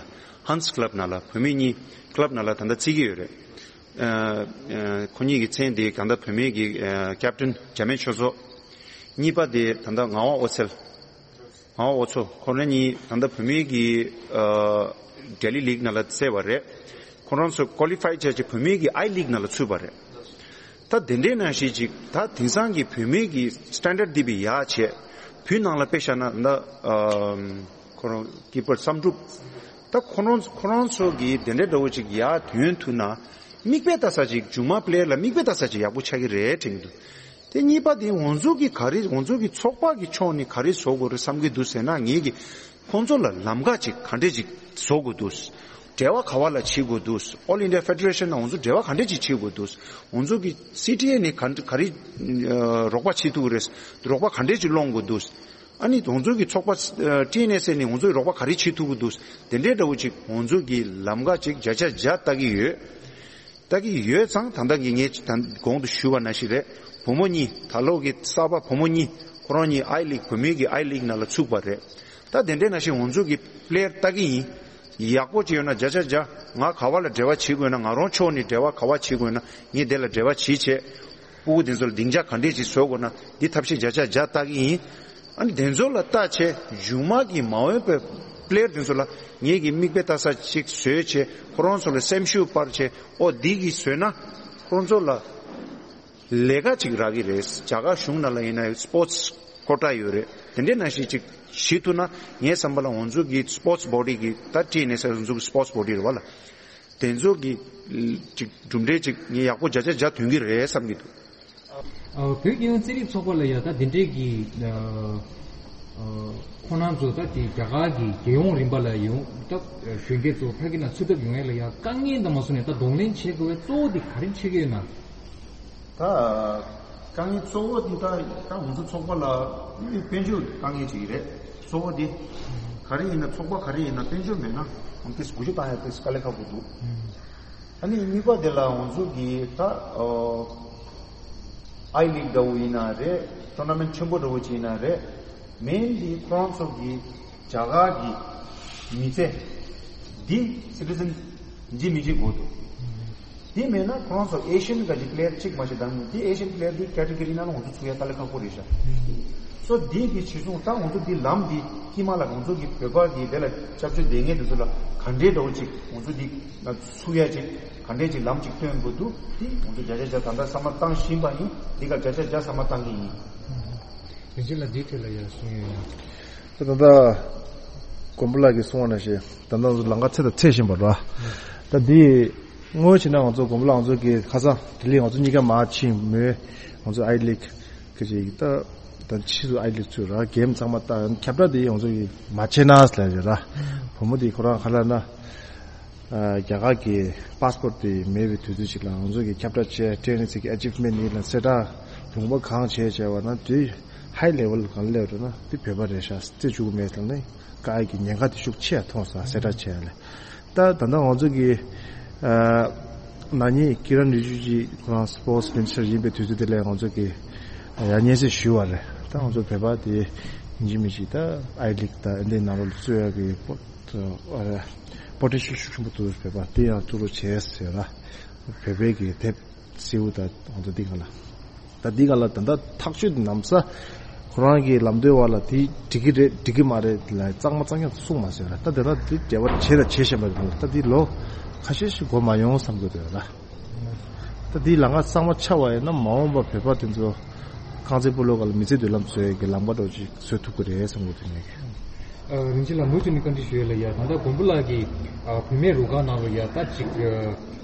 ཧན་སི་ཀླབ་ནང་ལ་བུད་མེད་གཉིས་ཀླབ་ནང་ལ་ད་ལྟ་རྩེད་ཀྱི་ཡོད་རེད། ཨ་ཨ་ཁོ་གཉིས་ཀྱི་མཚན་དེ་ད་ལྟ་བུད་མེད་ཀྱི་ཨ་ཀེབ་ཏན་འཇར་མན་ཆོས་ཚོགས། གཉིས་པ་དེ་ད་ལྟ་ངག་དབང་ཨོ་རྩལ། ངག་དབང་ཨོ་མཚོ། ཁོ་རང་གཉིས་ད་ལྟ་བུད་མེད་ཀྱི་ཨ་ལྡི་ལི་ལིག་ནང་ལ་རྩེ་བ་རེད། ཁོ་རང་ཚོ་ཀོ་ལི་ཕའི་བྱས་བྱས་བུད་མེད་ཀྱི་ཨའི་ལིག་ནང་ལ་ཚུད་པ་རེད། ད་དེ་འདྲའི་ནང་བཞིན་ཅིག་ད་དེང་སང་གི་བུད་མེད་ཀྱི་སི་ཊན་ཌར་འདི་བས་ཡག་བྱས། བོད་ནང་ལ་དཔེ་བཞག་ན་ད་ཨམ་ཁོ་རང་གི་པར་བསམ་གྲུབ། ད་ཁོ་རང་ཁོ་རང་ཚོ་གི་དེ་འདྲའི་འདྲ་བོ་ཅིག་ཡག་ཐོན་ཐུབ་ན། མིག་དཔེ་ལྟ་ས་ཅིག་མཇུག་མ་པི་ལེ་ཡར་ལ་མིག་དཔེ་ལྟ་ས་ཅིག་ཡག་པོ་ཆགས་ཀྱི་རེད་དྲན་གྱི་འདུག་དེ་གཉིས་པ་དེ་ང་ཚོ་གི་ག་རེ་ང་ཚོ་གི་ཚོགས་པ་གི་ཕྱོགས་ནས་ག་རེ་བཟོ་དགོས་རེད་བསམ་གྱི་འདུག་ཟེར་ན། ངེད་ཀྱི་ཁོང་ཚོ་ལ་ལམ་ཁ་ཅིག་ག་འདྲས་ཅིག་བཟོ་དགོས་འདུག་འབྲེལ་བ་ག་བ་ལ་བྱེད་དགོས་འདུག All India Federation ནང་ང་ཚོ་འབྲེལ་བ་ག་འདྲས་ཅིག་བྱེད་དགོས་འདུག་ང་ཚོ་གི་སི་ཊི་ཨེ་ནས་ག་ག་རེ་ཨ་རོགས་པ་བྱེད་ཐུབ་ཀྱི་རེད། རོགས་པ་ག་འདྲས་ཅིག་སློང་དགོས་འདུག་ཨ་ནི་ང་ཚོ་གི་ཚོགས་པ་ཨ་ཊི་ཨེན་ཨེས་ཨེ་ནས་ང་ཚོ་གི་རོགས་པ་ག་རེ་བྱེད་ཐུབ་ཀྱི་འདུག་དེ་འདྲའི་འདྲ་བོ་ཅིག་ང་ཚོ་གི་ལམ་ཁ་ཅིག་བརྒྱ་ཆ་བརྒྱ་ལྟ་གི་ཡོད། ལྟ་གི་ཡོད་ཙང་། ད་ལྟ་གི་ངས་ད་གོང་དུ་ཞུས་པ་ནང་བཞིན་རེད། བུ་མོ་གཉིས་ད་ལོ་གི་གསར་པ་བུ་མོ་གཉིས་ཁོ་རང་གཉིས་ཨའི་ལིག་བུད་མེད་ཀྱི་ཨའི་ལིག་ནང་ལ་ཚུད་པ་རེད། ད་དེ་འདྲའི་ནང་བཞིན་ང་ཚོ་གི་པི་ལེ་ཡར་ལྟ་གི་ཡིན། ཡག་པོ་ཅིག་ཡོད་ན་བརྒྱ་ཆ་བརྒྱ། ང་ག་བ་ལ་འབྲེལ་བ་བྱེད་དགོས་ན། ང་རང་ཕྱོགས་ནས་འབྲེལ་བ་ག་བ་བྱེད་དགོས་ན་ངས་དེ་ལ་འབྲེལ་བ་བྱེད་བྱས། སྤུ་གུ་དེ་ཚོ་ལ་སྡིངས་ཆ་ག་འདྲས་ཅིག་བཟོ་དགོས་ན་འདི་ཐབས་ཤེས་བརྒྱ་ཆ་བརྒྱ་ལྟ་གི་ཡིན། ཨ་ནི་དེ་ཚོ་ལ་ལྟ་བྱས་མཇུག་མ་གི་མ་འོངས་པའི་པི་ལེ་ཡར་དེ་ཚོ་ལ་ངེད་ཀྱི་མིག་དཔེ་ལྟ་ས་ཅིག་བཟོས་བྱས། ཁོ་རང་ཚོ་ལ་སེམས་ཤུགས་སྤར་བྱས། ཨོ་འདི་གི་བཟོས་ན་ཁོ་རང་ཚོ་ལ་ལས་ཀ་ཅིག་རག་གི་རེད། རྒྱ་གར་གཞུང་ནང་ལ་ཡིན་ན་སི་པོར་ཊི་སི་ཀོ་ཊ་ཡོད་རེད། དེ་འདྲའི་ནང་བཞིན་ཅིག་བྱེད་ཐུབ་ན། ངའི་བསམ་པ་ལ་ང་ཚོ་གི་སི་པོར་ཊི་སི་བོ་ཌི་གི་ད་ཊི་ཨེན་ཨེས་ཨེ་ང་ཚོ་གི་སི་པོར་ཊི་སི་བོ་ཌི་རེད་བ་ལ། དེ་ཚོ་གི་ཅིག་གྲུབ་འབྲས་ཅིག་ངས་ཡག་པོ་བརྒྱ་ཆ་བརྒྱ་ཐོན་གྱི་རེད་བསམ་གྱི་འདུག་ཨ། བོད་རྒྱལ་ཡོངས་རྩེད་རིགས་ཚོགས་པ་ལ་ཡ་ད་དེ་འདྲའི་གི་ཨ་ཨ་ཁོང་རྣམ་ཚོ་ད་དེ་རྒྱ་གར་གྱི་རྒྱལ་ཡོངས་རིམ་པ་ལ་ཡོང་། ད་གཞོན་སྐྱེས་ཚོ་ཕ་གི་ནང་ཚུད་ཐབས་ཡོང་ཡ་ལ་ཡ་དཀའ་ངལ་དང་མ་སོང་ནས་ད་གདོང་ལེན་བྱེད་དགོས་པའི་གཙོ་བོ་དེ་ག་རེ་ཆགས་ཀྱི་ཡོད་ན། ད་དཀའ་ངལ་གཙོ་བོ་འདི་ད་ད་ང་ཚོ་ཚོགས་པ་ལ་དཔལ་འབྱོར་དཀའ་ངལ་ཅིག་རེད། གཙོ་བོ་འདི་ག་རེ་ཡིན་ན། ཚོགས་པ་ག་རེ་ཡིན་ན་དཔལ་འབྱོར་མེད་ན་ཨང་ཏིས་འགུལ་སྐྱོད་བཏང་ཡ་ཏིས་དཀའ་ལས་ཁག་པོ་འདུག་ཨ་ནི་གཉིས་པ་དེ་ལ་ང་ཚོ་གི་ད་ཨ་ཨའི་ལིག་འདྲ་བོ་ཡིན་ན་རེད། ཊོར་ན་མེན་ཊི་ཆེན་པོ་འདྲ་བོ་ཅིག་ཡིན་ན་རེད། མེན་འདི་ཁོ་རང་ཚོ་གི་རྒྱ་གར་གྱི་མི་ཚེ་འདི་སི་ཊི་ཟན་འཇིག་མི་འཇིག་དགོས་འདུག་འདི་མེད་ན་ཁོ་རང་ཚོ་ཨེ་ཤི་ཡན་ག་གི་པི་ལེ་ཡར་གཅིག་མ་ཞིག་དང་། འདི་ཨེ་ཤི་ཡན་པི་ལེ་ཡར་འདི་ཀེ་ཊི་གོ་རི་ནང་ལ་ང་ཚོ་ཚུད་ཡ་དཀའ་ལས་ཁག་པོ་རེད་ཤག་སོ་འདི་གི་ཕྱིར་ཚོང་ད་ང་ཚོ་འདི་ལམ་འདི་དཀྱིལ་མ་ལ་ང་ཚོ་གི་བོད་པ་གི་དེ་ལ་སྐྱབས་བཅོལ་བསྡད་མཁན་དེ་ཚོ་ལ་ག་འདྲའི་འདྲ་བོ་ཅིག་ང་ཚོ་འདི་ལ་ཚུད་ཡ་ཅིག་ག་འདྲའི་ཅིག་ལམ་ཅིག་སྟོན་དགོས་འདུག་འདི་ང་ཚོ་བརྒྱ་ཆ་བརྒྱ་ད་ལྟ་བསམ་བློ་བཏང་བཞིན་པ་ཡིན། འདི་ག་བརྒྱ་ཆ་བརྒྱ་བསམ་བློ་བཏང་གི་ཡིན། རིན་ཆེན་ལགས་འདིའི་ཐད་ལ་ཡང་གསུང་ཡོད་ན། ད་ལྟ་མགོན་པོ་ལགས་ཀྱིས་གསུངས་པ་ནང་བཞིན་ད་ལྟ་ང་ཚོ་ལམ་ཁ་ཚད་དང་ཚད་བཞིན་པ་རེད། ད་འདི་དངོས་བྱས་ན་ང་ཚོ་མགོན་པོ་ལགས་ང་ཚོ་གི་ཁ་སང་ལྡི་ལི་ང་ཚོ་གཉིས་ཀ་མར་ཕྱིན་མོད། ང་ཚོ་ཨའི་ལིག་གི་ཅིག་ད་ད་ཕྱིས་སུ་ཨའི་ལིག་ཚུད་ར་གེམ་ཚང་མ་ད་ཁྱབ་བསྒྲགས་དེ་ང་ཚོ་གི་མ་བྱས་ན་ཟེར་ལབ་ཡོད་ར། བུ་མོ་དེ་ཁོ་རང་ག་ལབ་ན། རྒྱ་གར་གྱི་པ་སི་པོར་ཊི་དེ་མེད་པའི་དུས་ཚོད་ཅིག་ལ་ང་ཚོ་གི་ཁྱབ་བསྒྲགས་བྱས། ཊེ་ནི་སི་གི་ཨེ་ཅིབ་མེན་ཊི་ཡིན་ལ་གསལ་བསྒྲགས་ལུང་པ་གང་བྱས་བྱས་པ་ན་དེ་ཧའི་ལེ་ཝལ་གང་སླེབས་འགྲོ་ན་དེ་བོད་པ་རེད་ཤག་རྩེ་བཅུག་གི་མེད་ལ་ནི་དཀའ་ངལ་གྱི་ཉེན་ཁ་དེ་ཤུགས་ཆེ་ཡ་མཐོང་སོང་། གསལ་བསྒྲགས་བྱས་ཡ་ལ་ད་ད་ལྟ་ང་ཚོ་གི་ན་ནིང་ཀི་རན་རི་ཇི་ཇུ་ཁོ་རང་སི་པོར་ཊི་སི་མི་ནི་སི་ཊར་ཡིན་པའི་དུས་ཚོད་དེ་ལ་ང་ཚོ་གི་ཡང་སྙན་སེང་ཞུས་པ་རེད། ད་ང་ཚོ་བོད་པ་དེ་ཡིན་གཅིག་མིན་གཅིག་ད་ཨའི་ལིག་ད་ཨེ་འདི་ནང་ལོགས་ལ་བཙུགས་ཡ་གི་པོ་པོ་ཊེན་ཤལ་ཤུགས་ཆེན་པོ་འདུག་བོད་པ་དེ་ཡང་བཙུགས་རོགས་བྱས་ཟེར་ལ། བོད་པའི་གི་དེབ་སེའུ་ད་ང་ཚོ་འདི་ག་ལ། ད་འདི་ག་ལ་ད་ལྟ་ཐག་གཅོད་འདི་གནམ་ས་ཁོ་རང་གི་ལམ་སྟོན་བ་ལ་དེ་འགྲིག་གི་རེད་འགྲིག་གི་མ་རེད་ལ་གཙང་མ་གཙང་རྐྱང་གསུངས་མ་ཟེར་ལ། ད་དེ་ལ་དེ་འབྲེལ་བ་བྱས་ད་བྱས་བཞིན་པ་རེད། ད་འདི་ལོ་ཁ་ཤས་ཤིག་འགོར་མ་ཡོང་བསམ་གི་འདུག་ལ། ད་འདི་ལམ་ཁ་གཙང་མ་ཆགས་པ་ཡིན་ན་མ་འོངས་པ་བོད་པ་དེ་ཚོ་རྐང་རྩེད་སྤོ་ལོ་སྒང་ལ་མི་ཚེ་མདུན་ལམ་བཟོ་ཡས་ཀྱི་ལམ་ཁ་འདྲ་བོ་ཅིག་བཟོ་ཐུབ་ཀྱི་རེད་བསམ་གྱི་འདུག་ངས། ཨ། རིན་ཆེན་ལགས་མུ་མཐུད་ནས་བཀའ་འདྲི་ཞུ་ཡས་ལ་ཡ། ད་ལྟ་མགོན་པོ་ལགས་ཀྱིས་ཨ་བུད་མེད་རུ་ཁག་ནང་ལ་ཡ་ད་ཅིག་ཨ་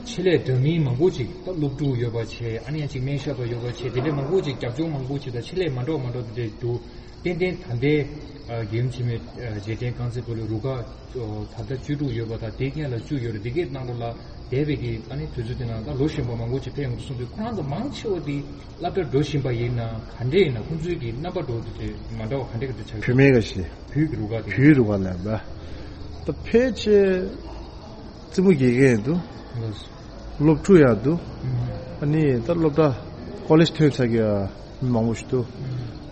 ཆེད་ལས་འདྲ་མིན་མང་པོ་ཅིག་ད་སློབ་ཕྲུག་ཡོད་པ་བྱས། ཨ་ནི་ཡང་ཅིག་སྨན་ཞབས་པ་ཡོད་པ་བྱས། དེ་འདྲའི་མང་པོ་ཅིག་རྒྱབ་ལྗོངས་མང་པོ་ཅིག་དང་ཆེད་ལས་མ་འདྲ་བ་མ་འདྲ་བ་དེ་འདྲ་འདུག་ཏན་ཏན་ད་ལྟའི་ཨ་རྒྱལ་ཡུམ་ཆེན་མོའི་ཨ་རྗེས་དྲན་རྐང་རྩེད་སྤོ་ལོའི་རུ་ཁག་ཨ་ད་ལྟ་བཅུ་དྲུག་ཡོད་པ་དང་། དེའི་སྔོན་ལ་བཅུ་ཡོད་རེད། དེ་གའི་ནང་ལོགས་ལ་འདས་པའི་གི་ཨ་ནི་དུས་ཚོད་དེ་ནང་ད་ལོ་གཞོན་པ་མང་པོ་ཅིག་ཕེབས་ཡོང་འདུག་གསུངས་དུས། ཁོ་རང་ཚོ་མང་ཆེ་བ་དེ་སློབ་གྲྭར་འགྲོ་བཞིན་པ་ཡིན་ན་ག་འདྲས་ཡིན་ན། ཁོང་ཚོའི་གི་རྣམ་པ་འགྲོ་དུས་དེ་མ་འདྲ་བ་ག་འདྲས་ག་འདྲས་ཆགས་ཀྱི་བུད་མེད་ག་ཞིག་བོད་ཀྱི་རུ་ཁག་དེ། བོད་རུ་ཁག་ལ་ཡིན་པ། ད་ཕལ་ཆེར་རྩེད་མོ་རྒྱག་མཁན་ཡང་འདུག་ལགས། སློབ་ཕྲུག་ཡང་འདུག་ཨ་ནི་ད་སློབ་གྲྭ་ཀོ་ལེཇ་ཐོན་ཚར་གྱི་མི་མང་པོ་ཞིག་འདུག་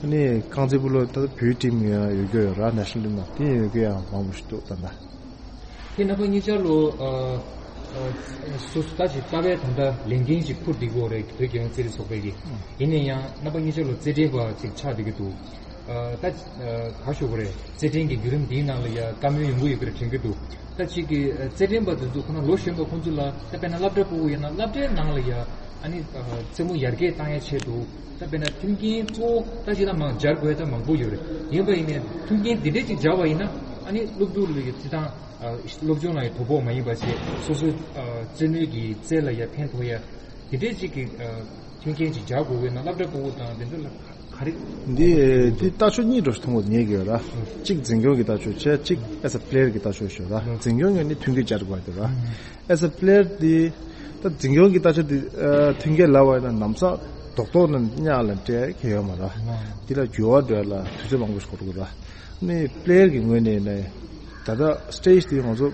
ནི་རྐང་རྩེད་སྤོ་ལོ་ད་བོད་ཊིམ་ཡང་ཡོད་རྒྱུ་ཡོད་ར། ནེ་ཤ་ནལ་ཊིམ་ནང་དེ་ཡོད་རྒྱུ་ཡང་མང་པོ་ཞིག་འདུག་ད་ལྟ། དེ་རྣམ་པ་གཉིས་ཆར་ལོ། ཨ་ཨ་སོ་སོ་ད་ཅིག་ལྟ་བའི་ད་ལྟ་ལས་འགན་ཅིག་འཁུར་བསྡད་ཀྱི་ཡོད་རེད། བོད་རྒྱལ་ཡོངས་རྩེད་རིགས་ཚོགས་པའི་གི། ཡིན་ན་ཡང་རྣམ་པ་གཉིས་ཆར་ལོ་རྩེད་འགྲན་པ་ཅིག་ཆགས་བསྡད་ཀྱི་འདུག་ཨ་ད་ཨ་ག་ཞུ་དགོས་རེད། རྩེད་འགྲན་གྱི་བརྒྱུད་རིམ་འདིའི་ནང་ལ་ཡ་བཀའ་མོལ་ཡོང་གི་ཡོད་པ་རེད་དྲན་གྱི་འདུག་ད་ཅིག་གི་ཨ་རྩེད་འགྲན་པ་དེ་ཚོ་ཁོ་ན་ལོ་གཞོན་པ་ཁོང་ཚོ་ལ་ད་དཔེར་ན་སློབ་གྲྭ་ཕྲུ་གུ་ཡིན་ན་སློབ་གྲྭའི་ནང་ལ་ཡ་ཨ་ནི་ཨ་རྩེད་མོ་ཡར་རྒྱས་བཏང་ཡ་ཆེད་དུ་ད་དཔེར་ན་མཐུན་རྐྱེན་གཙོ་བོ་ད་ཅིག་ལ་མང་སྦྱར་དགོས་ད་མང་པོ་ཡོད་རེད། ཡིན་པ་ཡིན་ནའི་མཐུན་རྐྱེན་འདི་འདྲས་ཅིག་སྦྱར་བ་ཡིན་ན་ཨ་ནི་སློབ་ཕྲུག་ལ་ཡ་རྩེད་ཐང་ཨ་སློབ་སྦྱོང་ལ་ཡ་དོ་ཕོག་མ་ཡིན་པ་བྱས་སོ་སོའི་ཨ་རྩེད་མོའི་གི་རྩལ་ལ་ཡ་ཕན་ཐོགས་ཡ་འདི་འདྲས་ཅིག་གི་ཨ་མཐུན་རྐྱེན་ཅིག་སྦྱར་དགོས་ཀྱི་ན་སློབ་གྲྭ་ཕྲུ་གུ་དང་དེ་ཚོ་ལ་ག་རེ། འདི་འདི་ལྟ་ཕྱོགས་གཉིས་འགྲོ་ཞིག་མཐོང་གི་ངེས་ཀྱི་ཡོད་ར། གཅིག་འཛིན་སྐྱོང་གི་ལྟ་ཕྱོགས་བྱས། གཅིག་as a player་གི་ལྟ་ཕྱོགས་ཤོད་ར། འཛིན་སྐྱོང་གི་ནི་མཐུན་རྐྱེན་སྦྱར་དགོས་འདུག་ར། as a player་འདི་ད་འཛིན་སྐྱོང་གི་ལྟ་ཕྱོགས་འདི་ཨ་མཐུན་རྐྱེན་ལབ་པ་ཡིན་ན་ནམ་སང་རྡོག་རྡོག་ནང་གཉའ་ལ་སྤྲད་གི་ཡོད་མ་ར། འདི་ལ་འགྱུར་བ་འགྲོ་ཡ་ལ་དུས་ཚོད་མང་པོ་ཞིག་འགོར་དགོས་ར། ནི་player་གི་ངོས་ནས་ནི་ད་ལྟ་stage་འདི་ང་ཚོ་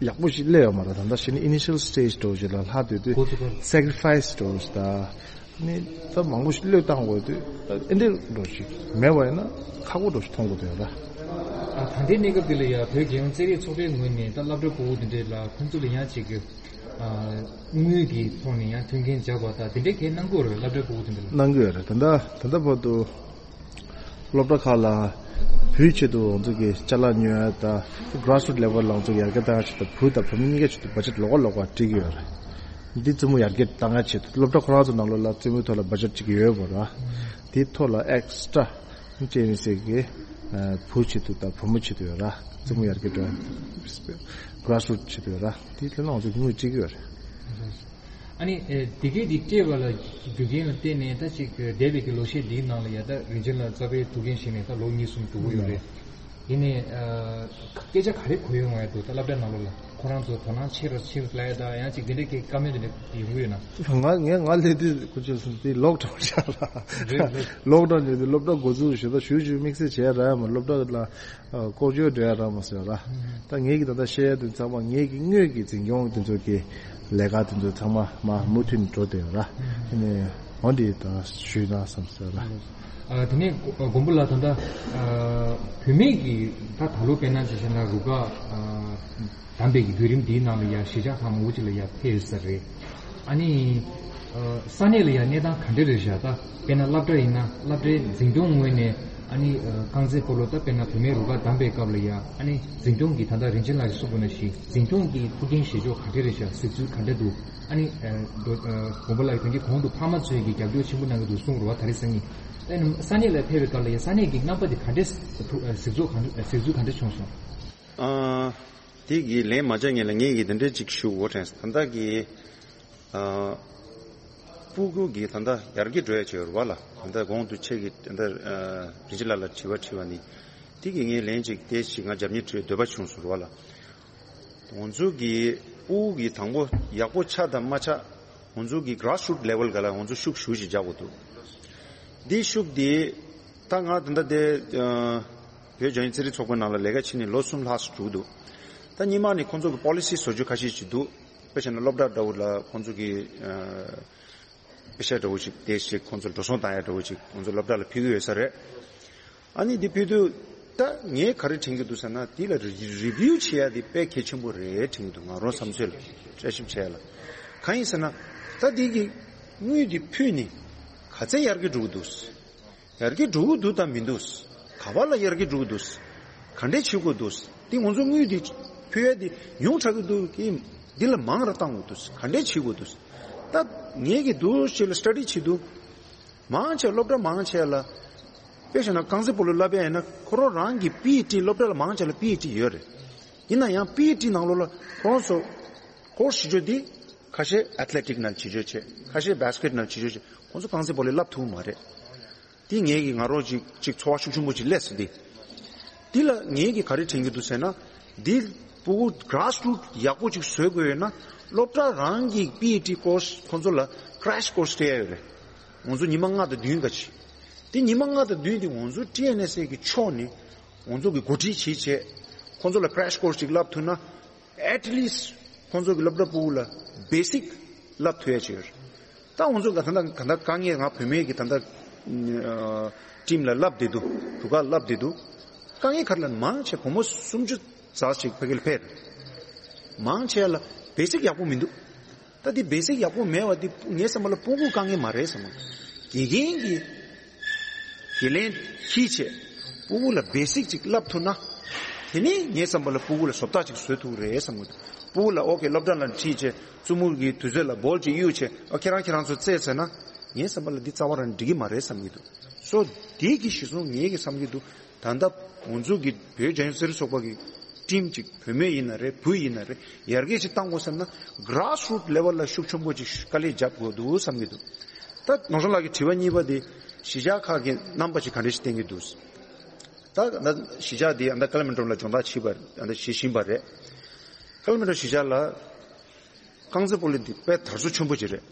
ཡག་པོ་ཞིག་སླེབས་ཡོད་མ་རེད། ད་ལྟ་གཞི་ནས་initial stage་འདྲ་བོ་ཞིག་ལ་ལྷག་སྡོད་དུས་ཁོ་ཚོ་ག་sacrifice་འདྲ་བོ་ཞིག་དང་། ནི་ད་མང་པོ་ཞིག་བློས་བཏང་དགོས་དུས་ད་ཨེ་འདྲ་འདྲ་བོ་ཞིག་མེད་པ་ཡིན་ན་ཁག་པོ་འདྲ་བོ་ཞིག་མཐོང་དགོས་འདུག་ཡ་ད། ཨ་ད་ལྟའི་གནས་སྐབས་འདི་ལ་ཡ་བོད་རྒྱལ་ཡོངས་རྩེད་རིགས་ཚོགས་པའི་ངོས་ནས་ད་སློབ་གྲྭ་ཕྲུ་གུ་འདི་འདྲས་ལ་ཁོང་ཚོ་ལ་ཡང་ཅིག་གི་ཨ་དངུལ་གྱི་ཐོག་ནས་ཡང་མཐུན་རྐྱེན་སྦྱར་བ་དང་དེ་འདྲས་གས་གནང་གི་ཡོད་རེད། སློབ་གྲྭ་ཕྲུ་གུ་དེ་འདྲ་ལ། གནང་གི་ཡོད་རེད། ད་ལྟ་ད་ལྟ་བར་དུ། སློབ་གྲྭ་ཁག་ལ་བུའི་ཆེད་དུ་ང་ཚོ་གི་ཅ་ལག་ཉོ་ཡ་དང་grassroot level་ལ་ང་ཚོ་ཡར་རྒྱས་བཏང་ཡ་ཆེད་དུ་བུ་དང་བུ་མོ་གཉིས་ཀའི་ཆེད་དུ་budget་ལོགས་ཀ་ལོགས་ཀ་སྒྲིག་གི་ཡོད་རེད། འདི་རྩེད་མོ་ཡར་རྒྱས་བཏང་ཡ་ཆེད་དུ་སློབ་གྲྭ་ཁོ་རང་ཚོ་ནང་ལོགས་ལ་རྩེད་མོའི་ཐོག་ལ་budget་ཅིག་ཡོད་པ་ར། དེའི་ཐོག་ལ་extra་ཅེས་ནི་ཟེར་གི་བུ་ཆེད་དུ་དང་བུ་མོ་ཆེད་དུ་ཡོད་ར། རྩེད་མོ་ཡར་རྒྱས་འགྲོ་ཡ་grassroot་ཆེད་དུ་ཡོད་ར། དེའི་ཐད་ལ་ང་ཚོ་དངུལ་སྤྲད་ཀྱི་ཡོད་རེད། ཨ་ནི་ཨེ་དེ་གའི་དེ་སྤྲད་པ་ལ་རྒྱུ་རྐྱེན་ལ་བརྟེན་ནས་ད་ཅིག་འདས་པའི་གི་ལོ་ཤས་འདིའི་ནང་ལ་ཡ་ད་རིན་ཆེན་ལགས་རྩ་བའི་ཐུགས་འགན་བཞེས་ནས་ད་ལོ་གཉིས་གསུམ་འགྲོ་གི་ཡོད་རེད། ཡིན་ནའི་ཨ་སྐད་ཆ་ག་རེ་གོ་ཡོང་བ་འདུག་ད་སློབ་གྲྭ་ནང་ལོགས་ལ་ཁོ་རང་ཚོ་དོ་སྣང་ཆེ་རུ་ཆེ་རུ་ལ་ཡ་ད་ཡང་ཅིག་འདི་འདྲའི་གི་བཀའ་མོལ་དེ་འདྲ་ཡོང་གི་ཡོད་ན། ང་ངས་ང་སླེབས་དུས་ཁོ་ཚོས་སོང་དེ་ལོག་འགྲོ་བཞག་ལ། རེད་རེད། ལོག་འགྲོ་ནས་དེ་སློབ་གྲྭ་འགོ་འཛུགས་ཞུ་ད་ཞུ་ཞུ་དམིགས་བསལ་བྱས་ར་ཡ་མ་སློབ་གྲྭ་ལ། ཨ་ལྐོག་ཇོ་འགྲོ་ཡ་རག་མ་སོང་ར། ད་ངེད་ཀྱི་ད་ལྟ་བཤད་ཡ་དེ་ཚང་མ་ངེད་ཀྱི་དངོས་ཀྱི་འཛིན་སྐྱོང་དེ་ཚོ་གི་ལས་ཀ་དེ་ཚོ་ཚང་མ་མ་མུ་མཐུད་ནས་འགྲོ་བསྡད་ཡོད་ར། ཨ་ནི་འོ་འདི་ད་ཞུས་ན་བསམ་སོང་ར། ཨ་དེ་ནས་མགོན་པོ་ལགས་ད་ལྟ་ཨ་བུད་མེད་ཀྱི་ད་ད་ལོ་དཔེར་ན་ཅིག་བྱས་ན་རུ་ཁག་ཨ་བདམས་པའི་གི་བརྒྱུད་རིམ་འདིའི་ནང་ལ་ཡ་གཞིས་ཆགས་ཁག་མང་པོ་ཅིག་ལ་ཡ་ཕེབས་ཡོད་ས་རེད། ཨ་ནི་ཨ་ས་གནས་ལ་ཡ་གནས་སྟངས་ག་འདྲ་རེད་ཤག་ད་དཔེར་ན་སློབ་གྲྭ་ཡིན་ན་སློབ་གྲྭའི་འཛིན་སྐྱོང་ངོས་ནས་ཨ་ནི་ཨ་རྐང་རྩེད་སྤོ་ལོ་ད་དཔེར་ན་བུད་མེད་རུ་ཁག་བདམས་པའི་སྐབས་ལ་ཡ་ཨ་ནི་འཛིན་སྐྱོང་གི་ད་ལྟ་རིན་ཆེན་ལགས་ཀྱིས་གསུངས་པ་ནང་བཞིན་འཛིན་སྐྱོང་གི་ཐུགས་འགན་བཞེས་ཕྱོགས་ག་འདྲ་རེད་ཤག་གཟིགས་ཚུལ་ག་འདྲ་འདུག་ཨ་ནི་ཨ་མགོན་པོ་ལགས་ཀྱིས་ད་གིན་གོང་དུ་ཕ་མ་ཚོས་ཀྱི་རྒྱབ་སྐྱོར་ཆེན་པོ་གནང་གི་འདུག་གསུངས་རེད་བ། ད་རེས་སང་ཉིན་ད་ནི་ས་གནས་ལ་ཕེབས་པའི་སྐབས་ལ་ཡ་ས་གནས་ཀྱི་རྣམ་པ་དེ་ག་འདྲ་གཟིགས་ཚུལ་ག་འདྲ་གཟིགས་ཚུལ་ག་འདྲ་བྱུང་སོང་། ཨ། དེ་གི་ལན་མ་རྒྱག་ངེས་ལ་ངེད་ཀྱིས་དེ་འདྲའི་ཅིག་ཞུ་དགོས་དྲན་སོང་། ད་ལྟ་གི་ཨ་སྤུ་གུ་གི་ད་ལྟ་ཡར་རྒྱས་འགྲོ་ཡ་ཅིག་ཡོད་རེད་བ་ལ། ད་ལྟ་གོང་དུ་ཁྱེད་ཀྱིས་ད་ལྟ་ཨ་རིན་ཆེན་ལགས་ལ་དྲི་བ་དྲིས་པ་ནི། དེ་གི་ངས་ལན་ཅིག་དེ་ཞིག་ང་རྒྱབ་གཉེར་བྱེད་འདོད་པ་བྱུང་སོང་རེད་བ་ལ། ང་ཚོ་གི་སྤུ་གུ་གི་དང་པོ་ཡག་པོ་ཆགས་དང་མ་ཆགས་ང་ཚོ་གི་grassroot level་ག་ལ་ང་ཚོ་ཤུགས་ཞུ་ཞིག་རྒྱག་དགོས་འདུག་འདི་ཤུགས་འདི་ད་ང་ད་ལྟ་དེ་ཨ་བོད་རྒྱལ་ཡོངས་རྩེད་རིགས་ཚོགས་པའི་ནང་ལ་ལས་ཀ་བྱས་ནས་ལོ་གསུམ་ལྷག་ཙམ་འགྲོ་གི་འདུག་ད་སྔོན་མ་ནས་ཁོང་ཚོ་གི་policy་བཟོ་རྒྱུ་ཁ་ཤས་ཅིག་འདུག་དཔེ་བྱས་ན་སློབ་གྲྭ་འདྲ་བོ་ལ་ཁོང་ཚོ་གི་ཨ་པེ་ཤ་འདྲ་བོ་ཅིག་དེ་ཞིག་ཁོང་ཚོ་འགྲོ་སོང་བཏང་ཡ་འདྲ་བོ་ཅིག་ཁོང་ཚོ་སློབ་གྲྭ་ལ་ཕུལ་གི་ཡོད་ས་རེད། ཨ་ནི་འདི་ཕུལ་དུས་ད་ངས་ག་རེ་དྲན་གྱི་འདུག་ཟེར་ན་འདི་ལ་རི་རི་བིའུ་བྱེད་ཡ་འདི་དཔེ་གལ་ཆེན་པོ་རེད་དྲན་གྱི་འདུག་ང་རང་བསམ་ཚོད་ལ་བསྐྱར་ཞིབ་བྱས་ལ། གང་ཡིན་ཟེར་ན་ད་འདི་གི་དངུལ་འདི་ཕུལ་ནས་ག་ཚད་ཡར་རྒྱས་འགྲོ་གི་འདུག་ཡར་རྒྱས་འགྲོ་གི་འདུག་དང་མི་འདུག་ག་པ་ལ་ཡར་རྒྱས་འགྲོ་གི་འདུག་ག་འདྲས་བྱེད་དགོས་འདུག་འདི་ང་ཚོ་དངུལ་འདི་ཕུལ་ཡ་འདི་ཉུང་དྲགས་ཀྱི་འདུག་གི། འདི་ལ་མང་ར་བཏང་དགོས་འདུག་ག་འདྲས་བྱེད་དགོས་འདུག་ད་ངས་ཀྱི་འདུག་ཞེས་ལ་སི་ཊ་ཌི་བྱེད་འདུག་མང་ཆེ་སློབ་གྲྭ་མང་ཆེ་ལ། དཔེ་བཞག་ན་རྐང་རྩེད་སྤོ་ལོ་བསླབ་ཡ་ཡིན་ན་ཁོ་རང་རང་གི་པི་ཨི་ཊི་སློབ་གྲྭ་ལ་མང་ཆེ་ལ་པི་ཨི་ཊི་ཡོད་རེད། ཡིན་ན་ཡང་པི་ཨི་ཊི་ནང་ལོགས་ལ་ཁོ་རང་ཚོ་ཀོར་སི་བྱེད་རྒྱུ་འདི་ཁ་ཤས་ཨེ་ཐི་ལེ་ཊིག་ནང་བྱེད་རྒྱུ་བྱས། ཁ་ཤས་བྷ་སི་ཀེ་ཊི་ནང་བྱེད་རྒྱུ་བྱས། ཁོང་ཚོ་རྐང་རྩེད་སྤོ་ལོ་བསླབ་ཐུབ་མ་རེད། འདི་ངས་ཀྱི་ང་རང་ཅིག་ཅིག་ཚོར་བ་ཤུགས་ཆེན་པོ་ཅིག་སླེབས་སོང་འདི། འདི་ལ་ངས་ཀྱི་ག་རེ་དྲན་གྱི་འདུག་ཟེར་ན། འདི་སྤུ་གུ་གྷ་ར་སི་རུ་ཊི་ཡག་པོ་ཅིག་བཟོ་དགོས་ཡོད་ན། སློབ་གྲྭ་རང་གི་པི་ཨི་ཊི་ཀོར་སི་ཁོང་ཚོ་ལ་ཀེ་རེ་ཤི་ཀོར་སི་སྤྲད་ཡ་ཡོད་རེད། ང་ཚོ་ཉི་མ་ལྔ་དང་བདུན་ག་ཅིག་འདི་ཉི་མ་ལྔ་དང་བདུན་འདི་ང་ཚོ་ཊི་ཨེན་ཨེས་ཨེ་གི་ཕྱོགས་ནས་ང་ཚོ་གི་འགོ་ཁྲིད་བྱེད་བྱས། ཁོང་ཚོ་ལ་ཀེ་རེ་ཤི་ཀོར་སི་ཅིག་བསླབ་ཐུབ་ན། at least ཁོང་ཚོ་གི་སློབ་གྲྭ་སྤུ་གུ་ལ་བེ་སིག་བསླབ་ཐུབ་ཡ་ཅིག་ཡོད་རེད། ད་ང་ཚོ་ག་ད་ལྟ་ག་ད་དཀའ་ངལ་ང་བུད་མེད་ཀྱི་ད་ལྟ་ ཊིམ་ལ་བསླབ་བསྡད་འདུག་རུ་ཁག་བསླབ་བསྡད་འདུག་དཀའ་ངལ་ག་རེ་ལབ་ན་མང་ཆེ་བུ་མོ་སུམ་ཅུ་ཙམ་ཞིག་ཕ་གིར་ཕེབས། མང་ཆེ་ལ་བེ་སིག་ཡག་པོ་མི་འདུག་ད་འདི་བེ་སིག་ཡག་པོ་མེད་པ་འདི་ངའི་བསམ་པ་ལ་སྤུ་གུ་དཀའ་ངལ་མ་རེད་བསམ་གི། དགེ་རྒན་གྱིས་དགེ་ལན་འཁྱེར་བྱས་སྤུ་གུ་ལ་བེ་སིག་ཅིག་བསླབ་ཐུབ་ན། དེ་ནས་ངའི་བསམ་པ་ལ་སྤུ་གུ་ལ་བཟོ་ལྟ་ཅིག་བཟོ་ཐུབ་རེད་བསམ་གི་འདུག་སྤུ་གུ་ལ་ཨོ་ཀེ་སློབ་གྲྭ་ལ་ཁྲིད་བྱས་བཙུན་མོ་གི་དུས་ཚོད་ལ་བོལ་ཅིག་གཡུག་བྱས་ཨ་ཁྱེད་རང་ཁྱེད་རང་ཚོ་རྩེད་ཟེར་ན། ངའི་བསམ་པ་ལ་འདི་རྩ་བ་རང་འགྲིག་གི་མ་རེད་བསམ་གི་འདུག་སོ་འདི་གི་གཞི་བཟུང་ངེད་ཀྱི་བསམ་གི་འདུག་ད་ལྟ་ང་ཚོ་གི་བོད་རྒྱལ་ཡོངས་རྩེད་རིགས་ཚོགས་པ་གི་ཊིམ་ཅིག་བུད་མེད་ཡིན་ན་རེད་བུ་ཡིན་ན་རེད་ཡར་རྒྱས་ཅིག་བཏང་དགོས་བསམ་ན་གྷ་ར་སི་རུ་ཊི་ལེ་ཝལ་ལ་ཤུགས་ཆེན་པོ་ཅིག་དཀའ་ལས་རྒྱབ་དགོས་འདུག་བསམ་གྱི་འདུག་ད་ནོར་བཟང་ལགས་ཀྱི་དྲི་བ་གཉིས་པ་དེ་གཞིས་ཆགས་ཁག་གི་རྣམ་པ་ཅིག་ག་འདྲ་ཞིག་བསྟན་གྱི་འདུག་ད་ད་གཞིས་ཆགས་དེ་ཨ་ད་ཀ་ལ་མན་ཊོ་ལ་སྦྱོང་བརྡར་བྱེད་པ་ཨ་ད་བྱེད་བཞིན་པ་རེད། ཀ་ལ་མན་ཊོ་གཞིས་ཆགས་ལ། རྐང་རྩེད་སྤོ་ལོ་འདི་དཔེ་དར་སོ་ཆེན་པོ་ཅིག་རེད།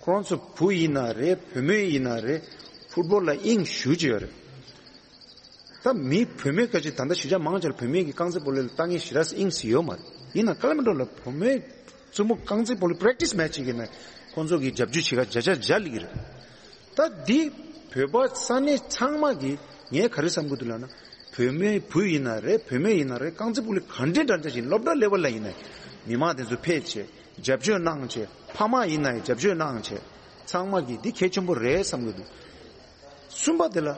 ཁོ་རང་ཚོ་བུ་ཡིན་ན་རེད་བུད་མེད་ཡིན་ན་རེད་ཕུཊ་བོལ་ལ་དབྱིངས་ཞེ་པོ་ཅིག་ཡོད་རེད། ད་མི་བུད་མེད་སྐད་ཆ་ད་ལྟ་གཞིས་ཆགས་མང་ཆེ་ལ་བུད་མེད་ཀྱི་རྐང་རྩེད་སྤོ་ལོ་ལ་ལྟ་མཁན་ཞེ་དྲག་དབྱིངས་སུ་ཡོད་མ་རེད། ཡིན་ན་ཀ་ལ་མན་ཊོ་ལ་བུད་མེད་བཙུན་མོ་རྐང་རྩེད་སྤོ་ལོ་པེ་རེག་ཊི་སི་མེཆ་ཅིག་ཡིན་ན་ཁོང་ཚོ་གི་རྒྱབ་སྐྱོར་བྱེད་ག་བརྒྱ་ཆ་བརྒྱ་སླེབས་ཀྱི་རེད། ད་འདི་བོད་པ་ས་གནས་ཚང་མ་གིས་ངས་ག་རེ་བསམ་གྱི་འདུག་ལབ་ན། བུད་མེད་བུ་ཡིན་ན་རེད་བུད་མེད་ཡིན་ན་རེད་རྐང་རྩེད་སྤོ་ལོ་ག་འདྲ་འདྲ་འདྲ་ཞིག་སློབ་གྲྭ་ལེ་ཝལ་ལ་ཡིན་ན་མི་མང་དེ་ཚོ་ཕེབས་བྱས་རྒྱབ་སྐྱོར་གནང་བྱས་ཕ་མ་ཡིན་ན་ཡང་རྒྱབ་སྐྱོར་གནང་བྱས་ཚང་མ་གིས་འདི་གལ་ཆེན་པོ་རེད་བསམ་གྱི་འདུག་གསུམ་པ་དེ་ལ་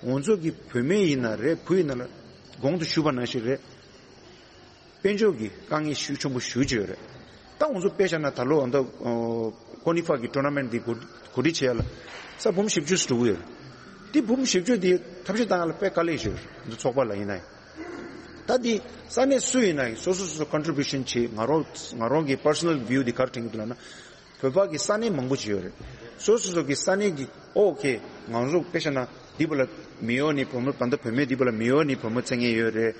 ང་ཚོ་གི་བུད་མེད་ཡིན་ན་རེད་བུ་ཡིན་ན་ལ་གོང་དུ་ཞུས་པ་ནང་བཞིན་རེད། དཔལ་འབྱོར་གྱི་དཀའ་ངལ་ཤུགས་ཆེན་པོ་ཞེ་པོ་ཅིག་ཡོད་རེད། ད་ང་ཚོ་དཔེ་བཞག་ན་ད་ལོ་ཨ་ད་ཀོ་ནི་ཧྥ་གི་ཊོར་ན་མེན་ཊི་འདི་གོ་གོ་སྒྲིག་བྱེད་ཡ་ལ་ས་འབུམ་བཞི་བཅུ་ཙམ་འགྲོ་གི་ཡོད་རེད། འདི་འབུམ་བཞི་བཅུ་འདི་ཐབས་ཤེས་བཏང་ཡ་ལ་དཔེ་དཀའ་ལས་ཤིག་ཡོད་རེད་ང་ཚོ་ཚོགས་པ་ལ་ཡིན་ན་ཡང་། ད་འདི་ས་གནས་སུ་ཡིན་ན་ཡང་སོ་སོ་སོ་སོ་ཀོན་ཊི་རི་བྷིའུ་ཤན་བྱེད། ང་རང་ང་རང་གི་པར་སོ་ནལ་བིའུ་འདི་ག་རེ་དྲན་གྱི་འདུག་ལབ་ན། བོད་པ་གི་ས་གནས་མང་པོ་ཅིག་ཡོད་རེད། སོ་སོ་སོ་གི་ས་གནས་ཀྱི་ཨོ་ཁེ་ང་ཚོ་དཔེ་བཞག་ན་འདི་བ་ལ་མེ་ཡོ་ནས་བུ་མོ་ད་ལྟ་བུད་མེད་འདི་བ་ལ་མེ་ཡོ་ནས་བུ་མོ་རྩེད་མཁན་ཡོད་རེད།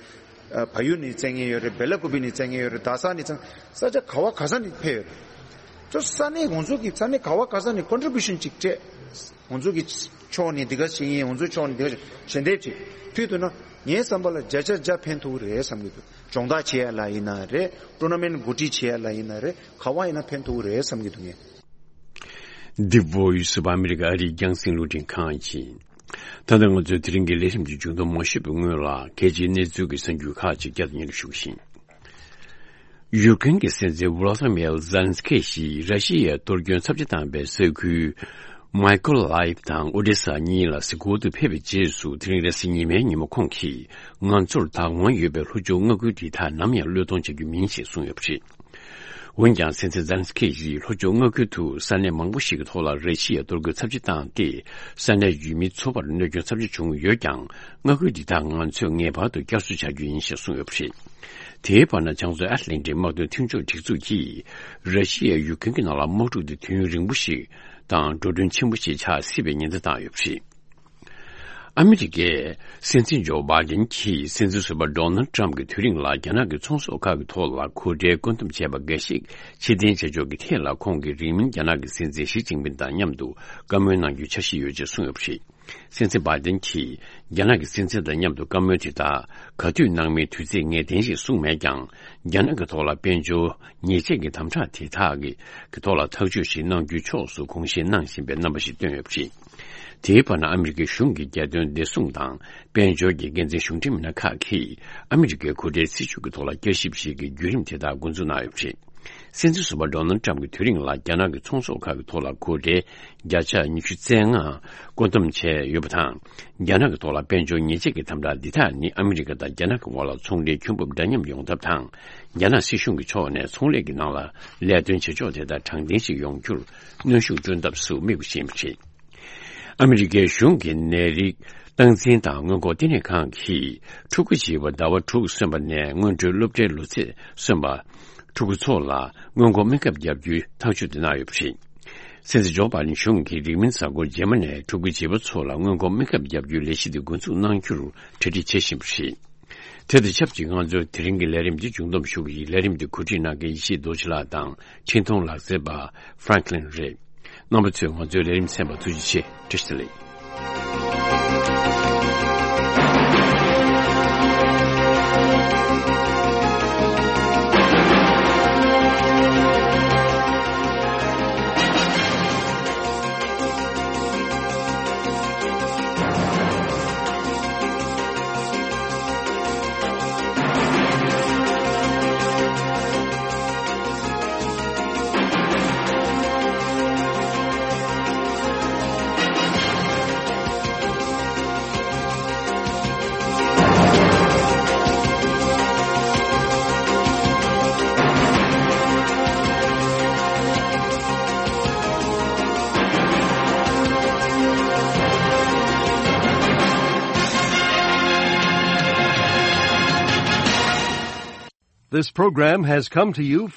ཨ་བལ་ཡུལ་ནས་རྩེད་མཁན་ཡོད་རེད། སྦེ་ལ་ཀུ་པི་ནས་རྩེད་མཁན་ཡོད་རེད། རྡ་ས་ནས་རྩེད་ས་ཆ་ག་བ་ག་ས་ནས་ཕེབས་ཡོད་རེད། ཚོ་ས་གནས་ང་ཚོ་གི་ས་གནས་ག་བ་ག་ས་ནས་ཀོན་ཊི་རི་བྷིའུ་ཤན་ཅིག་སྤྲད། ང་ཚོ་གི་ཕྱོགས་ནས་འདི་ག་བྱེད་ཀྱི་ཡིན། ང་ཚོའི་ཕྱོགས་ནས་འདི་ག་ཞལ་འདེབས་ཅིག་ཕུལ་ཐུབ་ན་ངའི་བསམ་པ་ལ་བརྒྱ་ཆ་བརྒྱ་ཕན་ཐོགས་རེད་བསམ་གྱི་འདུག་སྦྱོང་བརྡར་བྱེད་ཡ་ལ་ཡིན་ན་རེད། ཊོར་ན་མེན་ཊི་གོ་སྒྲིག་བྱེད་ཡ་ལ་ཡིན་ན་རེད། ག་བ་ཡིན་ན་ཕན་ཐོགས་རེད་བསམ་གྱི་འདུག་ངས། འདི་བོད་ཡུལ་སུ་བ་ཨ་མི་རི་ཀ་ཨ་རིའི་རྒྱང་སྲིང་རླུང་འཕྲིན་ཁང་ཡིན། ད་ལྟ་ང་ཚོའི་དེ་རིང་གི་ལས་རིམ་གྱི་མཇུག་སྡོམ་མ་ཞུས་པའི་སྔོན་ལ་གལ་ཆེའི་གནས་ཚུལ་གྱི་གསར་འགྱུར་ཁག་ཅིག་བསྐྱར་དུ་སྙན་སྒྲོན་ཞུ་གི་ཡིན། ཡུཀ་རེན་གྱི་སྲིད་འཛིན་ཝོ་ལོ་དི་མིར་ཛེ་ལན་སི་ཀི་ཞིས་ར་ཤི་ཡའི་གཏོར་སྐྱོན་ཚབས་ཆེ་བཏང་བའི་ས་ཁུལ་མའི་ཀོ་ལའེབ་དང་ཨོ་ཌེ་ས་གཉིས་ལ་གཟིགས་སྐོར་དུ་ཕེབས་པའི་རྗེས་སུ་དེ་རིང་རེས་གཟའ་ཉི་མའི་ཉིན་མོ་ཁོང་གིས་ང་ཚོར་བདག་དབང་ཡོད་པའི་ལྷོ་ཕྱོགས་མངའ་ཁུལ་དེ་དག་ནམ་ཡང་བློས་གཏོང་བྱ་རྒྱུ་མིན་ཞེས་གསུངས་ཡོད་པ་རེད། འོན་ཀྱང་སྲིད་འཛིན་ཛེ་ལན་སི་ཀི་ཡིས་ལྷོ་ཕྱོགས་མངའ་ཁུལ་དུ་ས་གནས་མང་པོ་ཞིག་གི་ཐོག་ལ་ར་ཤི་ཡའི་གཏོར་རྒོལ་ཚབས་ཆེ་བཏང་སྟེ་ས་གནས་ཡུལ་མི་ཚོ་བར་གནོད་སྐྱོན་ཚབས་ཆེ་བྱུང་ཡོད་ཀྱང་མངའ་ཁུལ་འདི་དག་ང་ཚོས་ངེས་པར་དུ་བསྐྱར་གསོ་བྱ་རྒྱུ་ཡིན་ཞེས་གསུངས་ཡོད་པ་རེད། དེའི་བར་ན་བྱང་མཚོ་ཨེཊ་ལན་ཊིག་དམག་དོན་མཐུན་ཕྱོགས་སྒྲིག་འཛུགས་ཀྱིས་ར་ཤི་ཡའི་ཡུཀ་རེན་གྱི་ནང་ལ་དམག་འཁྲུག་འདི་དུས་ཡུན་རིང་པོ་ཞིག་དང་འགྲོ་གྲོན་ཆེན་པོ་ཞིག་ཆགས་སྲིད་པའི་ཉེན་བརྡ་བཏང་ཡོད་པ་རེད། ཨ་མི་རི་ཀའི་སྲིད་འཛིན་ཇོ་བྷའི་ཌེན་གྱིས་སྲིད་འཛིན་ཟུར་པ་ཌོ་ནལ་ཊམ་གྱི་དུས་རིང་ལ་རྒྱ་ནག་གི་ཚོང་ཟོག་ཁག་གི་ཐོག་ལ་གོ་གྲའི་བཀོད་འདོམས་བྱས་པ་འགའ་ཞིག་ཕྱིར་འཐེན་བྱ་ཕྱོགས་ཀྱི་ཐད་ལ་ཁོང་གིས་རིང་མིན་རྒྱ་ནག་གི་སྲིད་འཛིན་ཞི་ཅིན་ཕིན་དང་མཉམ་དུ་བཀའ་མོལ་གནང་རྒྱུའི་འཆར་གཞི་ཡོད་ཅེས་གསུངས་ཡོད་པ་རེད། སྲིད་འཛིན་བྷའི་ཌེན་གྱིས་རྒྱ་ནག་གི་སྲིད་འཛིན་དང་མཉམ་དུ་བཀའ་མོལ་དེ་དག་ག་དུས་གནང་མིན་དུས་ཚིགས་ངེས་གཏན་ཞིག་གསུངས་མེད་ཀྱང་། རྒྱ་ནག་གི་ཐོག་ལ་དཔལ་འབྱོར་ཉེས་ཆད་ཀྱི་དམ་དྲག་དེ་དག་གི་གི་ཐོག་ལ་ཐག་གཅོད་ཞིག་གནང་རྒྱུའི་ཕྱོགས་སུ་དགོངས་བཞེས་གནང་བཞིན་པའི་རྣམ་པ་ཞིག་བཏོན་ཡོད་པ་རེད། དེའི་བར་ན་ཨ་མི་རི་ཀའི་གཞུང་གི་རྒྱལ་དོན་བདེ་སྲུང་དང་དཔལ་འབྱོར་གྱི་འགན་འཛིན་གཞུང་འབྲེལ་མི་སྣ་ཁག་གིས་ཨ་མི་རི་ཀའི་གོ་གྲའི་སྲིད་བྱུས་ཀྱི་ཐོག་ལ་བསྐྱར་ཞིབ་ཞིག་གི་བརྒྱུད་རིམ་དེ་དག་འགོ་འཛུགས་གནང་ཡོད་པ་རེད། སྲིད་འཛིན་ཟུར་པ་ཌོ་ནལ་ཊམ་གྱི་དུས་རིང་ལ་རྒྱ་ནག་གི་ཚོང་ཟོག་ཁག་གི་ཐོག་ལ་གོ་གྲའི་བརྒྱ་ཆ་ཉི་ཤུ་རྩ་ལྔ་བཀོད་འདོམས་བྱས་ཡོད་པ་དང་། རྒྱ་ནག་གི་ཐོག་ལ་དཔལ་འབྱོར་ཉེས་ཆད་ཀྱི་དམ་དྲག་འདི་དག་ནི་ཨ་མི་རི་ཀ་དང་རྒྱ་ནག་གི་དབར་ལ་ཚོང་འབྲེལ་ཁྱོན་འབབ་འདྲ་མཉམ་ཡོང་ཐབས་དང་། རྒྱ་ནག་སྲིད་གཞུང་གི་ཕྱོགས་ནས་ཚོང་ལས་ཀྱི་ནང་ལ་ལས་དོན་བྱེད་ཕྱོགས་དེ་དག་དྲང་བདེན་ཞིག་ཡོང་རྒྱུར་གནོན་ཤུགས་བསྐྲུན་ཐབས་སུ་དམིགས་པ་ཞིག་ཡིན་པ་རེད། ཨ་མི་རི་ཀའི་གཞུང་གི་ནད་རིགས་སྟངས་འཛིན་དང་སྔོན་འགོག་ལྟེ་གནས་ཁང་གིས་ཕྲུ་གུ་བྱིས་པ་ཟླ་བ་དྲུག་སོན་པ་ནས་སྔོན་འགྲོའི་སློབ་གྲྭའི་ལོ་ཚད་སོན་པ་ཕྲུ་གུ་ཚོ་ལ་སྔོན་འགོག་སྨན་ཁབ་བརྒྱབ་རྒྱུའི་ཐག་གཅོད་དེ་གནང་ཡོད་པ་རེད། སྲིད་འཛིན་ཇོ་བྷའི་ཌེན་གཞུང་གིས་རིང་མིན་གཟའ་འཁོར་རྗེས་མ་ནས་ཕྲུ་གུ་བྱིས་པ་ཚོ་ལ་སྔོན་འགོག་སྨན་ཁབ་བརྒྱབ་རྒྱུའི་ལས་གཞི་དེ་འགོ་འཛུགས་གནང་རྒྱུར་གྲ་སྒྲིག་བྱེད་བཞིན་པ་རེད། དེ་དང་ཆབས་ཅིག་ང་ཚོས་དེ་རིང་གི་ལས་རིམ་འདི་མཇུག་བསྡོམས་ཞུ་གི་ཡིན། ལས་རིམ་འདི་གོ་སྒྲིག་གནང་མཁན་ཡེ་ཤེས་རྡོ་རྗེ་ལགས་དང་འཕྲིན་གཏོང་ལག་རྩལ་པ་ཧྥ་རན་ཀ་ལིན་རེད། རྣམ་པ་ཚོས་ང་ཚོའི་ལས་རིམ་གསན་པར་ཐུགས་རྗེ་ཆེ། བཀྲ་ཤིས་བདེ་ལེགས། This program has come to you